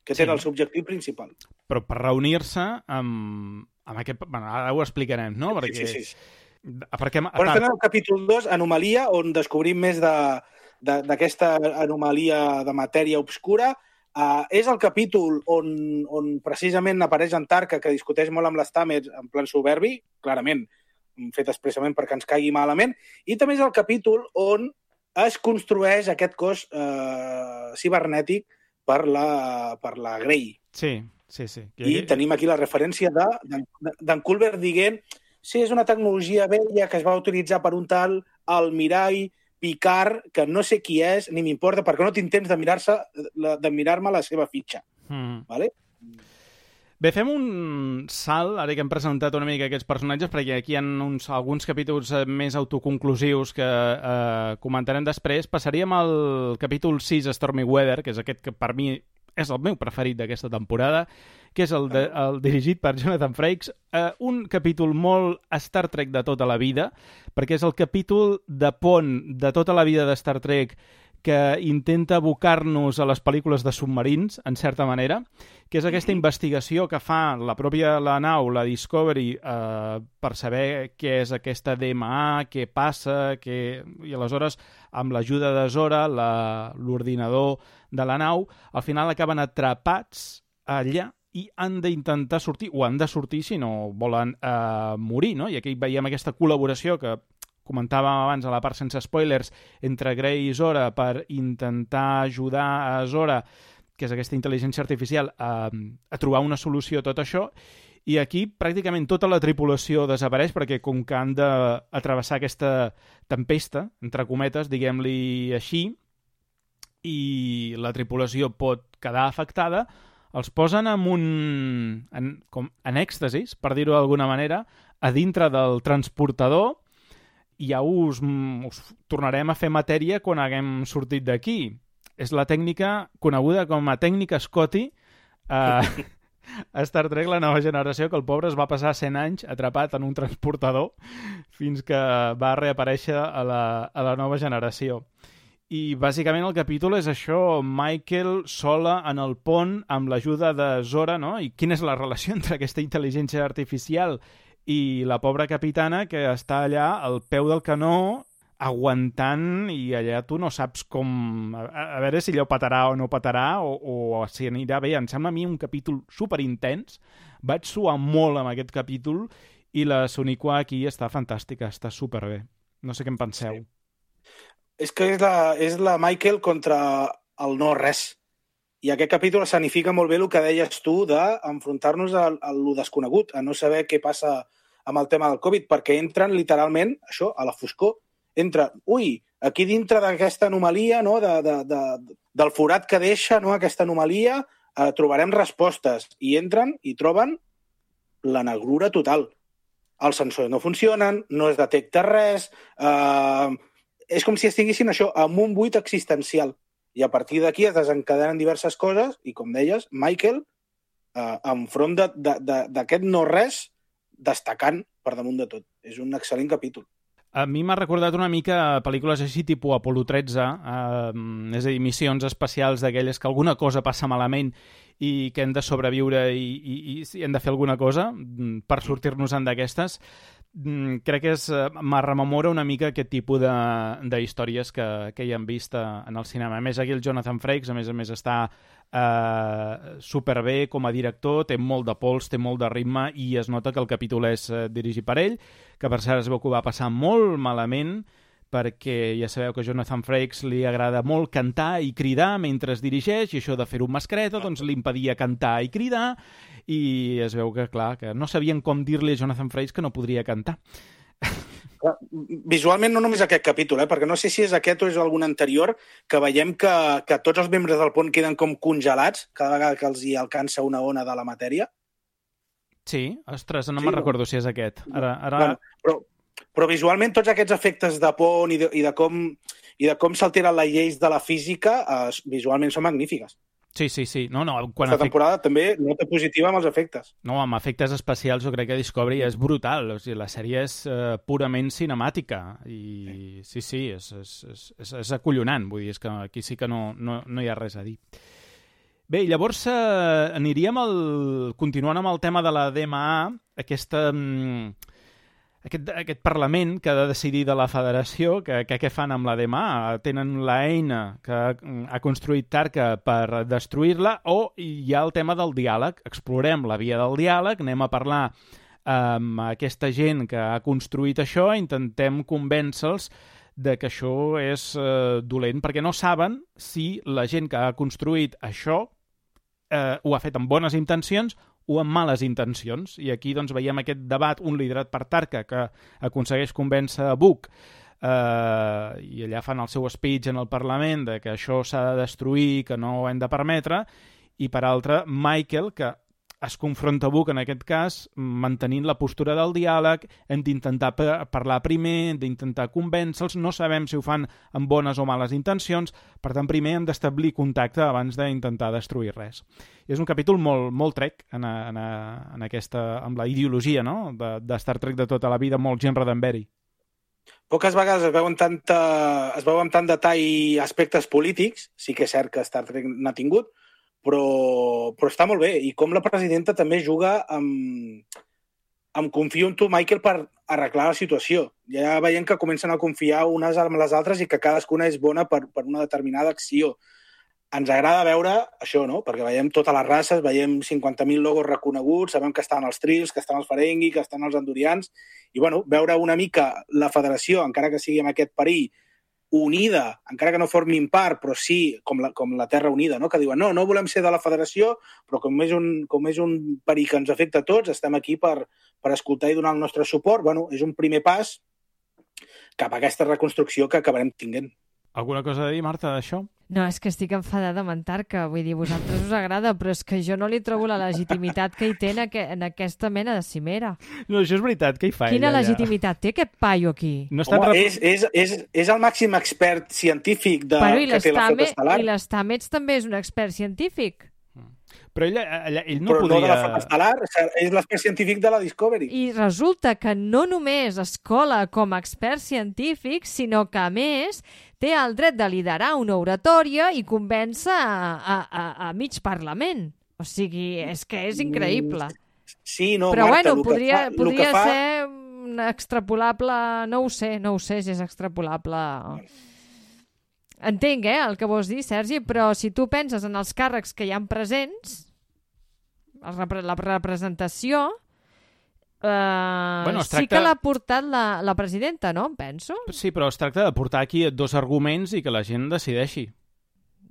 Que Sí. era el seu objectiu principal. Però per reunir-se amb, amb aquest... Bueno, ara ho explicarem, no? Perquè... Sí, sí, sí. Perquè a Bueno, tard- estem en el capítol dos, Anomalia, on descobrim més de- de- d'aquesta anomalia de matèria obscura. Uh, és el capítol on, on precisament apareix en Tarka, que discuteix molt amb les Tamers en plan soberbi, clarament, fet expressament perquè ens caigui malament, i també és el capítol on es construeix aquest cos eh, cibernètic per la, per la Grey. Sí, sí, sí. I tenim aquí la referència de- de- d'en Culber dient sí, és una tecnologia vella que es va utilitzar per un tal Almirall Picard, que no sé qui és, ni m'importa, perquè no tinc temps de mirar-se de mirar-me la seva fitxa. Mm. Vale? Bé, fem un salt, ara que hem presentat una mica aquests personatges, perquè aquí hi ha uns, alguns capítols eh, més autoconclusius que eh, comentarem després. Passaríem al capítol sis, Stormy Weather, que és aquest que per mi és el meu preferit d'aquesta temporada, que és el, de, el dirigit per Jonathan Frakes, eh, un capítol molt Star Trek de tota la vida, perquè és el capítol de pont de tota la vida de Star Trek que intenta abocar-nos a les pel·lícules de submarins, en certa manera, que és aquesta investigació que fa la pròpia la nau, la Discovery, eh, per saber què és aquesta D M A, què passa, què... i aleshores, amb l'ajuda de Zora, la- l'ordinador de la nau, al final acaben atrapats allà i han d'intentar sortir, o han de sortir si no volen eh, morir, no? I aquí veiem aquesta col·laboració que comentàvem abans a la part sense spoilers entre Grey i Zora per intentar ajudar a Zora, que és aquesta intel·ligència artificial, a, a trobar una solució a tot això, i aquí pràcticament tota la tripulació desapareix perquè com que han d'atrevessar aquesta tempesta, entre cometes, diguem-li així, i la tripulació pot quedar afectada, els posen en un... en, com, en èxtasis, per dir-ho d'alguna manera, a dintre del transportador, i ja us, us tornarem a fer matèria quan haguem sortit d'aquí. És la tècnica coneguda com a tècnica Scotty a, a Star Trek La Nova Generació, que el pobre es va passar cent anys atrapat en un transportador fins que va reaparèixer a la, a la Nova Generació. I bàsicament el capítol és això, Michael sola en el pont amb l'ajuda de Zora, no? I quina és la relació entre aquesta intel·ligència artificial i la pobra capitana que està allà al peu del canó aguantant i allà tu no saps com... A, a veure si allò petarà o no petarà o, o si anirà bé. Em sembla a mi un capítol superintens. Vaig suar molt amb aquest capítol i la Sonequa aquí està fantàstica, està superbé. No sé què en penseu. Sí. És que és la, és la Michael contra el no res. I aquest capítol escenifica molt bé el que deies tu d'enfrontar-nos a, a lo desconegut, a no saber què passa amb el tema del Covid, perquè entren literalment, això, a la foscor. Entra, ui, aquí dintre d'aquesta anomalia, no, de, de, de, del forat que deixa, no, aquesta anomalia, eh, trobarem respostes. I entren i troben la negrura total. Els sensors no funcionen, no es detecta res, eh, és com si estiguessin això, amb un buit existencial. I a partir d'aquí es desencadenen diverses coses i, com deies, Michael, eh, enfront d'aquest no-res, destacant per damunt de tot. És un excel·lent capítol. A mi m'ha recordat una mica pel·lícules així tipus Apolo tretze, eh, és a dir, missions especials d'aquelles que alguna cosa passa malament i que hem de sobreviure i, i, i hem de fer alguna cosa per sortir-nos-en d'aquestes. Crec que és, me rememora una mica aquest tipus de, de històries que, que hi hem vist en el cinema. A més, aquí el Jonathan Frakes, a més a més, està eh, superbé com a director, té molt de pols, té molt de ritme i es nota que el capítol és eh, dirigit per ell, que per cert es veu que ho va passar molt malament perquè ja sabeu que a Jonathan Frakes li agrada molt cantar i cridar mentre es dirigeix i això de fer-ho amb mascareta doncs li impedia cantar i cridar i es veu que, clar, que no sabien com dir-li a Jonathan Frakes que no podria cantar. Visualment no només aquest capítol, eh? Perquè no sé si és aquest o és algun anterior, que veiem que, que tots els membres del pont queden com congelats cada vegada que els hi alcança una ona de la matèria. Sí, ostres, no Sí, me'n no? recordo si és aquest. Ara, ara... Bueno, però, però visualment tots aquests efectes de pont i de, i de com, i de com s'alteren les lleis de la física eh, visualment són magnífiques. Sí, sí, sí. No, no, quan Aquesta efect... temporada també nota positiva amb els efectes. no, amb efectes especials jo crec que Discovery és brutal. O sigui, la sèrie és eh, purament cinemàtica. I sí, sí, és, és, és, és, és acollonant. Vull dir, és que aquí sí que no, no, no hi ha res a dir. Bé, llavors eh, aniríem al... continuant amb el tema de la D M A, aquesta... Mm, Aquest, aquest Parlament que ha de decidir de la Federació, que, que què fan amb la D M A? Tenen l'eina que ha construït Tarka per destruir-la, o hi ha el tema del diàleg. Explorem la via del diàleg, anem a parlar amb aquesta gent que ha construït això, intentem convèncer-los de que això és eh, dolent, perquè no saben si la gent que ha construït això eh, ho ha fet amb bones intencions o amb males intencions. I aquí doncs, veiem aquest debat, un liderat per Tarka, que aconsegueix convèncer a Book, eh, i allà fan el seu speech en el Parlament de que això s'ha de destruir, que no ho hem de permetre, i per altra, Michael, que es confronta a Book en aquest cas, mantenint la postura del diàleg, hem d'intentar parlar primer, hem d'intentar convèncer-los, no sabem si ho fan amb bones o males intencions, per tant, primer hem d'establir contacte abans d'intentar destruir res. I és un capítol molt, molt Trek en, a, en, a, en aquesta, amb la ideologia, no?, de, de Star Trek de tota la vida, molt gent Roddenberry. Poques vegades es veuen, tanta, es veuen tant detall aspectes polítics, sí que és cert que Star Trek n'ha tingut, però, però està molt bé. I com la presidenta també juga amb, amb confio en tu, Michael, per arreglar la situació. Ja veiem que comencen a confiar unes amb les altres i que cadascuna és bona per, per una determinada acció. Ens agrada veure això, no? Perquè veiem totes les races, veiem cinquanta mil logos reconeguts, sabem que estan els Trills, que estan els Ferengi, que estan els Andorians, i bueno, veure una mica la federació, encara que sigui amb aquest perill, unida, encara que no formin part, però sí, com la, com la Terra Unida, no? Que diuen, no, no volem ser de la federació, però com és un, com és un perill que ens afecta a tots, estem aquí per, per escoltar i donar el nostre suport. Bueno, és un primer pas cap a aquesta reconstrucció que acabarem tinguent. Alguna cosa a dir, Marta, d'això? No, és que estic enfadada amb en Tarka, vull dir, a vosaltres us agrada, però és que jo no li trobo la legitimitat que hi té en, aqu en aquesta mena de cimera. No, això és veritat, què hi fa Quina ella, legitimitat té aquest paio aquí? No està Home, rep... és, és, és, és el màxim expert científic de, Però i que té la flota estel·lar. I l'Stamets també és un expert científic. Però ell, ell, ell no però podria... no de la flota estel·lar, és l'expert científic de la Discovery. I resulta que no només es cola com a expert científic, sinó que, a més, té el dret de liderar una oratòria i convèncer a, a, a, a mig Parlament. O sigui, és que és increïble. Sí, no, Però Marta, bueno, el podria, que fa, podria el que fa... ser un extrapolable... No ho sé, no ho sé si és extrapolable... Entenc, eh, el que vols dir, Sergi, però si tu penses en els càrrecs que hi ha presents, el repre la representació, eh, Bueno, es sí tracta- que l'ha portat la, la presidenta, no? Em penso. Sí, però es tracta de portar aquí dos arguments i que la gent decideixi.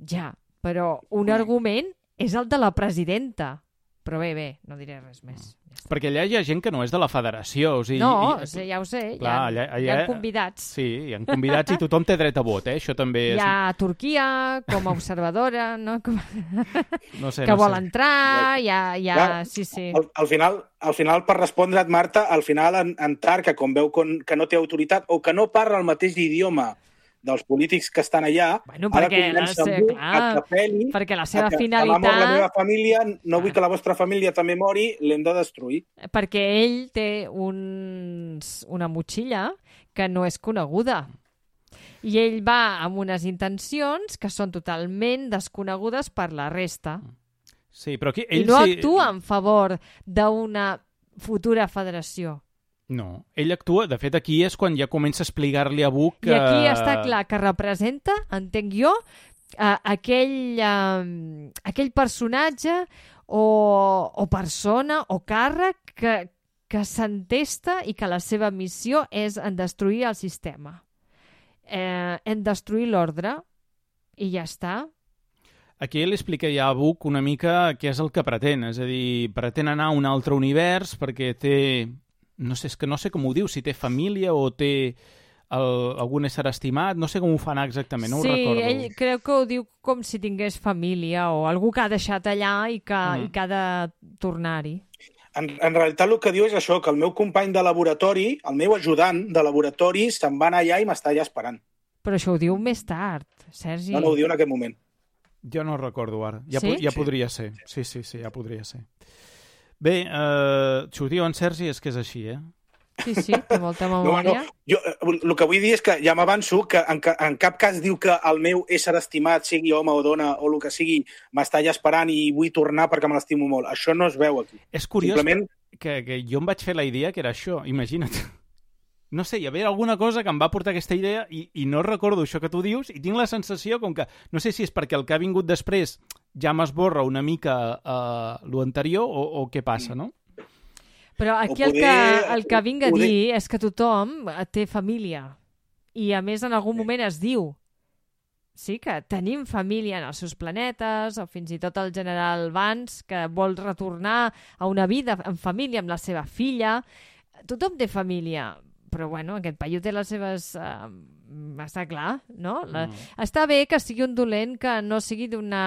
Ja, però un argument és el de la presidenta. Però bé, bé, no diré res més. Ja està. Perquè allà hi ha gent que no és de la federació. O sigui, No, i, sí, ja ho sé, Clar, hi, ha, allà- hi ha allà- convidats. Sí, hi ha convidats i tothom té dret a vot, eh? Això també és... Hi ha Turquia com a observadora, no? Com... No sé, que no vol sé. entrar, hi ha... Hi ha... Clar, Sí, sí. Al, al, final, al final, per respondre't, Marta, al final en, en Tarka, com veu con, que no té autoritat o que no parla el mateix idioma dels polítics que estan allà, Bueno, ha de perquè la convèncer se- algú clar, a que apel·li, perquè la seva a que, finalitat- que va morir la meva família, no vull que la vostra família també mori, l'hem de destruir. Perquè ell té uns, una motxilla que no és coneguda. I ell va amb unes intencions que són totalment desconegudes per la resta. Sí, però aquí I ell no sí... actua en favor d'una futura federació. No, ell actua... De fet, aquí és quan ja comença a explicar-li a Book que... I aquí està clar que representa, entenc jo, uh, aquell, uh, aquell personatge o, o persona o càrrec que, que s'entesta i que la seva missió és en destruir el sistema, eh, en destruir l'ordre, i ja està. Aquí ell explica ja a Book una mica què és el que pretén. És a dir, pretén anar a un altre univers perquè té no sé, és que no sé com ho diu, si té família o té el, algun ésser estimat, no sé com ho fan exactament, no sí, ho recordo. Sí, ell creu que ho diu com si tingués família o algú que ha deixat allà i que, mm. i que ha de tornar-hi. En, en realitat el que diu és això, que el meu company de laboratori, el meu ajudant de laboratori, se'n va anar allà i m'està allà esperant. Però això ho diu més tard, Sergi. No, no ho diu en aquest moment. Jo no recordo ara. Ja, sí? po ja sí. podria ser. Sí, sí, sí, ja podria ser. Bé, eh, si ho diu en Sergi és que és així, eh? Sí, sí, té molta memòria. No, no. Jo, el que vull dir és que ja m'avanço que en, en cap cas diu que el meu ésser estimat, sigui home o dona o el que sigui, m'està allà esperant i vull tornar perquè me l'estimo molt. Això no es veu aquí. És curiós Simplement... que, que jo em vaig fer la idea que era això, imagina't. No sé, hi havia alguna cosa que em va portar aquesta idea i, i no recordo això que tu dius i tinc la sensació com que, no sé si és perquè el que ha vingut després ja m'esborra una mica uh, l'anterior o, o què passa, no? Però aquí poder, el, que, el que vinc a poder... dir és que tothom té família. I a més en algun moment es diu sí que tenim família en els seus planetes, o fins i tot el general Vance, que vol retornar a una vida en família amb la seva filla. Tothom té família, però bueno, aquest paio té les seves... Uh, està clar, no? La... Mm. Està bé que sigui un dolent que no sigui d'una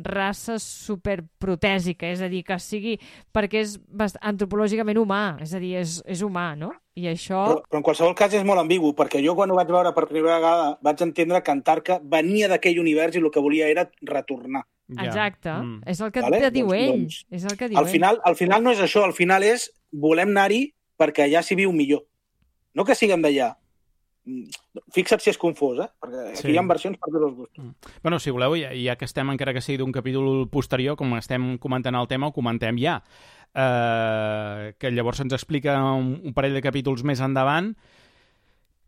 raça superprotèsica, és a dir, que sigui perquè és bast... antropològicament humà, és a dir, és, és humà, no? I això... Però, però en qualsevol cas és molt ambigu, perquè jo quan ho vaig veure per primera vegada vaig entendre que Antarca venia d'aquell univers i el que volia era retornar. Ja. Exacte, mm. és el que vale? te diu doncs, ell. Doncs, és el que diu al, final, ell. al final no és això, al final és volem anar-hi perquè allà s'hi viu millor. No que siguem d'allà. Fixa't si és confós, eh? Perquè aquí sí. hi ha versions per tots els gustos. Mm. Bueno, si voleu, ja, ja que estem, encara que sigui d'un capítol posterior, com estem comentant el tema, ho comentem ja. Uh, que llavors ens explica un, un parell de capítols més endavant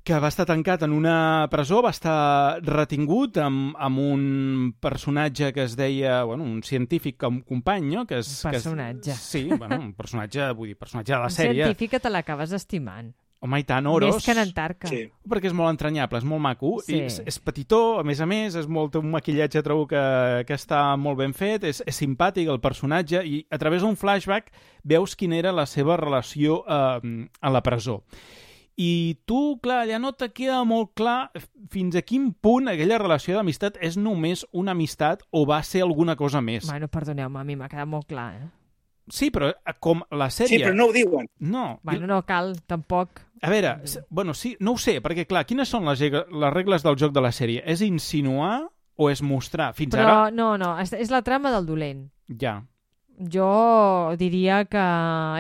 que va estar tancat en una presó, va estar retingut amb, amb un personatge que es deia, bueno, un científic com company, no? Que és, un personatge. Que és, sí, bueno, un personatge, vull dir, personatge de la un sèrie. Un científic que te l'acabes estimant. Home, i tant, Oros... Més que en Antarca. Sí. Perquè és molt entranyable, és molt maco, sí. i és, és petitó, a més a més, és molt, un maquillatge trobo que, que està molt ben fet, és, és simpàtic el personatge, i a través d'un flashback veus quina era la seva relació eh, a la presó. I tu, clar, allà no te queda molt clar fins a quin punt aquella relació d'amistat és només una amistat o va ser alguna cosa més. Bueno, perdoneu-me, a mi m'ha quedat molt clar, eh? Sí, però com la sèrie... Sí, però no ho diuen. No. Bueno, no cal, tampoc. A veure, bueno, sí, no ho sé, perquè, clar, quines són les, les regles del joc de la sèrie? És insinuar o és mostrar? Fins però, ara... no, no, és, és la trama del dolent. Ja. Jo diria que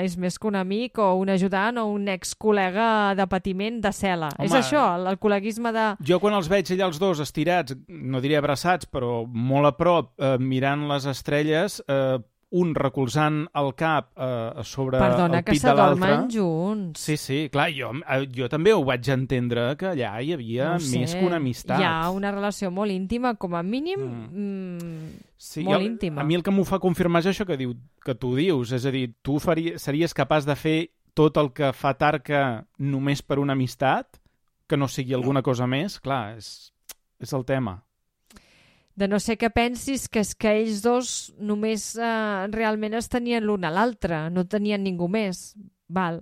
és més que un amic o un ajudant o un ex-col·lega de patiment de cel·la. Home, és això, el, el col·leguisme de... Jo quan els veig allà els dos estirats, no diré abraçats, però molt a prop, eh, mirant les estrelles... Eh, un recolzant el cap eh, sobre Perdona, el pit de l'altre. Perdona, que s'adormen junts. Sí, sí, clar, jo, jo també ho vaig entendre, que allà hi havia no més que una amistat. Hi ha una relació molt íntima, com a mínim, mm. Mm, sí, molt jo, íntima. A mi el que m'ho fa confirmar és això que, diu, que tu dius, és a dir, tu faries, series capaç de fer tot el que fa Tarka només per una amistat, que no sigui alguna cosa més? Clar, és, és el tema. De no ser que pensis que és que ells dos només eh, realment es tenien l'un a l'altre, no tenien ningú més. Val.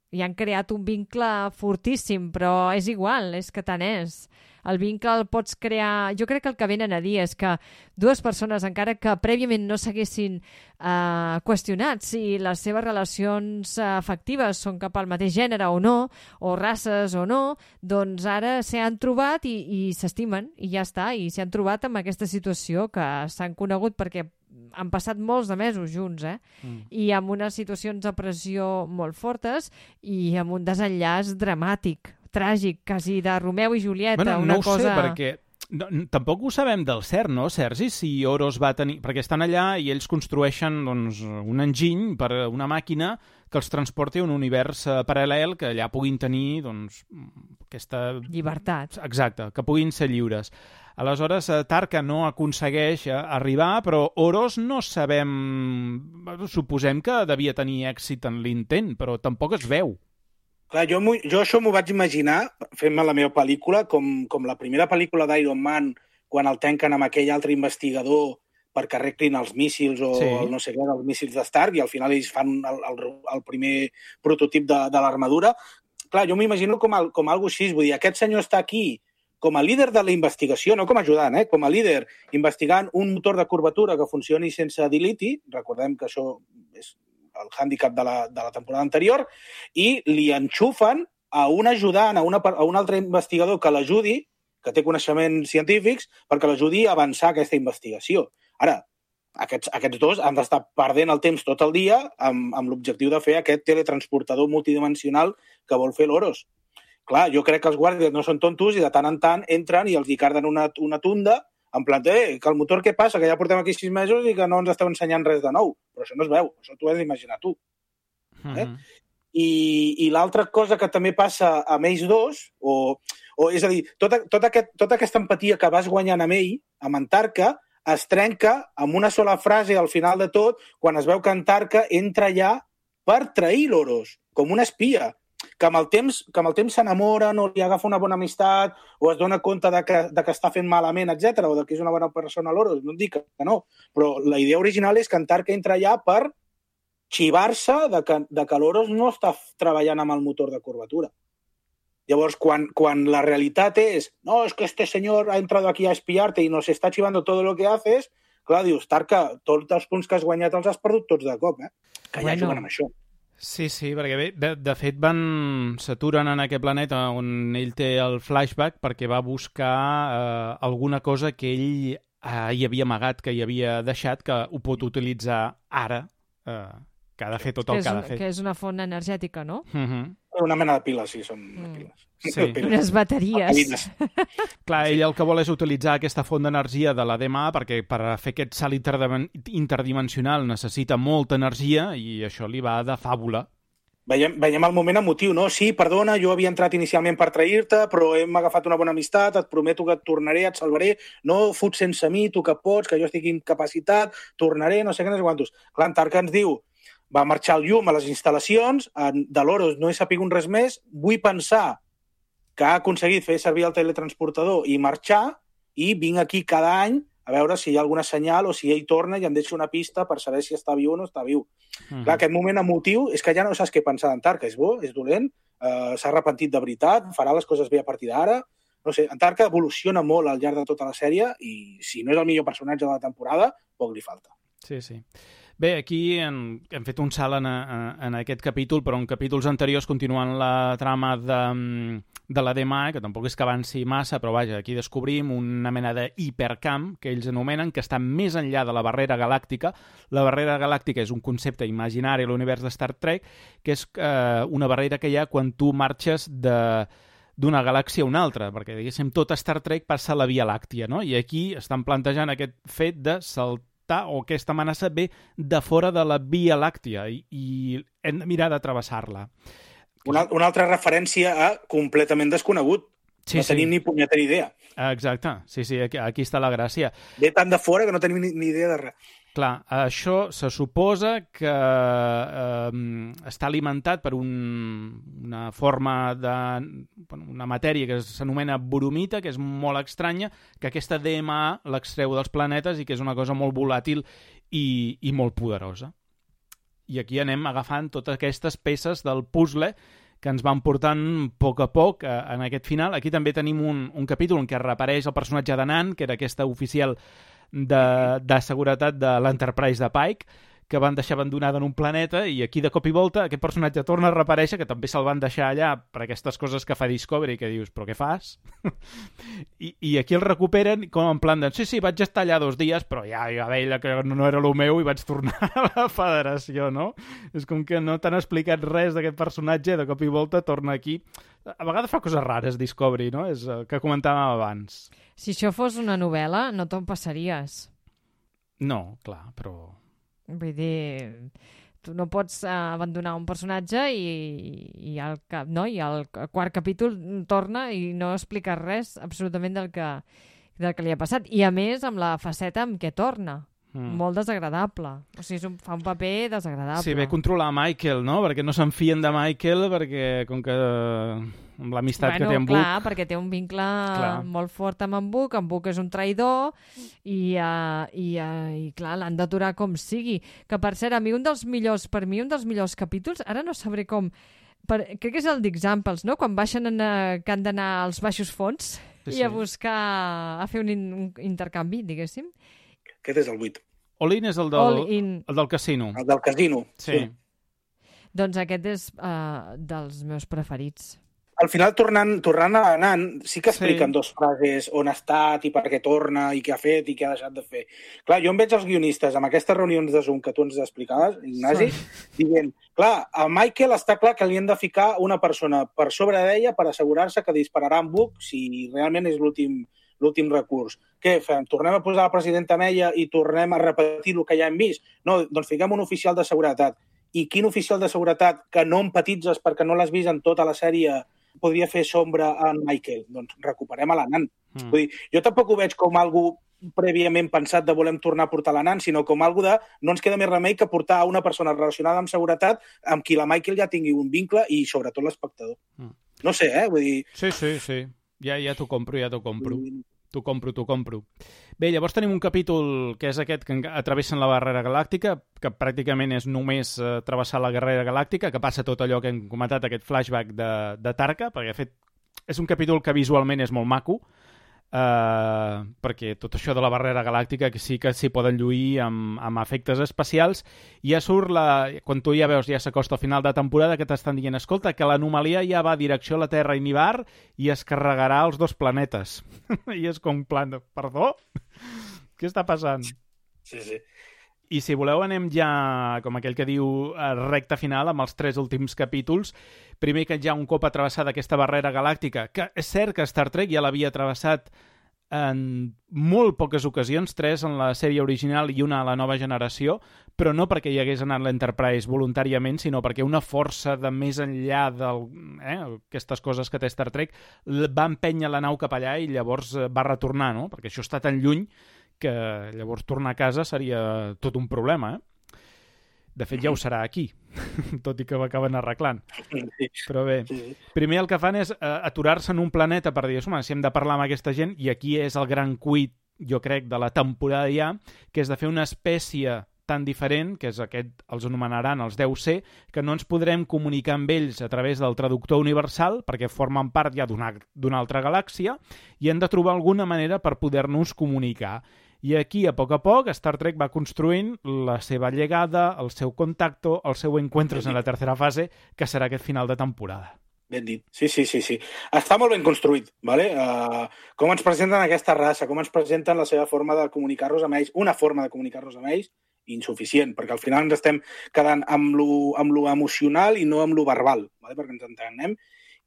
I han creat un vincle fortíssim, però és igual, és que tant és. El vincle el pots crear... Jo crec que el que venen a dir és que dues persones, encara que prèviament no s'haguessin eh, qüestionat si les seves relacions eh, afectives són cap al mateix gènere o no, o races o no, doncs ara s'han trobat i, i s'estimen, i ja està, i s'han trobat amb aquesta situació que s'han conegut perquè han passat molts de mesos junts, eh? Mm. I amb unes situacions de pressió molt fortes i amb un desenllaç dramàtic, tràgic, quasi de Romeu i Julieta. Bueno, una no ho cosa... sé, perquè no, tampoc ho sabem del cert, no, Sergi? Si Oros va tenir... Perquè estan allà i ells construeixen doncs, un enginy per una màquina que els transporti a un univers uh, paral·lel que allà puguin tenir doncs, aquesta... llibertat. Exacte, que puguin ser lliures. Aleshores, Tarka no aconsegueix arribar, però Oros no sabem... Suposem que devia tenir èxit en l'intent, però tampoc es veu. Clar, jo, jo això m'ho vaig imaginar, fent-me la meva pel·lícula, com, com la primera pel·lícula d'Iron Man, quan el tanquen amb aquell altre investigador perquè arreglin els míssils o Sí. el no sé què, els míssils de Stark, i al final ells fan el, el, el primer prototip de, de l'armadura. Clar, jo m'imagino com, el, com algo així, vull dir, aquest senyor està aquí com a líder de la investigació, no com a ajudant, eh? Com a líder, investigant un motor de curvatura que funcioni sense diliti, recordem que això és el hàndicap de la, de la temporada anterior, i li enxufen a un ajudant, a, una, a un altre investigador que l'ajudi, que té coneixements científics, perquè l'ajudi a avançar aquesta investigació. Ara, aquests, aquests dos han d'estar perdent el temps tot el dia amb, amb l'objectiu de fer aquest teletransportador multidimensional que vol fer l'Oros. Clar, jo crec que els guàrdies no són tontos i de tant en tant entren i els hi carden una, una tunda en plan, eh, que el motor què passa? Que ja portem aquí sis mesos i que no ens esteu ensenyant res de nou. Però això no es veu, això t'ho has d'imaginar tu. Eh? Uh-huh. I, i l'altra cosa que també passa amb ells dos, o, o és a dir, tota, tota, aquest, tota aquesta empatia que vas guanyant amb ell, amb en Tarka, es trenca amb una sola frase al final de tot, quan es veu que en Tarka entra allà per trair l'Oros, com una espia, que amb el temps que amb el temps s'enamoren o li agafa una bona amistat o es dona compte de que, de que està fent malament, etcètera, o de que és una bona persona l'Oros, no et dic que no, però la idea original és que en Tarka entra allà per xivar-se de que, de que l'Oros no està treballant amb el motor de curvatura. Llavors, quan, quan la realitat és no, es que este señor ha entrado aquí a espiarte y nos está chivando todo lo que haces, clar, dius, Tarka, tots els punts que has guanyat els has perdut tots de cop, eh? Que ja bueno. Juguen amb això. Sí, sí, perquè bé, de, de fet van s'aturen en aquest planeta on ell té el flashback perquè va buscar eh, alguna cosa que ell eh, hi havia amagat, que hi havia deixat, que ho pot utilitzar ara, eh, que ha de fer tot el que, que ha de fer. Que és una font energètica, no? Uh-huh. Una mena de piles, sí, són mm. piles. Sí. Piles. Unes bateries. Clar, ell el que vol és utilitzar aquesta font d'energia de la D M A perquè per fer aquest salt interdimensional necessita molta energia i això li va de fàbula. Veiem, veiem el moment emotiu, no? Sí, perdona, jo havia entrat inicialment per trair-te, però hem agafat una bona amistat, et prometo que et tornaré, et salvaré, no fut sense mi, tu que pots, que jo estic incapacitat, tornaré, no sé què, no sé quantos. Clar, en Tarka ens diu, va marxar el llum a les instal·lacions, de l'Oros no he sapigut res més, vull pensar que ha aconseguit fer servir el teletransportador i marxar, i vinc aquí cada any a veure si hi ha alguna senyal o si ell torna i em deixa una pista per saber si està viu o no està viu. Uh-huh. Clar, aquest moment emotiu és que ja no saps què pensar d'en Tarka, és bo, és dolent, eh, s'ha arrepentit de veritat, farà les coses bé a partir d'ara, no sé, en Tarka evoluciona molt al llarg de tota la sèrie i si no és el millor personatge de la temporada, poc li falta. Sí, sí. Bé, aquí hem, hem fet un salt en, en aquest capítol, però en capítols anteriors, continuant la trama de, de la D M A, que tampoc és que avanci massa, però vaja, aquí descobrim una mena de hipercamp, que ells anomenen, que està més enllà de la barrera galàctica. La barrera galàctica és un concepte imaginari a l'univers de Star Trek, que és eh, una barrera que hi ha quan tu marxes de d'una galàxia a una altra, perquè, diguéssim, tot Star Trek passa a la Via Làctia, no? I aquí estan plantejant aquest fet de saltar o aquesta amenaça ve de fora de la Via Làctia i, i hem de mirar de travessar-la. Una, una altra referència a completament desconegut. Sí, no sí. Tenim ni punyetera idea. Exacte, sí, sí, aquí, aquí està la gràcia. Ve tan de fora que no tenim ni, ni idea de res. Clar, això se suposa que eh, està alimentat per un, una forma de... una matèria que s'anomena boromita, que és molt estranya, que aquesta D M A l'extreu dels planetes i que és una cosa molt volàtil i, i molt poderosa. I aquí anem agafant totes aquestes peces del puzzle que ens van portant a poc a poc eh, en aquest final. Aquí també tenim un, un capítol en què reapareix el personatge de Nan, que era aquesta oficial de, de seguretat de l'Enterprise de Pike, que van deixar abandonada en un planeta, i aquí de cop i volta aquest personatge torna a reaparèixer, que també se'l van deixar allà per aquestes coses que fa Discovery, que dius, però què fas? I, I aquí el recuperen com en plan de, sí, sí, vaig estar allà dos dies, però ja, ja veia que no era el meu i vaig tornar a la Federació, no? És com que no t'han explicat res d'aquest personatge, de cop i volta torna aquí. A vegades fa coses rares, Discovery, no? És el que comentàvem abans. Si això fos una novel·la, no te'n passaries. No, clar, però... Vull dir, tu no pots uh, abandonar un personatge i, i, al cap, no? I al quart capítol torna i no explica res absolutament del que, del que li ha passat. I a més, amb la faceta amb què torna. Mm. Molt desagradable. O sigui, un, fa un paper desagradable. Sí, ve controlar Michael, no? Perquè no se'n fien de Michael, perquè com que amb l'amistat bueno, que té amb clar, Book. perquè té un vincle clar. molt fort amb en Book, en Book és un traïdor i, uh, i, uh, i clar, l'han d'aturar com sigui. Que per cert, a mi un dels millors, per mi un dels millors capítols, ara no sabré com, per, crec que és el d'Examples, no? Quan baixen en, uh, que han d'anar als baixos fons sí, i a buscar, a fer un, in, un intercanvi, diguéssim. Aquest és el vuit. All-in és el del, el del casino. El del casino, sí. sí. Doncs aquest és uh, dels meus preferits. Al final, tornant, tornant a Nan, sí que expliquen Sí. dos frases on ha estat i per què torna i què ha fet i què ha deixat de fer. Clar, jo em veig els guionistes amb aquestes reunions de Zoom que tu ens explicaves, Ignasi, sí. dient, clar, a Michael està clar que li han de ficar una persona per sobre d'ella per assegurar-se que dispararà en Book si realment és l'últim l'últim recurs. Què fem? Tornem a posar la presidenta amb ella i tornem a repetir el que ja hem vist? No, doncs fiquem un oficial de seguretat. I quin oficial de seguretat que no empatitzes perquè no l'has vist en tota la sèrie podria fer sombra en Michael? Doncs recuperem a la Nan. Mm. Vull dir, jo tampoc ho veig com algú prèviament pensat de volem tornar a portar la Nan, sinó com algú de no ens queda més remei que portar a una persona relacionada amb seguretat amb qui la Michael ja tingui un vincle i sobretot l'espectador. Mm. No sé, eh? Vull dir... Sí, sí, sí. Ja, ja t'ho compro, ja t'ho compro. T'ho compro, t'ho compro. Bé, llavors tenim un capítol que és aquest que atravessen la barrera galàctica, que pràcticament és només eh, travessar la barrera galàctica, que passa tot allò que hem comentat, aquest flashback de, de Tarka, perquè de fet és un capítol que visualment és molt maco, Uh, perquè tot això de la barrera galàctica que sí que s'hi poden lluir amb, amb efectes especials i ja surt la... quan tu ja veus ja s'acosta al final de temporada que t'estan dient escolta que l'anomalia ja va direcció a la Terra i Nibar i es carregarà els dos planetes i és com plan de... perdó? Què està passant? Sí, sí. I si voleu anem ja, com aquell que diu, a recta final amb els tres últims capítols. Primer que ja un cop atrevessada aquesta barrera galàctica, que és cert que Star Trek ja l'havia travessat en molt poques ocasions, tres en la sèrie original i una a la nova generació, però no perquè hi hagués anat l'Enterprise voluntàriament, sinó perquè una força de més enllà d'aquestes eh, coses que té Star Trek va empènyer la nau cap allà i llavors va retornar, no? Perquè això està tan lluny que llavors tornar a casa seria tot un problema, eh? De fet, ja ho serà aquí, tot i que ho acaben arreglant. Però bé, primer el que fan és uh, aturar-se en un planeta per dir, home, si hem de parlar amb aquesta gent, i aquí és el gran cuit, jo crec, de la temporada ja, que és de fer una espècie tan diferent, que és aquest, els anomenaran els deu C, que no ens podrem comunicar amb ells a través del traductor universal, perquè formen part ja d'una d'una altra galàxia, i hem de trobar alguna manera per poder-nos comunicar. I aquí, a poc a poc, Star Trek va construint la seva llegada, el seu contacto, el seu encuentros en la tercera fase, que serà aquest final de temporada. Ben dit. Sí, sí, sí, sí. Està molt ben construït, ¿vale? Uh, com ens presenten aquesta raça, com ens presenten la seva forma de comunicar-nos amb ells, una forma de comunicar-nos amb ells, insuficient, perquè al final ens estem quedant amb lo, amb lo emocional i no amb lo verbal, ¿vale? Perquè ens entenem.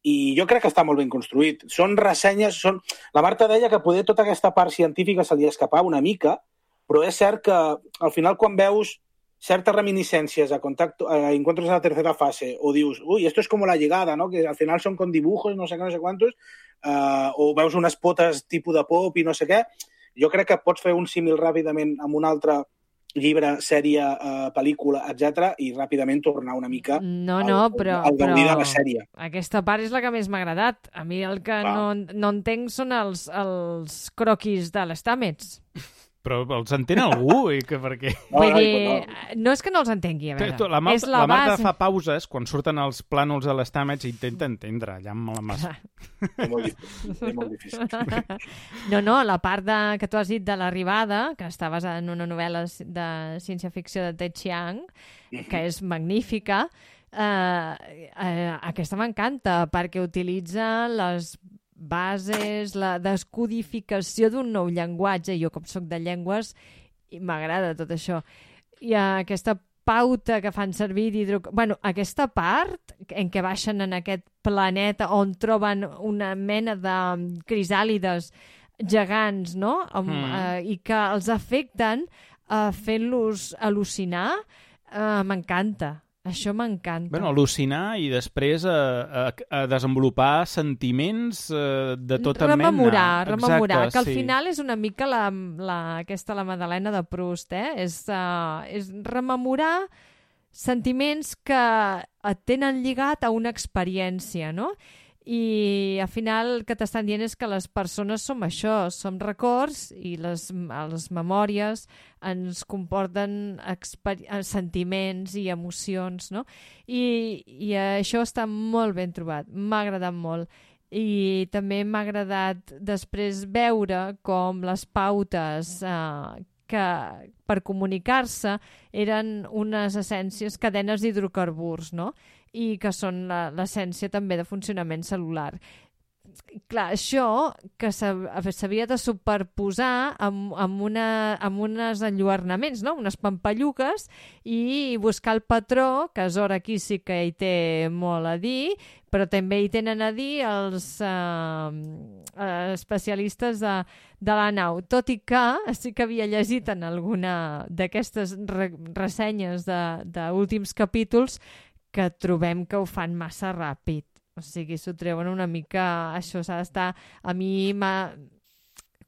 I jo crec que està molt ben construït. Són ressenyes... Són... La Marta deia que poder tota aquesta part científica se li escapava una mica, però és cert que al final quan veus certes reminiscències a, contacto, a encuentros de la tercera fase o dius, uy, esto es como la llegada, ¿no? Que al final son con dibujos, no sé què, no sé quantos, uh, o veus unes potes tipus de pop i no sé què, jo crec que pots fer un símil ràpidament amb un altre llibre, sèrie, uh, pel·lícula, etcètera, i ràpidament tornar una mica no, no, al, però, al gaudir però de la sèrie. Aquesta part és la que més m'ha agradat. A mi el que no, no entenc són els, els croquis de les Stamets. Però els entén algú? I que per què? No, Vull dir, no. no és que no els entengui, a veure. La, Marta, és la, la Marta base... fa pauses quan surten els plànols de les Stamets i intenta entendre, allà amb la massa. És molt difícil. És molt difícil. No, no, la part de, que tu has dit de l'arribada, que està basada en una novel·la de ciència-ficció de Ted Chiang, que és magnífica, eh, eh, aquesta m'encanta, perquè utilitza les bases, la descodificació d'un nou llenguatge. Jo, com soc de llengües, m'agrada tot això. I aquesta pauta que fan servir d'hidro... Bueno, aquesta part en què baixen en aquest planeta on troben una mena de crisàlides gegants, no? Amb, mm. eh, i que els afecten eh, fent-los al·lucinar, eh, m'encanta. Això m'encanta. Bueno, al·lucinar i després a, a, a desenvolupar sentiments eh, de tota rememorar, mena. Rememorar, Exacte, que al sí. final és una mica la, la, aquesta, la Madalena de Proust, eh? És, uh, és rememorar sentiments que et tenen lligat a una experiència, no? i al final el que t'estan dient és que les persones som això, som records i les, les memòries ens comporten sentiments i emocions, no? I, i això està molt ben trobat, m'ha agradat molt. I també m'ha agradat després veure com les pautes eh, que per comunicar-se eren unes essències, cadenes d'hidrocarburs, no? I que són l'essència també de funcionament cel·lular. Clar, això que s'havia de superposar amb, amb, una, amb uns enlluernaments, no? Unes pampalluques, i buscar el patró, que Zora aquí sí que hi té molt a dir, però també hi tenen a dir els eh, especialistes de, de la nau. Tot i que sí que havia llegit en alguna d'aquestes re ressenyes d'últims capítols que trobem que ho fan massa ràpid. O sigui, s'ho treuen una mica... Això s'ha d'estar... A mi m'ha...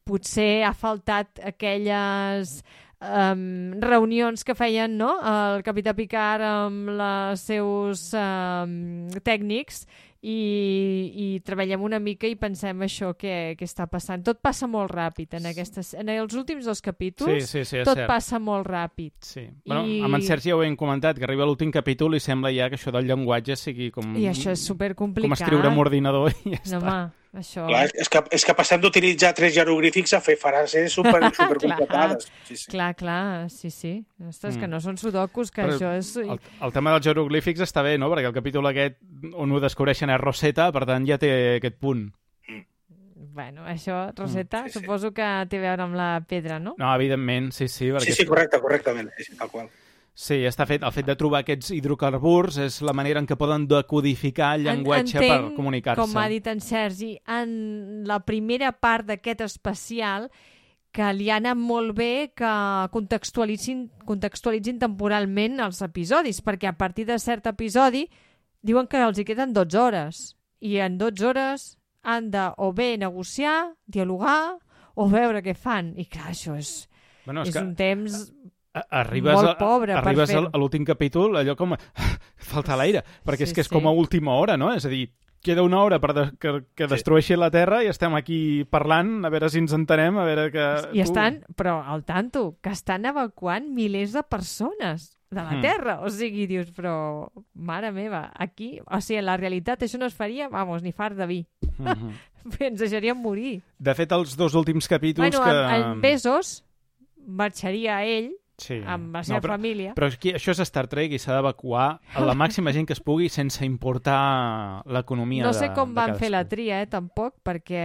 Potser ha faltat aquelles um, reunions que feien, no?, el capità Picard amb els seus um, tècnics i, i treballem una mica i pensem això que, que està passant. Tot passa molt ràpid en, aquestes, en els últims dos capítols. Sí, sí, sí, tot cert. passa molt ràpid. Sí. Bueno, I... amb en Sergi ja ho hem comentat, que arriba l'últim capítol i sembla ja que això del llenguatge sigui com... I això és supercomplicat. Com escriure amb ordinador i ja no, està. Home, això... Clar, és, que, és que passem d'utilitzar tres jeroglífics a fer frases super, supercomplicades. Sí, sí. Clar, clar, sí, sí. Ostres, mm. que no són sudokus, que Però això és... El, el tema dels jeroglífics està bé, no?, perquè el capítol aquest on ho descobreixen és Rosetta, per tant ja té aquest punt. Bueno, això, Rosetta, mm, sí, sí. suposo que té a veure amb la pedra, no? No, evidentment, sí, sí. Sí, sí, correcte, correctament, sí, sí, tal qual. Sí, està fet, el fet de trobar aquests hidrocarburs és la manera en què poden decodificar el llenguatge Entenc, per comunicar-se. Com ha dit en Sergi, en la primera part d'aquest especial que li ha anat molt bé que contextualitzin, contextualitzin temporalment els episodis, perquè a partir de cert episodi diuen que els hi queden dotze hores, i en dotze hores han de o bé negociar, dialogar, o veure què fan. I clar, això és, bueno, és, és que... un temps... Arribes molt pobre a, arribes per a, a l'últim capítol, allò com... falta l'aire, perquè sí, és que és sí. com a última hora, no? És a dir, queda una hora per de, que, que destrueixi sí. la Terra i estem aquí parlant, a veure si ens entenem, a veure que... I estan, però al tanto, que estan evacuant milers de persones de la Terra. Mm. O sigui, dius, però, mare meva, aquí... O sigui, en la realitat això no es faria, vamos, ni fart de vi. Mm-hmm. Ens deixaríem morir. De fet, els dos últims capítols bueno, que... en, en Bezos marxaria ell sí. amb la seva no, però, família. Però aquí, això és Star Trek i s'ha d'evacuar a la màxima gent que es pugui sense importar l'economia de No sé com de van cadascú. fer la tria, eh, tampoc, perquè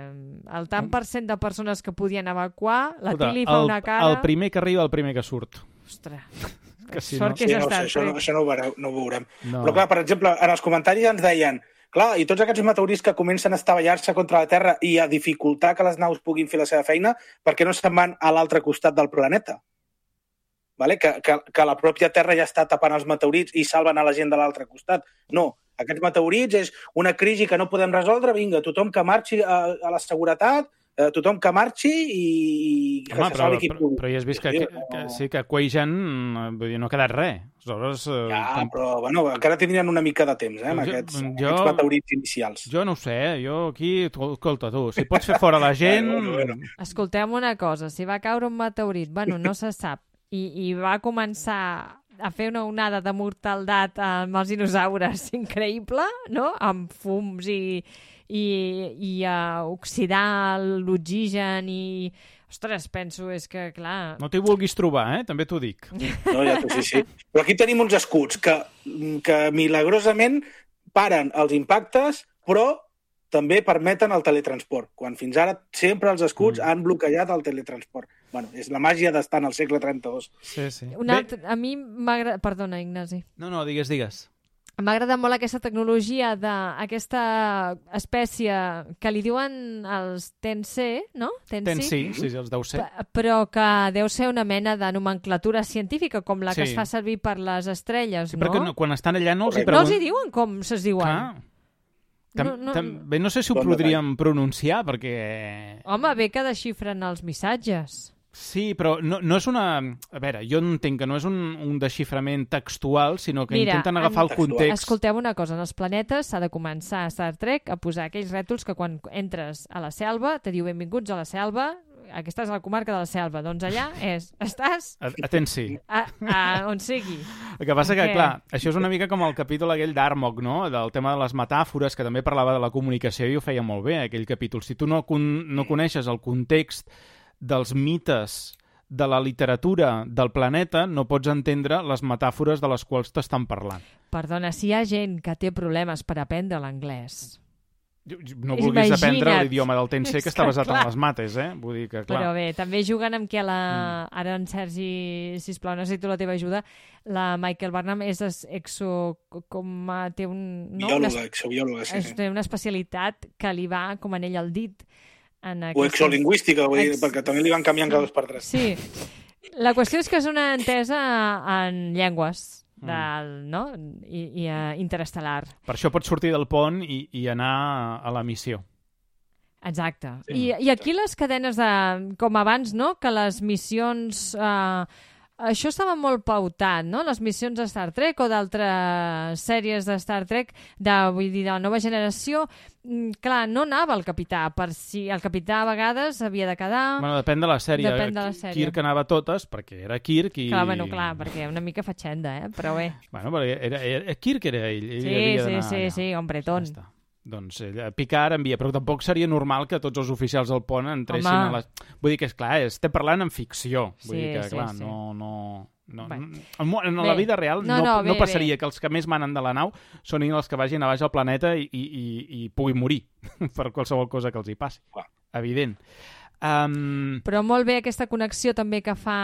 el tant per cent de persones que podien evacuar, la Escolta, Tilly fa el, una cara... El primer que arriba, el primer que surt. Ostres, que si sort no... que sí, és no, Star això, Trek. no, això no ho veurem. No ho veurem. No. Però clar, per exemple, en els comentaris ens deien clar, i tots aquests meteorits que comencen a estavellar-se contra la Terra i a dificultar que les naus puguin fer la seva feina, per què no se'n van a l'altre costat del planeta? Vale? Que, que, que la pròpia Terra ja està tapant els meteorits i salven a la gent de l'altre costat. No, aquests meteorits és una crisi que no podem resoldre, vinga, tothom que marxi a, a la seguretat, eh, tothom que marxi i que Home, se però, salvi qui però, pugui. però ja has vist que, Sí, que, no... que, sí, que Quajan vull dir, no ha quedat res. Aleshores, eh, Ja, tam... però bueno, encara tindrien una mica de temps, eh, amb Jo- aquests, jo- aquests meteorits inicials. jo no ho sé, jo aquí... tu- Escolta, tu, si pots fer fora la gent... Bueno, bueno, bueno. Escolteu una cosa, si va caure un meteorit, bueno, no se sap, i, i va començar a fer una onada de mortaldat amb els dinosaures increïble, no?, amb fums i, i, i a oxidar l'oxigen i... Ostres, penso, és que, clar... No t'hi vulguis trobar, eh? També t'ho dic. No, ja, sí, sí. Però aquí tenim uns escuts que, que milagrosament paren els impactes, però també permeten el teletransport, quan fins ara sempre els escuts mm. han bloquejat el teletransport. Bueno, és la màgia d'estar en el segle trenta-dos. Sí, sí. Una altra, a mi m'agrada... Perdona, Ignasi. No, no, digues, digues. M'ha agradat molt aquesta tecnologia d'aquesta espècie que li diuen els Tensei, no? Tens sí, sí, els deu ser. P- però que deu ser una mena de nomenclatura científica, com la que Sí. es fa servir per les estrelles, Sí, no? perquè no, quan estan allà no els hi No pregunten... els hi diuen com se'ls diuen. Clar. Tam, No, no- També no sé si ho Bon podríem pronunciar, perquè... Home, bé que desxifren els missatges. Sí, però no, no és una... A veure, jo entenc que no és un, un desxiframent textual, sinó que Mira, intenten agafar en... el context. Escolteu una cosa, en els planetes s'ha de començar a Star Trek a posar aquells rètols que quan entres a la selva te diu benvinguts a la selva, aquí estàs a la comarca de la selva, doncs allà és, estàs... Atenci. A, a on sigui. El que passa que, Perquè... clar, això és una mica com el capítol aquell d'Armok, no?, del tema de les metàfores, que també parlava de la comunicació i ho feia molt bé, aquell capítol. Si tu no, con no coneixes el context dels mites de la literatura del planeta, no pots entendre les metàfores de les quals t'estan parlant. Perdona, si hi ha gent que té problemes per aprendre l'anglès... No vulguis Imagina't. aprendre l'idioma del Tensei, que està basat clar. en les mates, eh? Vull dir que, clar... Però bé, també juguen amb que la... Mm. Ara en Sergi, sisplau, necessito la teva ajuda. La Michael Burnham és exo... com a... té un... No? Biòloga, una... exobiòloga, sí. sí. Té una especialitat que li va com anell al dit. En O aquesta... exolingüística, vull dir, Ex... perquè també li van canviant cada dos per tres. Sí. La qüestió és que és una entesa en llengües, del, no? I, i uh, interestel·lar. Per això pots sortir del pont i, i anar a la missió. Exacte. Sí. I, I aquí les cadenes de... Com abans, no?, que les missions... Eh, això estava molt pautat, no?, les missions de Star Trek o d'altres sèries de Star Trek, de, vull dir, de la nova generació. Clar, no anava el capità, per si el capità a vegades havia de quedar... Bueno, depèn de la sèrie. Depèn de la sèrie. Kirk anava a totes, perquè era Kirk i... Clar, bueno, clar, perquè una mica fatxenda, eh? Però bé. Bueno, perquè era, era, Kirk era ell. ell Sí, havia sí, d'anar sí, allà. sí, hombretón. Ja està. Doncs ella, Picard envia, però tampoc seria normal que tots els oficials del pont entressin Home. a les... Vull dir que, és clar, estem parlant en ficció. Vull Sí, dir que, sí, clar, sí. no... no... No, Bé. en, en la Bé. vida real No, no, no, no, bé, no passaria bé. que els que més manen de la nau són els que vagin a baix al planeta i, i, i, i puguin morir per qualsevol cosa que els hi passi. Clar. Evident. Um... Però molt bé aquesta connexió també que fa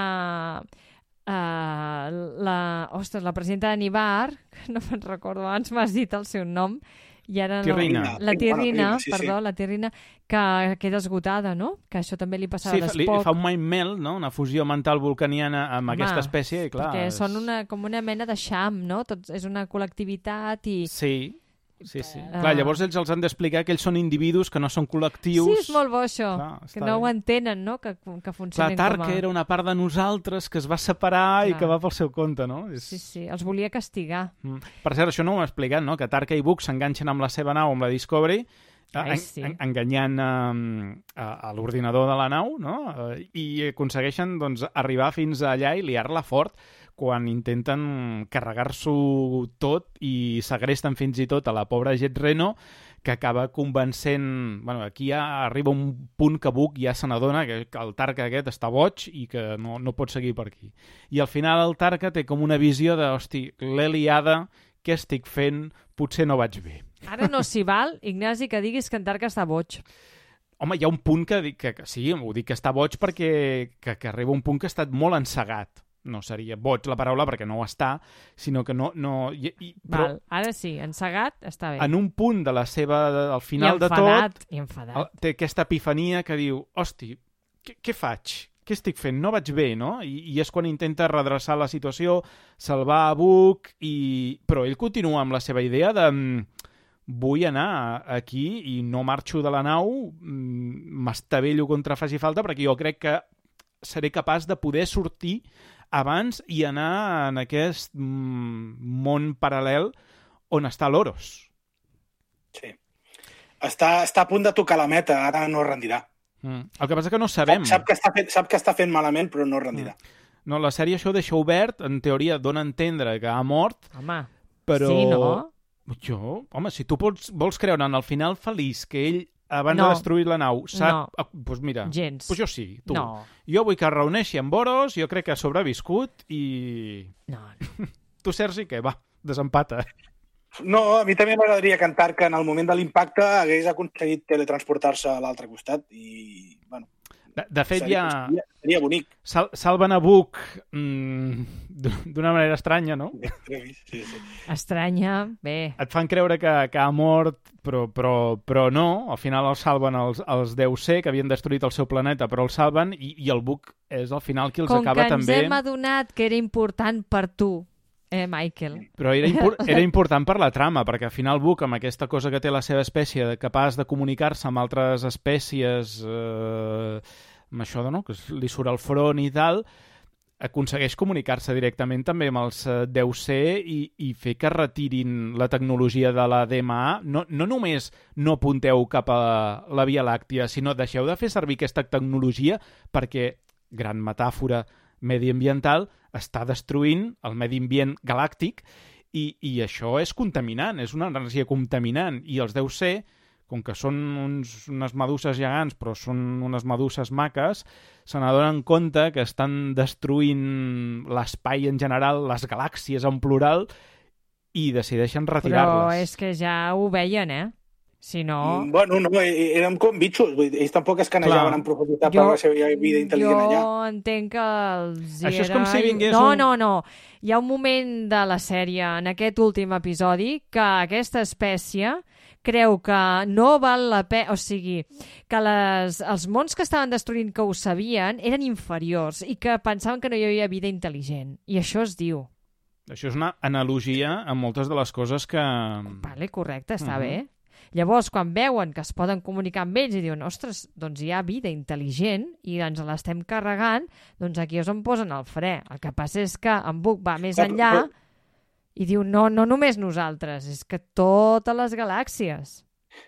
uh, la, ostres, la presidenta de Nibar, que no me'n recordo, abans m'has dit el seu nom, i ara no... Tirrina. La Tirrina, Sí, sí. perdó, la Tirrina, que queda esgotada, no? Que això també li passava Sí, a fa, li, l'Spock. fa un mind melt, no? Una fusió mental vulcaniana amb Home, aquesta espècie, i clar... perquè és... són una, com una mena de xam, no? Tots, és una col·lectivitat i... Sí, sí, sí. Uh... Clar, llavors ells els han d'explicar que ells són individus, que no són col·lectius... Sí, és molt bo això, Clar, que està no bé. ho entenen, no? Que, que Clar, funcionen Tarka com a... era una part de nosaltres que es va separar Clar. i que va pel seu compte, no? És... Sí, sí, els volia castigar. Mm. Per cert, això no ho he explicat, no? Que Tarka i Book s'enganxen amb la seva nau, amb la Discovery, Ai, en, sí. en, enganyant um, a, a l'ordinador de la nau, no? Uh, I aconsegueixen doncs, arribar fins allà i liar-la fort quan intenten carregar-s'ho tot i segresten fins i tot a la pobra Jet Reno, que acaba convencent... Bueno, aquí ja arriba un punt que Book ja se n'adona que el Tarka aquest està boig i que no, no pot seguir per aquí. I al final el Tarka té com una visió de, hosti, l'he liada, què estic fent? Potser no vaig bé. Ara no s'hi val, Ignasi, que diguis que en Tarka està boig. Home, hi ha un punt que, dic que, que sí, ho dic que està boig perquè que, que arriba un punt que ha estat molt encegat. No seria boig la paraula perquè no ho està, sinó que no... no i, i, però Val, ara sí, encegat està bé. en un punt de la seva... al final I de enfadat, tot, I enfadat. el- té aquesta epifania que diu, hosti, què, què faig? Què estic fent? No vaig bé, no? I, i és quan intenta redreçar la situació, salvar a Book, i... però ell continua amb la seva idea de... mm, vull anar aquí i no marxo de la nau, mm, m'estavello contra faci falta, perquè jo crec que seré capaç de poder sortir abans i anar en aquest mm, món paral·lel on està l'Oros. Sí. Està, està a punt de tocar la meta, ara no es rendirà. Mm. El que passa que no sabem. Sap, sap, que està fent, sap que està fent malament, però no es rendirà. No, la sèrie això ho deixa obert, en teoria dona a entendre que ha mort, Home, però... sí, no? Jo, home, si tu pots, vols creure en el final feliç que ell, abans No. de destruir la nau, sap... No. Ah, doncs mira, Gens. pues jo sí, tu. No. Jo vull que es reuneixi amb Boros, jo crec que ha sobreviscut i... No, no. Tu, Sergi, què? Va, desempata. No, a mi també m'agradaria cantar que en el moment de l'impacte hagués aconseguit teletransportar-se a l'altre costat i, bueno... De, de fet, seria, ja... seria, seria bonic. Sal, salven a Book mm, d'una manera estranya, no? Sí, sí. Estranya, bé. Et fan creure que, que ha mort, però, però, però no. Al final el salven els, els deu C, que havien destruït el seu planeta, però el salven i, i el Book és al final qui els Com acaba que ens també... hem adonat que era important per tu, eh, Michael? Però era, impor era important per la trama, perquè al final Book, amb aquesta cosa que té la seva espècie, de capaç de comunicar-se amb altres espècies eh, amb això de, no? Que li surt al front i tal, aconsegueix comunicar-se directament també amb els deu C i, i fer que retirin la tecnologia de la D M A. No, no només no apunteu cap a la Via Làctia, sinó deixeu de fer servir aquesta tecnologia perquè, gran metàfora mediambiental, està destruint el medi ambient galàctic i, i això és contaminant, és una energia contaminant. I els deu C, com que són uns, unes meduses gegants, però són unes meduses maques, se n'adonen compte que estan destruint l'espai en general, les galàxies en plural, i decideixen retirar-les. Però és que ja ho veien, eh? Si no... Bueno, no, eren com bitxos. Ells tampoc es canejaven en profunditat per la seva vida intel·ligent allà. Jo entenc que els hi Això és era... com si vingués no, un... no, no. Hi ha un moment de la sèrie, en aquest últim episodi, que aquesta espècie creu que no val la pena... O sigui, que les, els mons que estaven destruint, que ho sabien, eren inferiors i que pensaven que no hi havia vida intel·ligent. I això es diu. Això és una analogia a moltes de les coses que... Vale, correcte, està Uh-huh. bé. Llavors, quan veuen que es poden comunicar amb ells i diuen, ostres, doncs hi ha vida intel·ligent i ens l'estem carregant, doncs aquí és on posen el fre. El que passa és que en Buck va més enllà i diu, no, no només nosaltres, és que totes les galàxies.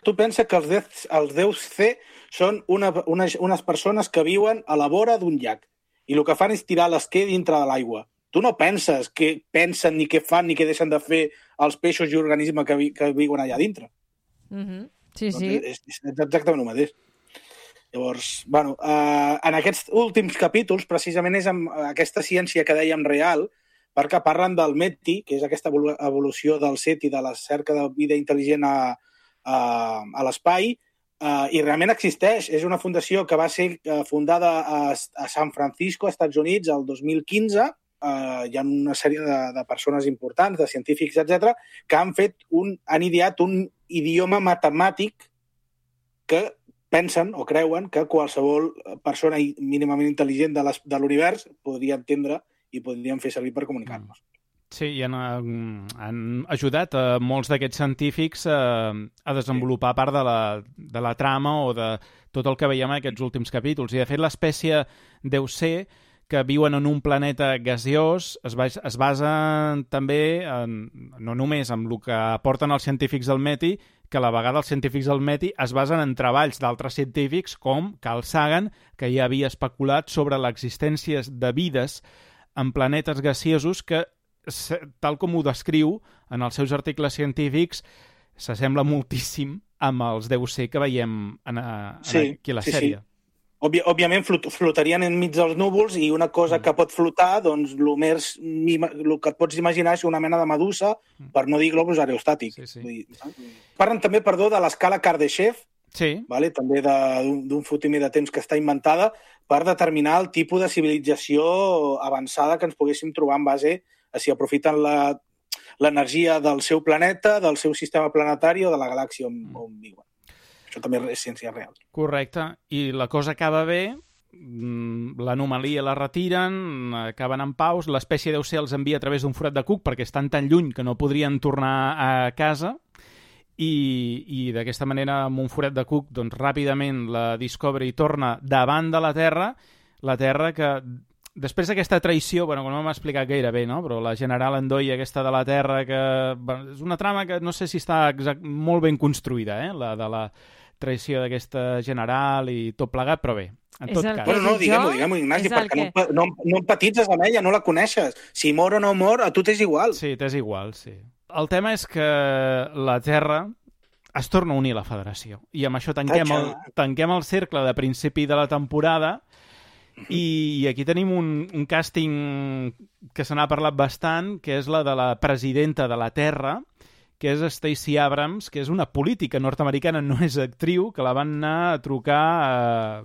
Tu pensa que els, dez, els deu C són una, una, unes persones que viuen a la vora d'un llac i el que fan és tirar l'esquer dintre de l'aigua. Tu no penses què pensen, ni què fan, ni què deixen de fer els peixos i organismes que, vi, que viuen allà dintre. Mm-hmm. Sí, doncs sí. És, és exactament el mateix. Llavors, bueno, eh, en aquests últims capítols, precisament és amb aquesta ciència que dèiem real, perquè parlen del METI, que és aquesta evolució del SETI, de la cerca de vida intel·ligent a, a, a l'espai, eh, i realment existeix. És una fundació que va ser fundada a, a San Francisco, als Estats Units, el dos mil quinze. Uh, hi ha una sèrie de, de persones importants, de científics, etcètera, que han fet un, han ideat un idioma matemàtic que pensen o creuen que qualsevol persona mínimament intel·ligent de, les, de l'univers podria entendre i podrien fer servir per comunicar-nos. Sí, i han, han ajudat a molts d'aquests científics a, a desenvolupar part de la, de la trama o de tot el que veiem en aquests últims capítols. I, de fet, l'espècie deu C, que viuen en un planeta gaseós, es, bas es basa també, en, no només en el que aporten els científics del METI, que a la vegada els científics del METI es basen en treballs d'altres científics com Carl Sagan, que ja havia especulat sobre l'existència de vides en planetes gaseosos que, tal com ho descriu en els seus articles científics, s'assembla moltíssim amb els deu C que veiem en, en sí, aquí a la sí, sèrie. Sí. Òbvi òbviament flot flotarien enmig dels núvols i una cosa que pot flotar, doncs el més el que et pots imaginar és una mena de medusa, per no dir globus aerostàtic. Sí, sí. Vull dir, parlen també, perdó, de l'escala Kardashev, sí. Vale? També d'un fotimi de temps que està inventada per determinar el tipus de civilització avançada que ens poguéssim trobar en base a si aprofiten l'energia del seu planeta, del seu sistema planetari o de la galàxia on, mm. on viuen. Això també és ciència real. Correcte. I la cosa acaba bé, l'anomalia la retiren, acaben en paus, l'espècie deu C els envia a través d'un forat de cuc perquè estan tan lluny que no podrien tornar a casa i, i d'aquesta manera, amb un forat de cuc, doncs ràpidament la Discovery torna davant de la Terra, la Terra que... Després d'aquesta traïció, bueno, no m'ha explicat gaire bé, no? Però la general Endoy, aquesta de la Terra, que bueno, és una trama que no sé si està exact, molt ben construïda, eh? La de la traïció d'aquesta general i tot plegat, però bé, en tot cas. Bueno, no, diguem-ho, diguem-ho, Ignasi, perquè que... no, no, no empatitzes amb ella, no la coneixes. Si mor o no mor, a tu t'és igual. Sí, t'és igual, sí. El tema és que la Terra es torna a unir a la Federació. I amb això tanquem el, tanquem el cercle de principi de la temporada. I aquí tenim un, un càsting que se n'ha parlat bastant, que és la de la presidenta de la Terra, que és Stacey Abrams, que és una política nord-americana, no és actriu, que la van anar a trucar a,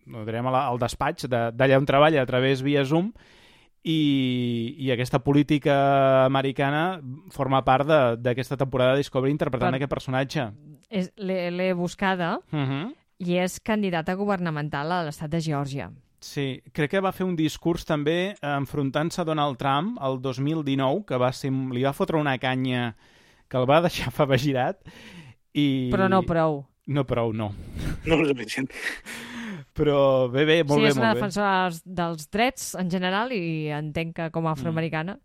no direm al despatx d'allà on treballa a través via Zoom, i, i aquesta política americana forma part d'aquesta temporada de Discovery interpretant per... aquest personatge. L'he buscada, uh-huh. i és candidata governamental a l'estat de Geòrgia. Sí, crec que va fer un discurs també enfrontant-se a Donald Trump el dos mil dinou, que va ser, li va fotre una canya que el va deixar favegirat. I... Però no prou. No prou, no. No és suficient. Però bé, bé, molt sí, bé, és una molt bé. defensora dels drets en general i entenc que com a afroamericana.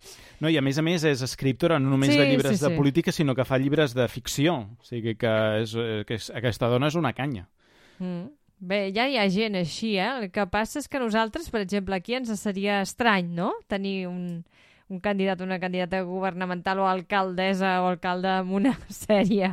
No, i a més a més és escriptora no només Sí, de llibres sí, de sí. política, sinó que fa llibres de ficció. O sigui que, és, que és, aquesta dona és una canya. Mm. Bé, ja hi ha gent així, eh? El que passa és que nosaltres, per exemple, aquí ens seria estrany, no?, tenir un, un candidat o una candidata governamental o alcaldessa o alcalde amb una sèrie.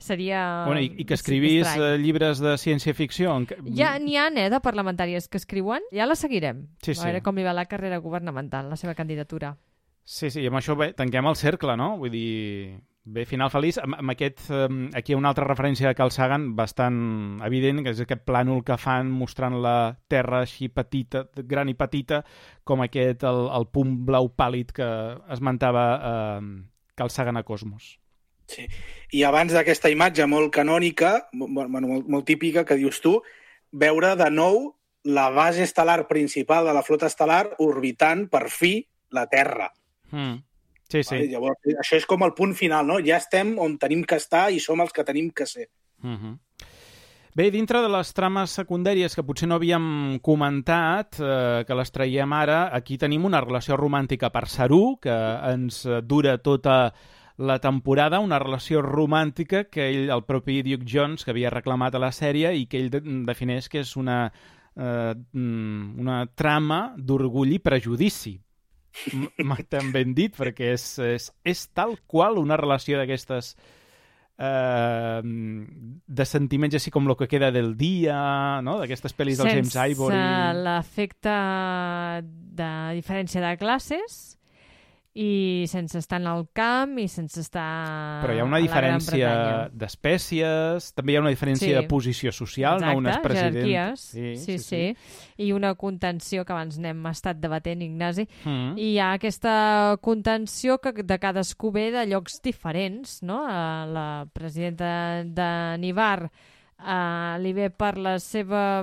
Seria Bueno, i, I que escrivís estrany. eh, llibres de ciència-ficció. En... Ja n'hi ha, eh, de parlamentàries que escriuen. Ja la seguirem. Sí, A veure sí. com li va la carrera governamental, la seva candidatura. Sí, sí, i amb això bé, tanquem el cercle, no? Vull dir, bé, final feliç. Amb, amb aquest, um, aquí hi ha una altra referència de Carl Sagan bastant evident, que és aquest plànol que fan mostrant la Terra així petita, gran i petita, com aquest, el, el punt blau pàl·lid que esmentava eh, Carl Sagan a Cosmos. Sí. I abans d'aquesta imatge molt canònica, bueno, molt, molt típica, que dius tu, veure de nou la base estel·lar principal de la flota estel·lar orbitant, per fi, la Terra. Mm. Sí, sí. Vale? Llavors, això és com el punt final, no? Ja estem on tenim que estar i som els que tenim que ser. Mm-hmm. Bé, dintre de les trames secundàries que potser no havíem comentat, eh, que les traiem ara, aquí tenim una relació romàntica per Saru, que ens dura tota la temporada, una relació romàntica que ell, el propi Duke Jones, que havia reclamat a la sèrie i que ell de defineix que és una, eh, una trama d'orgull i prejudici. M'ha tan ben dit, perquè és, és, és tal qual una relació d'aquestes eh, de sentiments així com Lo que queda del dia, no? D'aquestes pel·lis del James Ivory. Sense l'efecte de diferència de classes i sense estar en el camp i sense estar Però hi ha una a la Gran diferència Bretanya. d'espècies, també hi ha una diferència Sí. de posició social, Exacte, no? Un és president... jerarquies. Sí, Sí, sí, sí. I una contenció que abans n'hem estat debatent, Ignasi. Mm. I hi ha aquesta contenció que de cadascú ve de llocs diferents, no? A la presidenta de Nivar uh, li ve per la seva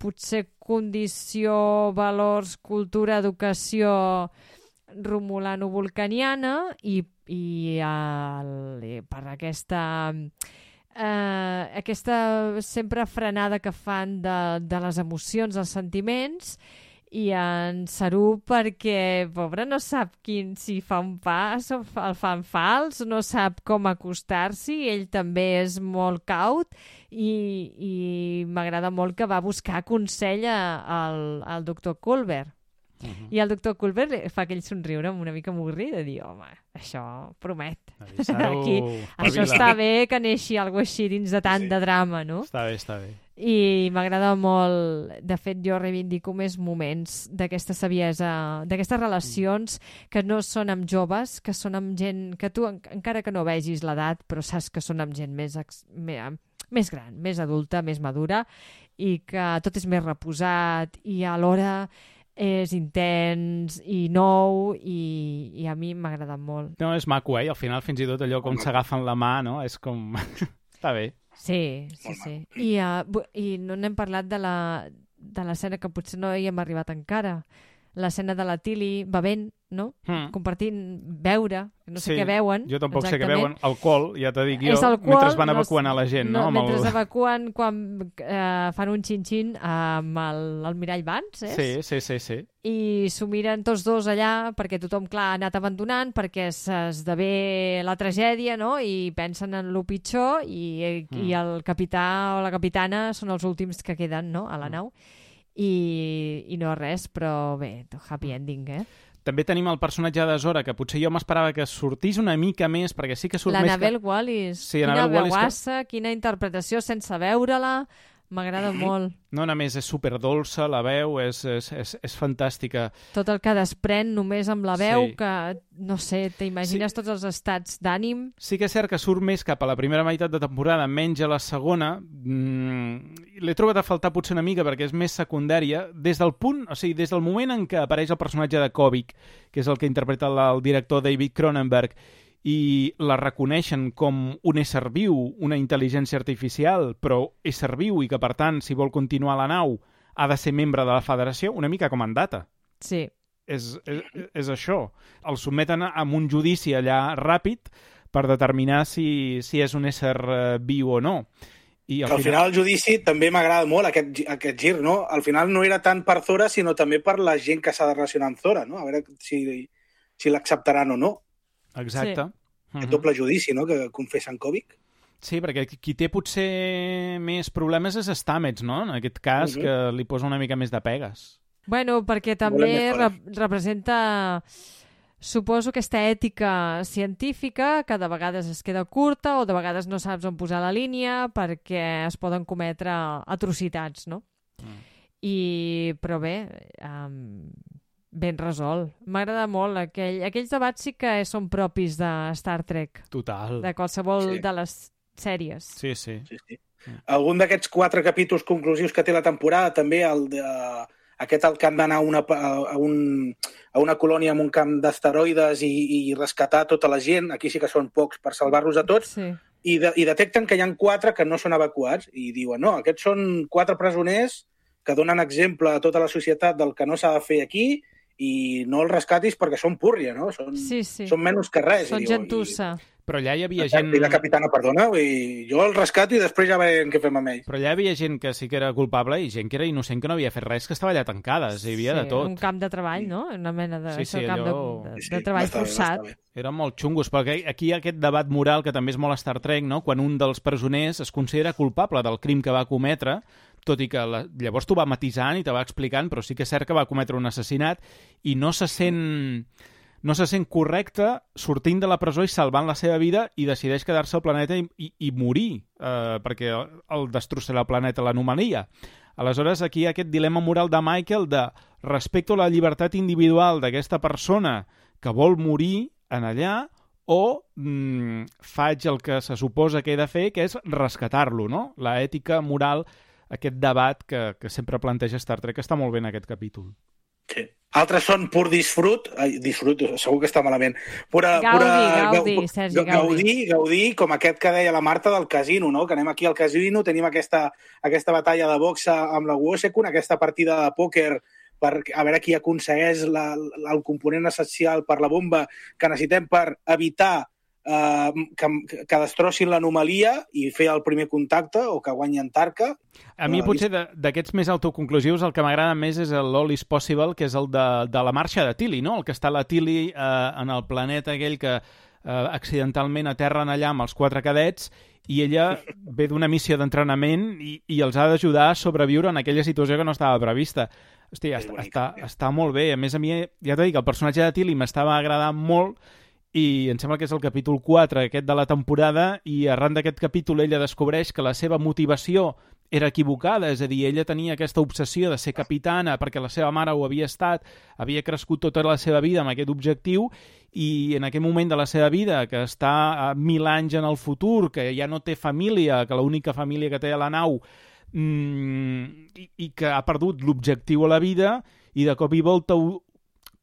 potser condició, valors, cultura, educació romulano-vulcaniana i, i, el, i per aquesta eh, aquesta sempre frenada que fan de, de les emocions, dels sentiments, i en Saru perquè, pobre, no sap quin, si fa un pas o fa, el fa en fals, no sap com acostar-s'hi, ell també és molt caut i, i m'agrada molt que va buscar consell a- al, al doctor Culber. Uh-huh. I el doctor Culber fa aquell somriure amb una mica avorrit de dir, home, això promet. Saru, Aquí, això espavila. està bé que neixi alguna així dins de tant Sí. de drama, no? Està bé, està bé. I m'agrada molt, de fet jo reivindico més moments d'aquesta saviesa, d'aquestes relacions que no són amb joves, que són amb gent que tu, en, encara que no vegis l'edat, però saps que són amb gent més, ex, més, més gran, més adulta, més madura, i que tot és més reposat i alhora és intens i nou i, i a mi m'ha agradat molt. No, és maco, eh? I al final fins i tot allò com s'agafen la mà, no? És com... Està bé. Sí, sí, Molt sí. I, uh, bu- I no n'hem parlat de la de l'escena que potser no hi hem arribat encara. L'escena de la Tilly bevent, no? Mm. Compartint, beure, no sé Sí, què beuen. Jo tampoc sé què exactament. veuen. Alcohol, ja t'ho dic jo, És alcohol, mentre van no evacuant s- a la gent, no? no Amb mentre el... evacuen quan eh, fan un xin-xin amb el, el mirall Vance, és? Sí, sí, sí, sí. I s'ho miren tots dos allà perquè tothom, clar, ha anat abandonant perquè s'esdevé la tragèdia, no? I pensen en lo pitjor i, mm. i el capità o la capitana són els últims que queden, no?, a la nau. I, i no res, però bé, happy ending, eh? També tenim el personatge de Zora, que potser jo m'esperava que sortís una mica més, perquè sí que surt més L'Annabelle que... Wallis. Sí, quina Annabelle Wallis que- veuassa, quina interpretació sense veure-la. M'agrada molt. No, a més, és superdolça, la veu és, és, és, és fantàstica. Tot el que desprèn només amb la veu, Sí. que, no sé, t'imagines Sí. tots els estats d'ànim. Sí que és cert que surt més cap a la primera meitat de temporada, menys a la segona. Mm, l'he trobat a faltar potser una mica perquè és més secundària. Des del punt, o sigui, des del moment en què apareix el personatge de Kovic, que és el que interpreta el, el director David Cronenberg, i la reconeixen com un ésser viu, una intel·ligència artificial, però ésser viu i que, per tant, si vol continuar a la nau, ha de ser membre de la federació, una mica com en Data. Sí. És, és, és això. El sotmeten a un judici allà ràpid per determinar si, si és un ésser eh, viu o no. I al, al final... final el judici també m'agrada molt, aquest, aquest gir, no? Al final no era tant per Zora, sinó també per la gent que s'ha de relacionar amb Zora, no? A veure si, si l'acceptaran o no. Exacte. Sí. Aquest doble judici, no?, que confessa en Kovic. Sí, perquè qui té potser més problemes és Stamets, no? En aquest cas, uh-huh. que li posa una mica més de pegues. Bueno, perquè també rep representa... Suposo aquesta ètica científica que de vegades es queda curta o de vegades no saps on posar la línia perquè es poden cometre atrocitats, no? Mm. I, però bé, um, ben resolt. M'agrada molt. Aquell, aquells debats sí que són propis de Star Trek. Total. De qualsevol sí. de les sèries. Sí, sí. sí, sí. Mm. Algun d'aquests quatre capítols conclusius que té la temporada, també el de... Aquest el que han d'anar a, una, a, un, a una colònia amb un camp d'asteroides i, i rescatar tota la gent. Aquí sí que són pocs per salvar-los a tots. Sí. I, de, I detecten que hi ha quatre que no són evacuats. I diuen, no, aquests són quatre presoners que donen exemple a tota la societat del que no s'ha de fer aquí i no els rescatis perquè són púrria, no? Són, sí, sí. són menys que res. Són gentussa. I... Però allà hi havia gent... I la capitana, perdona, i jo el rescato i després ja veiem què fem amb ell. Però allà hi havia gent que sí que era culpable i gent que era innocent, que no havia fet res, que estava allà tancada, hi havia sí, de tot. Un camp de treball, no? Una mena de, sí, sí, camp allò... de, de, sí, de treball bastant, forçat. bastant Eren molt xungos, perquè aquí hi ha aquest debat moral que també és molt Star Trek, no? Quan un dels presoners es considera culpable del crim que va cometre, tot i que la... llavors t'ho va matisant i te va explicant, però sí que és cert que va cometre un assassinat i no se sent... no se sent correcte sortint de la presó i salvant la seva vida i decideix quedar-se al planeta i, i, i morir, eh, perquè el destrossarà el planeta, l'anomalia. Aleshores, aquí hi ha aquest dilema moral de Michael de respecto a la llibertat individual d'aquesta persona que vol morir en allà o mm, faig el que se suposa que he de fer, que és rescatar-lo, no? La ètica moral, aquest debat que, que sempre planteja Star Trek, està molt bé en aquest capítol. Sí. Altres són pur disfrut, ai, disfrut, segur que està malament. Pura, Gaudi, pura, Gaudi, Gaudi, Sergi Gaudi. Gaudi, Gaudi, com aquest que deia la Marta del casino, no? Que anem aquí al casino, tenim aquesta, aquesta batalla de boxa amb la Wosekun, aquesta partida de pòquer per a veure qui aconsegueix la, la, el component essencial per la bomba que necessitem per evitar Uh, que, que destrossin l'anomalia i fer el primer contacte o que guanyi Antarca. A mi potser d'aquests més autoconclusius el que m'agrada més és l'All is Possible, que és el de, de la marxa de Tilly, no? El que està la Tilly uh, en el planeta aquell que uh, accidentalment aterren allà amb els quatre cadets i ella ve d'una missió d'entrenament i, i els ha d'ajudar a sobreviure en aquella situació que no estava prevista. Hòstia, està, està, està molt bé. A més, a mi, ja t'he dit que el personatge de Tilly m'estava agradant molt i em sembla que és el capítol quatre, aquest de la temporada, i arran d'aquest capítol ella descobreix que la seva motivació era equivocada, és a dir, ella tenia aquesta obsessió de ser capitana perquè la seva mare ho havia estat, havia crescut tota la seva vida amb aquest objectiu i en aquest moment de la seva vida, que està a mil anys en el futur, que ja no té família, que l'única família que té a la nau, mmm, i, i que ha perdut l'objectiu a la vida, i de cop i volta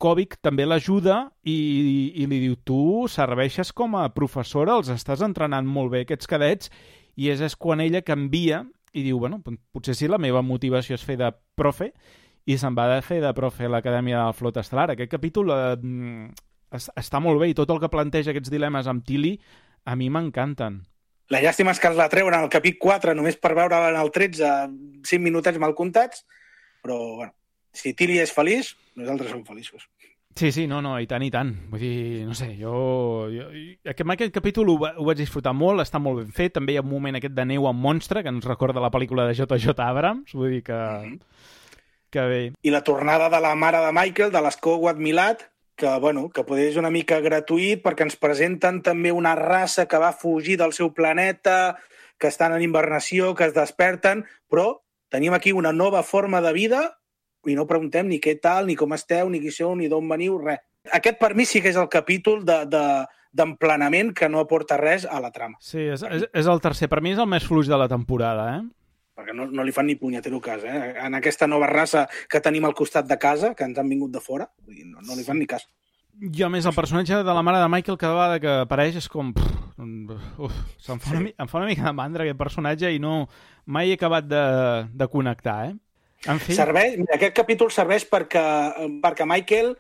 Kovic també l'ajuda i, i li diu, tu serveixes com a professora, els estàs entrenant molt bé aquests cadets, i és, és quan ella canvia i diu, bueno, potser sí, la meva motivació és fer de profe, i se'n va de fer de profe a l'Acadèmia de la Flota Estel·lar. Aquest capítol eh, està molt bé i tot el que planteja aquests dilemes amb Tilly a mi m'encanten. La llàstima és que els la treuen en el capítol quatre només per veure en el tretze cinc minutets mal comptats, però bueno, si Tilly és feliç, nosaltres som feliços. Sí, sí, no, no, i tant, i tant. Vull dir, no sé, jo... jo aquest, aquest capítol ho, ho vaig disfrutar molt, està molt ben fet. També hi ha un moment aquest de neu amb monstre, que ens recorda la pel·lícula de J J Abrams. Vull dir que... Mm-hmm. Que bé. I la tornada de la mare de Michael, de l'Skowat Milat, que, bueno, que potser és una mica gratuït perquè ens presenten també una raça que va fugir del seu planeta, que estan en hibernació, que es desperten, però tenim aquí una nova forma de vida i no preguntem ni què tal, ni com esteu, ni qui sou, ni d'on veniu, res. Aquest per mi sí que és el capítol de, de, d'emplenament que no aporta res a la trama. Sí, és, és, és el tercer. Per mi és el més fluix de la temporada, eh? Perquè no, no li fan ni punyetero cas, eh? En aquesta nova raça que tenim al costat de casa, que ens han vingut de fora, vull dir, no, no li fan ni cas. Jo, a més, el personatge de la mare de Michael cada vegada que apareix és com... Uf, se'm fa una, em fa una mica de mandra aquest personatge i no mai he acabat de, de connectar, eh? En fi. Serveix, aquest capítol serveix perquè, perquè Michael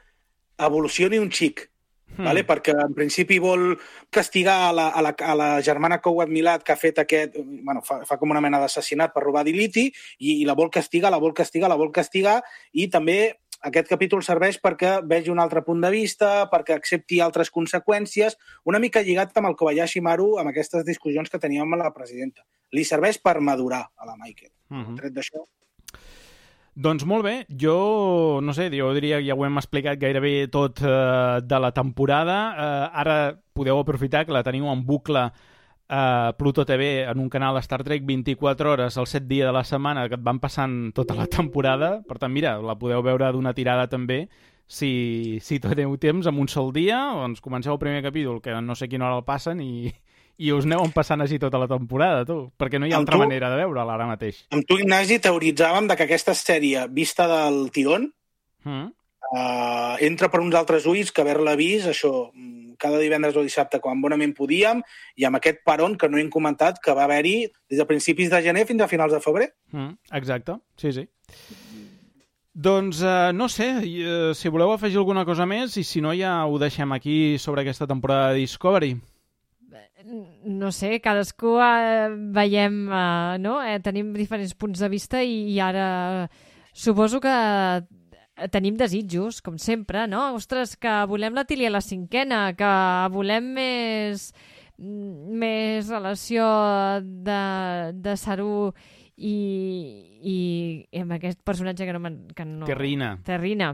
evolucioni un xic. Mm. Vale? Perquè en principi vol castigar a la, a la, a la germana Coward Milad, que ha fet aquest... Bueno, fa, fa com una mena d'assassinat per robar diliti, i, i la vol castigar, la vol castigar, la vol castigar, i també aquest capítol serveix perquè vegi un altre punt de vista, perquè accepti altres conseqüències, una mica lligat amb el Kobayashi Maru, amb aquestes discussions que teníem amb la presidenta. Li serveix per madurar a la Michael. Mm-hmm. Tret d'això... Doncs molt bé, jo no sé, jo diria que ja ho hem explicat gairebé tot eh, de la temporada. Eh, ara podeu aprofitar que la teniu en bucle a Pluto T V en un canal Star Trek vint-i-quatre hores els set dies de la setmana que et van passant tota la temporada. Per tant, mira, la podeu veure d'una tirada també si, si teniu temps en un sol dia. Doncs comenceu el primer capítol, que no sé quina hora el passen, i... i us aneu passant així tota la temporada, tu, perquè no hi ha amb altra tu, manera de veure-la ara mateix. Amb tu, Ignasi, teoritzàvem de que aquesta sèrie, vista del tirón, mm. uh, entra per uns altres ulls que haver-la vist, això, cada divendres o dissabte, quan bonament podíem, i amb aquest peron que no hem comentat, que va haver-hi des de principis de gener fins a finals de febrer. Mm. Exacte, sí, sí. Doncs, uh, no sé, uh, si voleu afegir alguna cosa més, i si no ja ho deixem aquí sobre aquesta temporada de Discovery. No sé, cadascú eh, veiem, eh, no? Eh, tenim diferents punts de vista i, i ara suposo que tenim desitjos, com sempre, no? Ostres, que volem la Tilly a la cinquena, que volem més, més relació de, de Saru i, i, i amb aquest personatge que no... Que no Terrina. Terrina.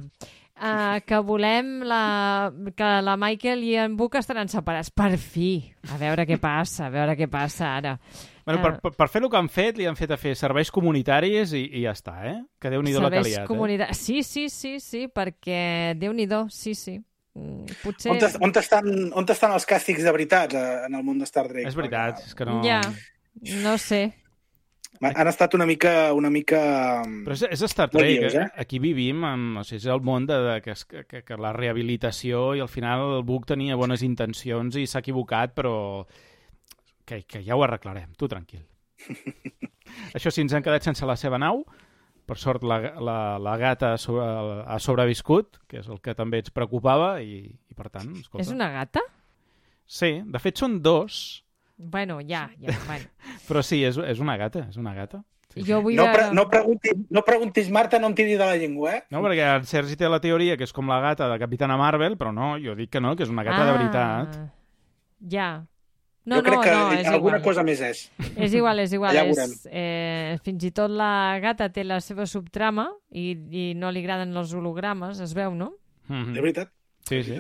Uh, que volem la, que la Michael i en Book estaran separats. Per fi. A veure què passa, a veure què passa ara. Bueno, per, per, per fer el que han fet, li han fet a fer serveis comunitaris i, i ja està, eh? Que Déu-n'hi-do la que li ha. Comunita... Eh? Sí, sí, sí, sí, perquè Déu-n'hi-do, sí, sí. Potser... On, on, estan, on estan els càstigs de veritat en el món de Star Trek? És veritat, és que no... Ja, no sé. Han estat una mica... Una mica Però és, és Star Trek, odiós, eh? Aquí vivim, amb, o sigui, és el món de, de que, que, que la rehabilitació, i al final el Book tenia bones intencions i s'ha equivocat, però que, que ja ho arreglarem, tu tranquil. Això sí, ens han quedat sense la seva nau, per sort la, la, la gata sobre, ha sobreviscut, que és el que també ens preocupava, i, i per tant, escolta... És una gata? Sí, de fet són dos... Bueno, ja, ja, bueno. Però sí, és, és una gata, és una gata. Sí, jo vull no, veure... pre no, preguntis, no preguntis, Marta, no em tiri de la llengua, eh? No, perquè el Sergi té la teoria que és com la gata de Capitana Marvel, però no, jo dic que no, que és una gata ah, de veritat. Ja. No, jo crec no, que no, és alguna igual. cosa més és. És igual, és igual. Ja és, eh, fins i tot la gata té la seva subtrama i, i no li agraden els hologrames, es veu, no? Mm-hmm. De veritat. Sí, sí.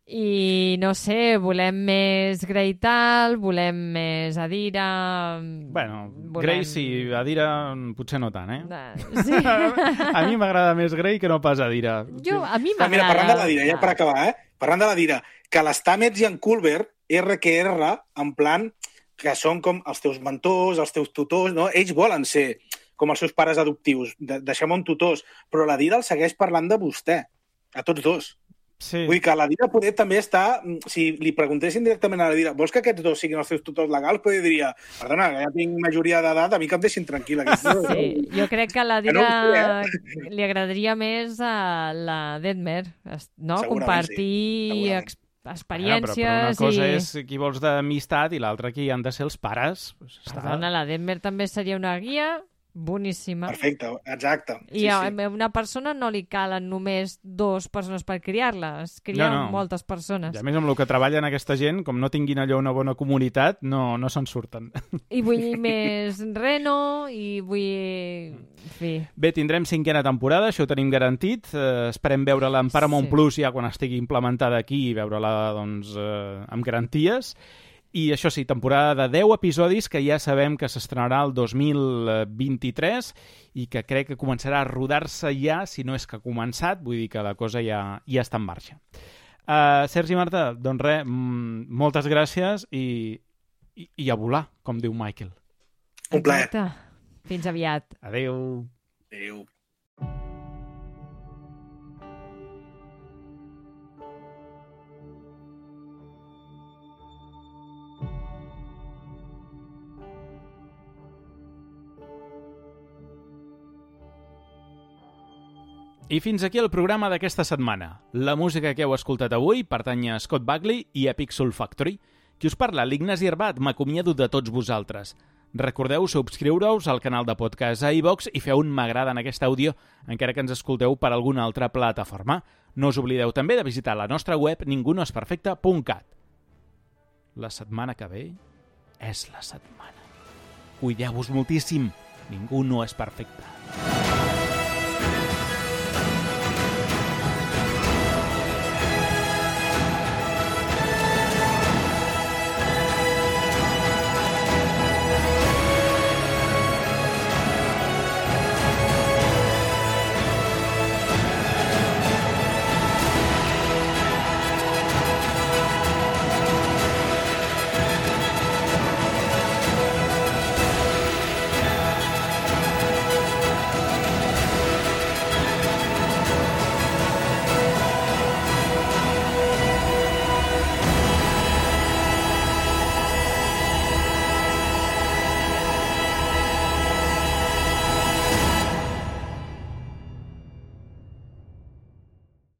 I no sé, volem més Grey tal, volem més Adira... Bueno, volem... Grey sí, Adira potser no tant, eh? Uh, sí. A mi m'agrada més Grey que no pas Adira. Jo, a mi m'agrada... Mira, parlant de l'Adira, ja per acabar, eh? Parlant de l'Adira, que l'Stamets i en Culber, R que R, en plan, que són com els teus mentors, els teus tutors, no? Ells volen ser com els seus pares adoptius, de deixem-ho en tutors, però l'Adira el segueix parlant de vostè, a tots dos. Sí. Vull dir que la Dira poder també està... Si li preguntessin directament a la Dira, vols que aquests dos siguin els teus tutors legals? Poder diria, perdona, que ja tinc majoria d'edat, a mi que em deixin tranquil·la. Sí, jo crec que a la Dira no sé, eh? li agradaria més a la Detmer, no? Compartir sí. ex experiències... Ja, però, però una cosa i... és qui vols d'amistat i l'altra qui han de ser els pares. Pues perdona, la Detmer també seria una guia... boníssima. Perfecte, exacte. I sí, a sí. una persona no li calen només dues persones per criar-la, es crien no, no. moltes persones. I a més amb el que treballen aquesta gent, com no tinguin allò una bona comunitat, no, no se'n surten. I vull més reno, i vull... En fi. Bé, tindrem cinquena temporada, això ho tenim garantit. Eh, esperem veure-la en Paramount sí. Plus ja quan estigui implementada aquí i veure-la doncs, eh, amb garanties. I això sí, temporada de deu episodis que ja sabem que s'estrenarà el dos mil vint-i-tres i que crec que començarà a rodar-se ja, si no és que ha començat, vull dir que la cosa ja, ja està en marxa. Uh, Sergi i Marta, doncs res, moltes gràcies i, i, i a volar, com diu Michael. Un plaer. Fins aviat. Adéu. Adéu. I fins aquí el programa d'aquesta setmana. La música que heu escoltat avui pertany a Scott Buckley i Epic Soul Factory. Qui us parla, l'Ignasi Arbat, m'acomiado de tots vosaltres. Recordeu subscriure-us al canal de podcast a iVox i feu un m'agrada en aquest àudio, encara que ens escolteu per alguna altra plataforma. No us oblideu també de visitar la nostra web ningú no és perfecte punt cat. La setmana que ve és la setmana. Cuideu-vos moltíssim. Ningú no és perfecte.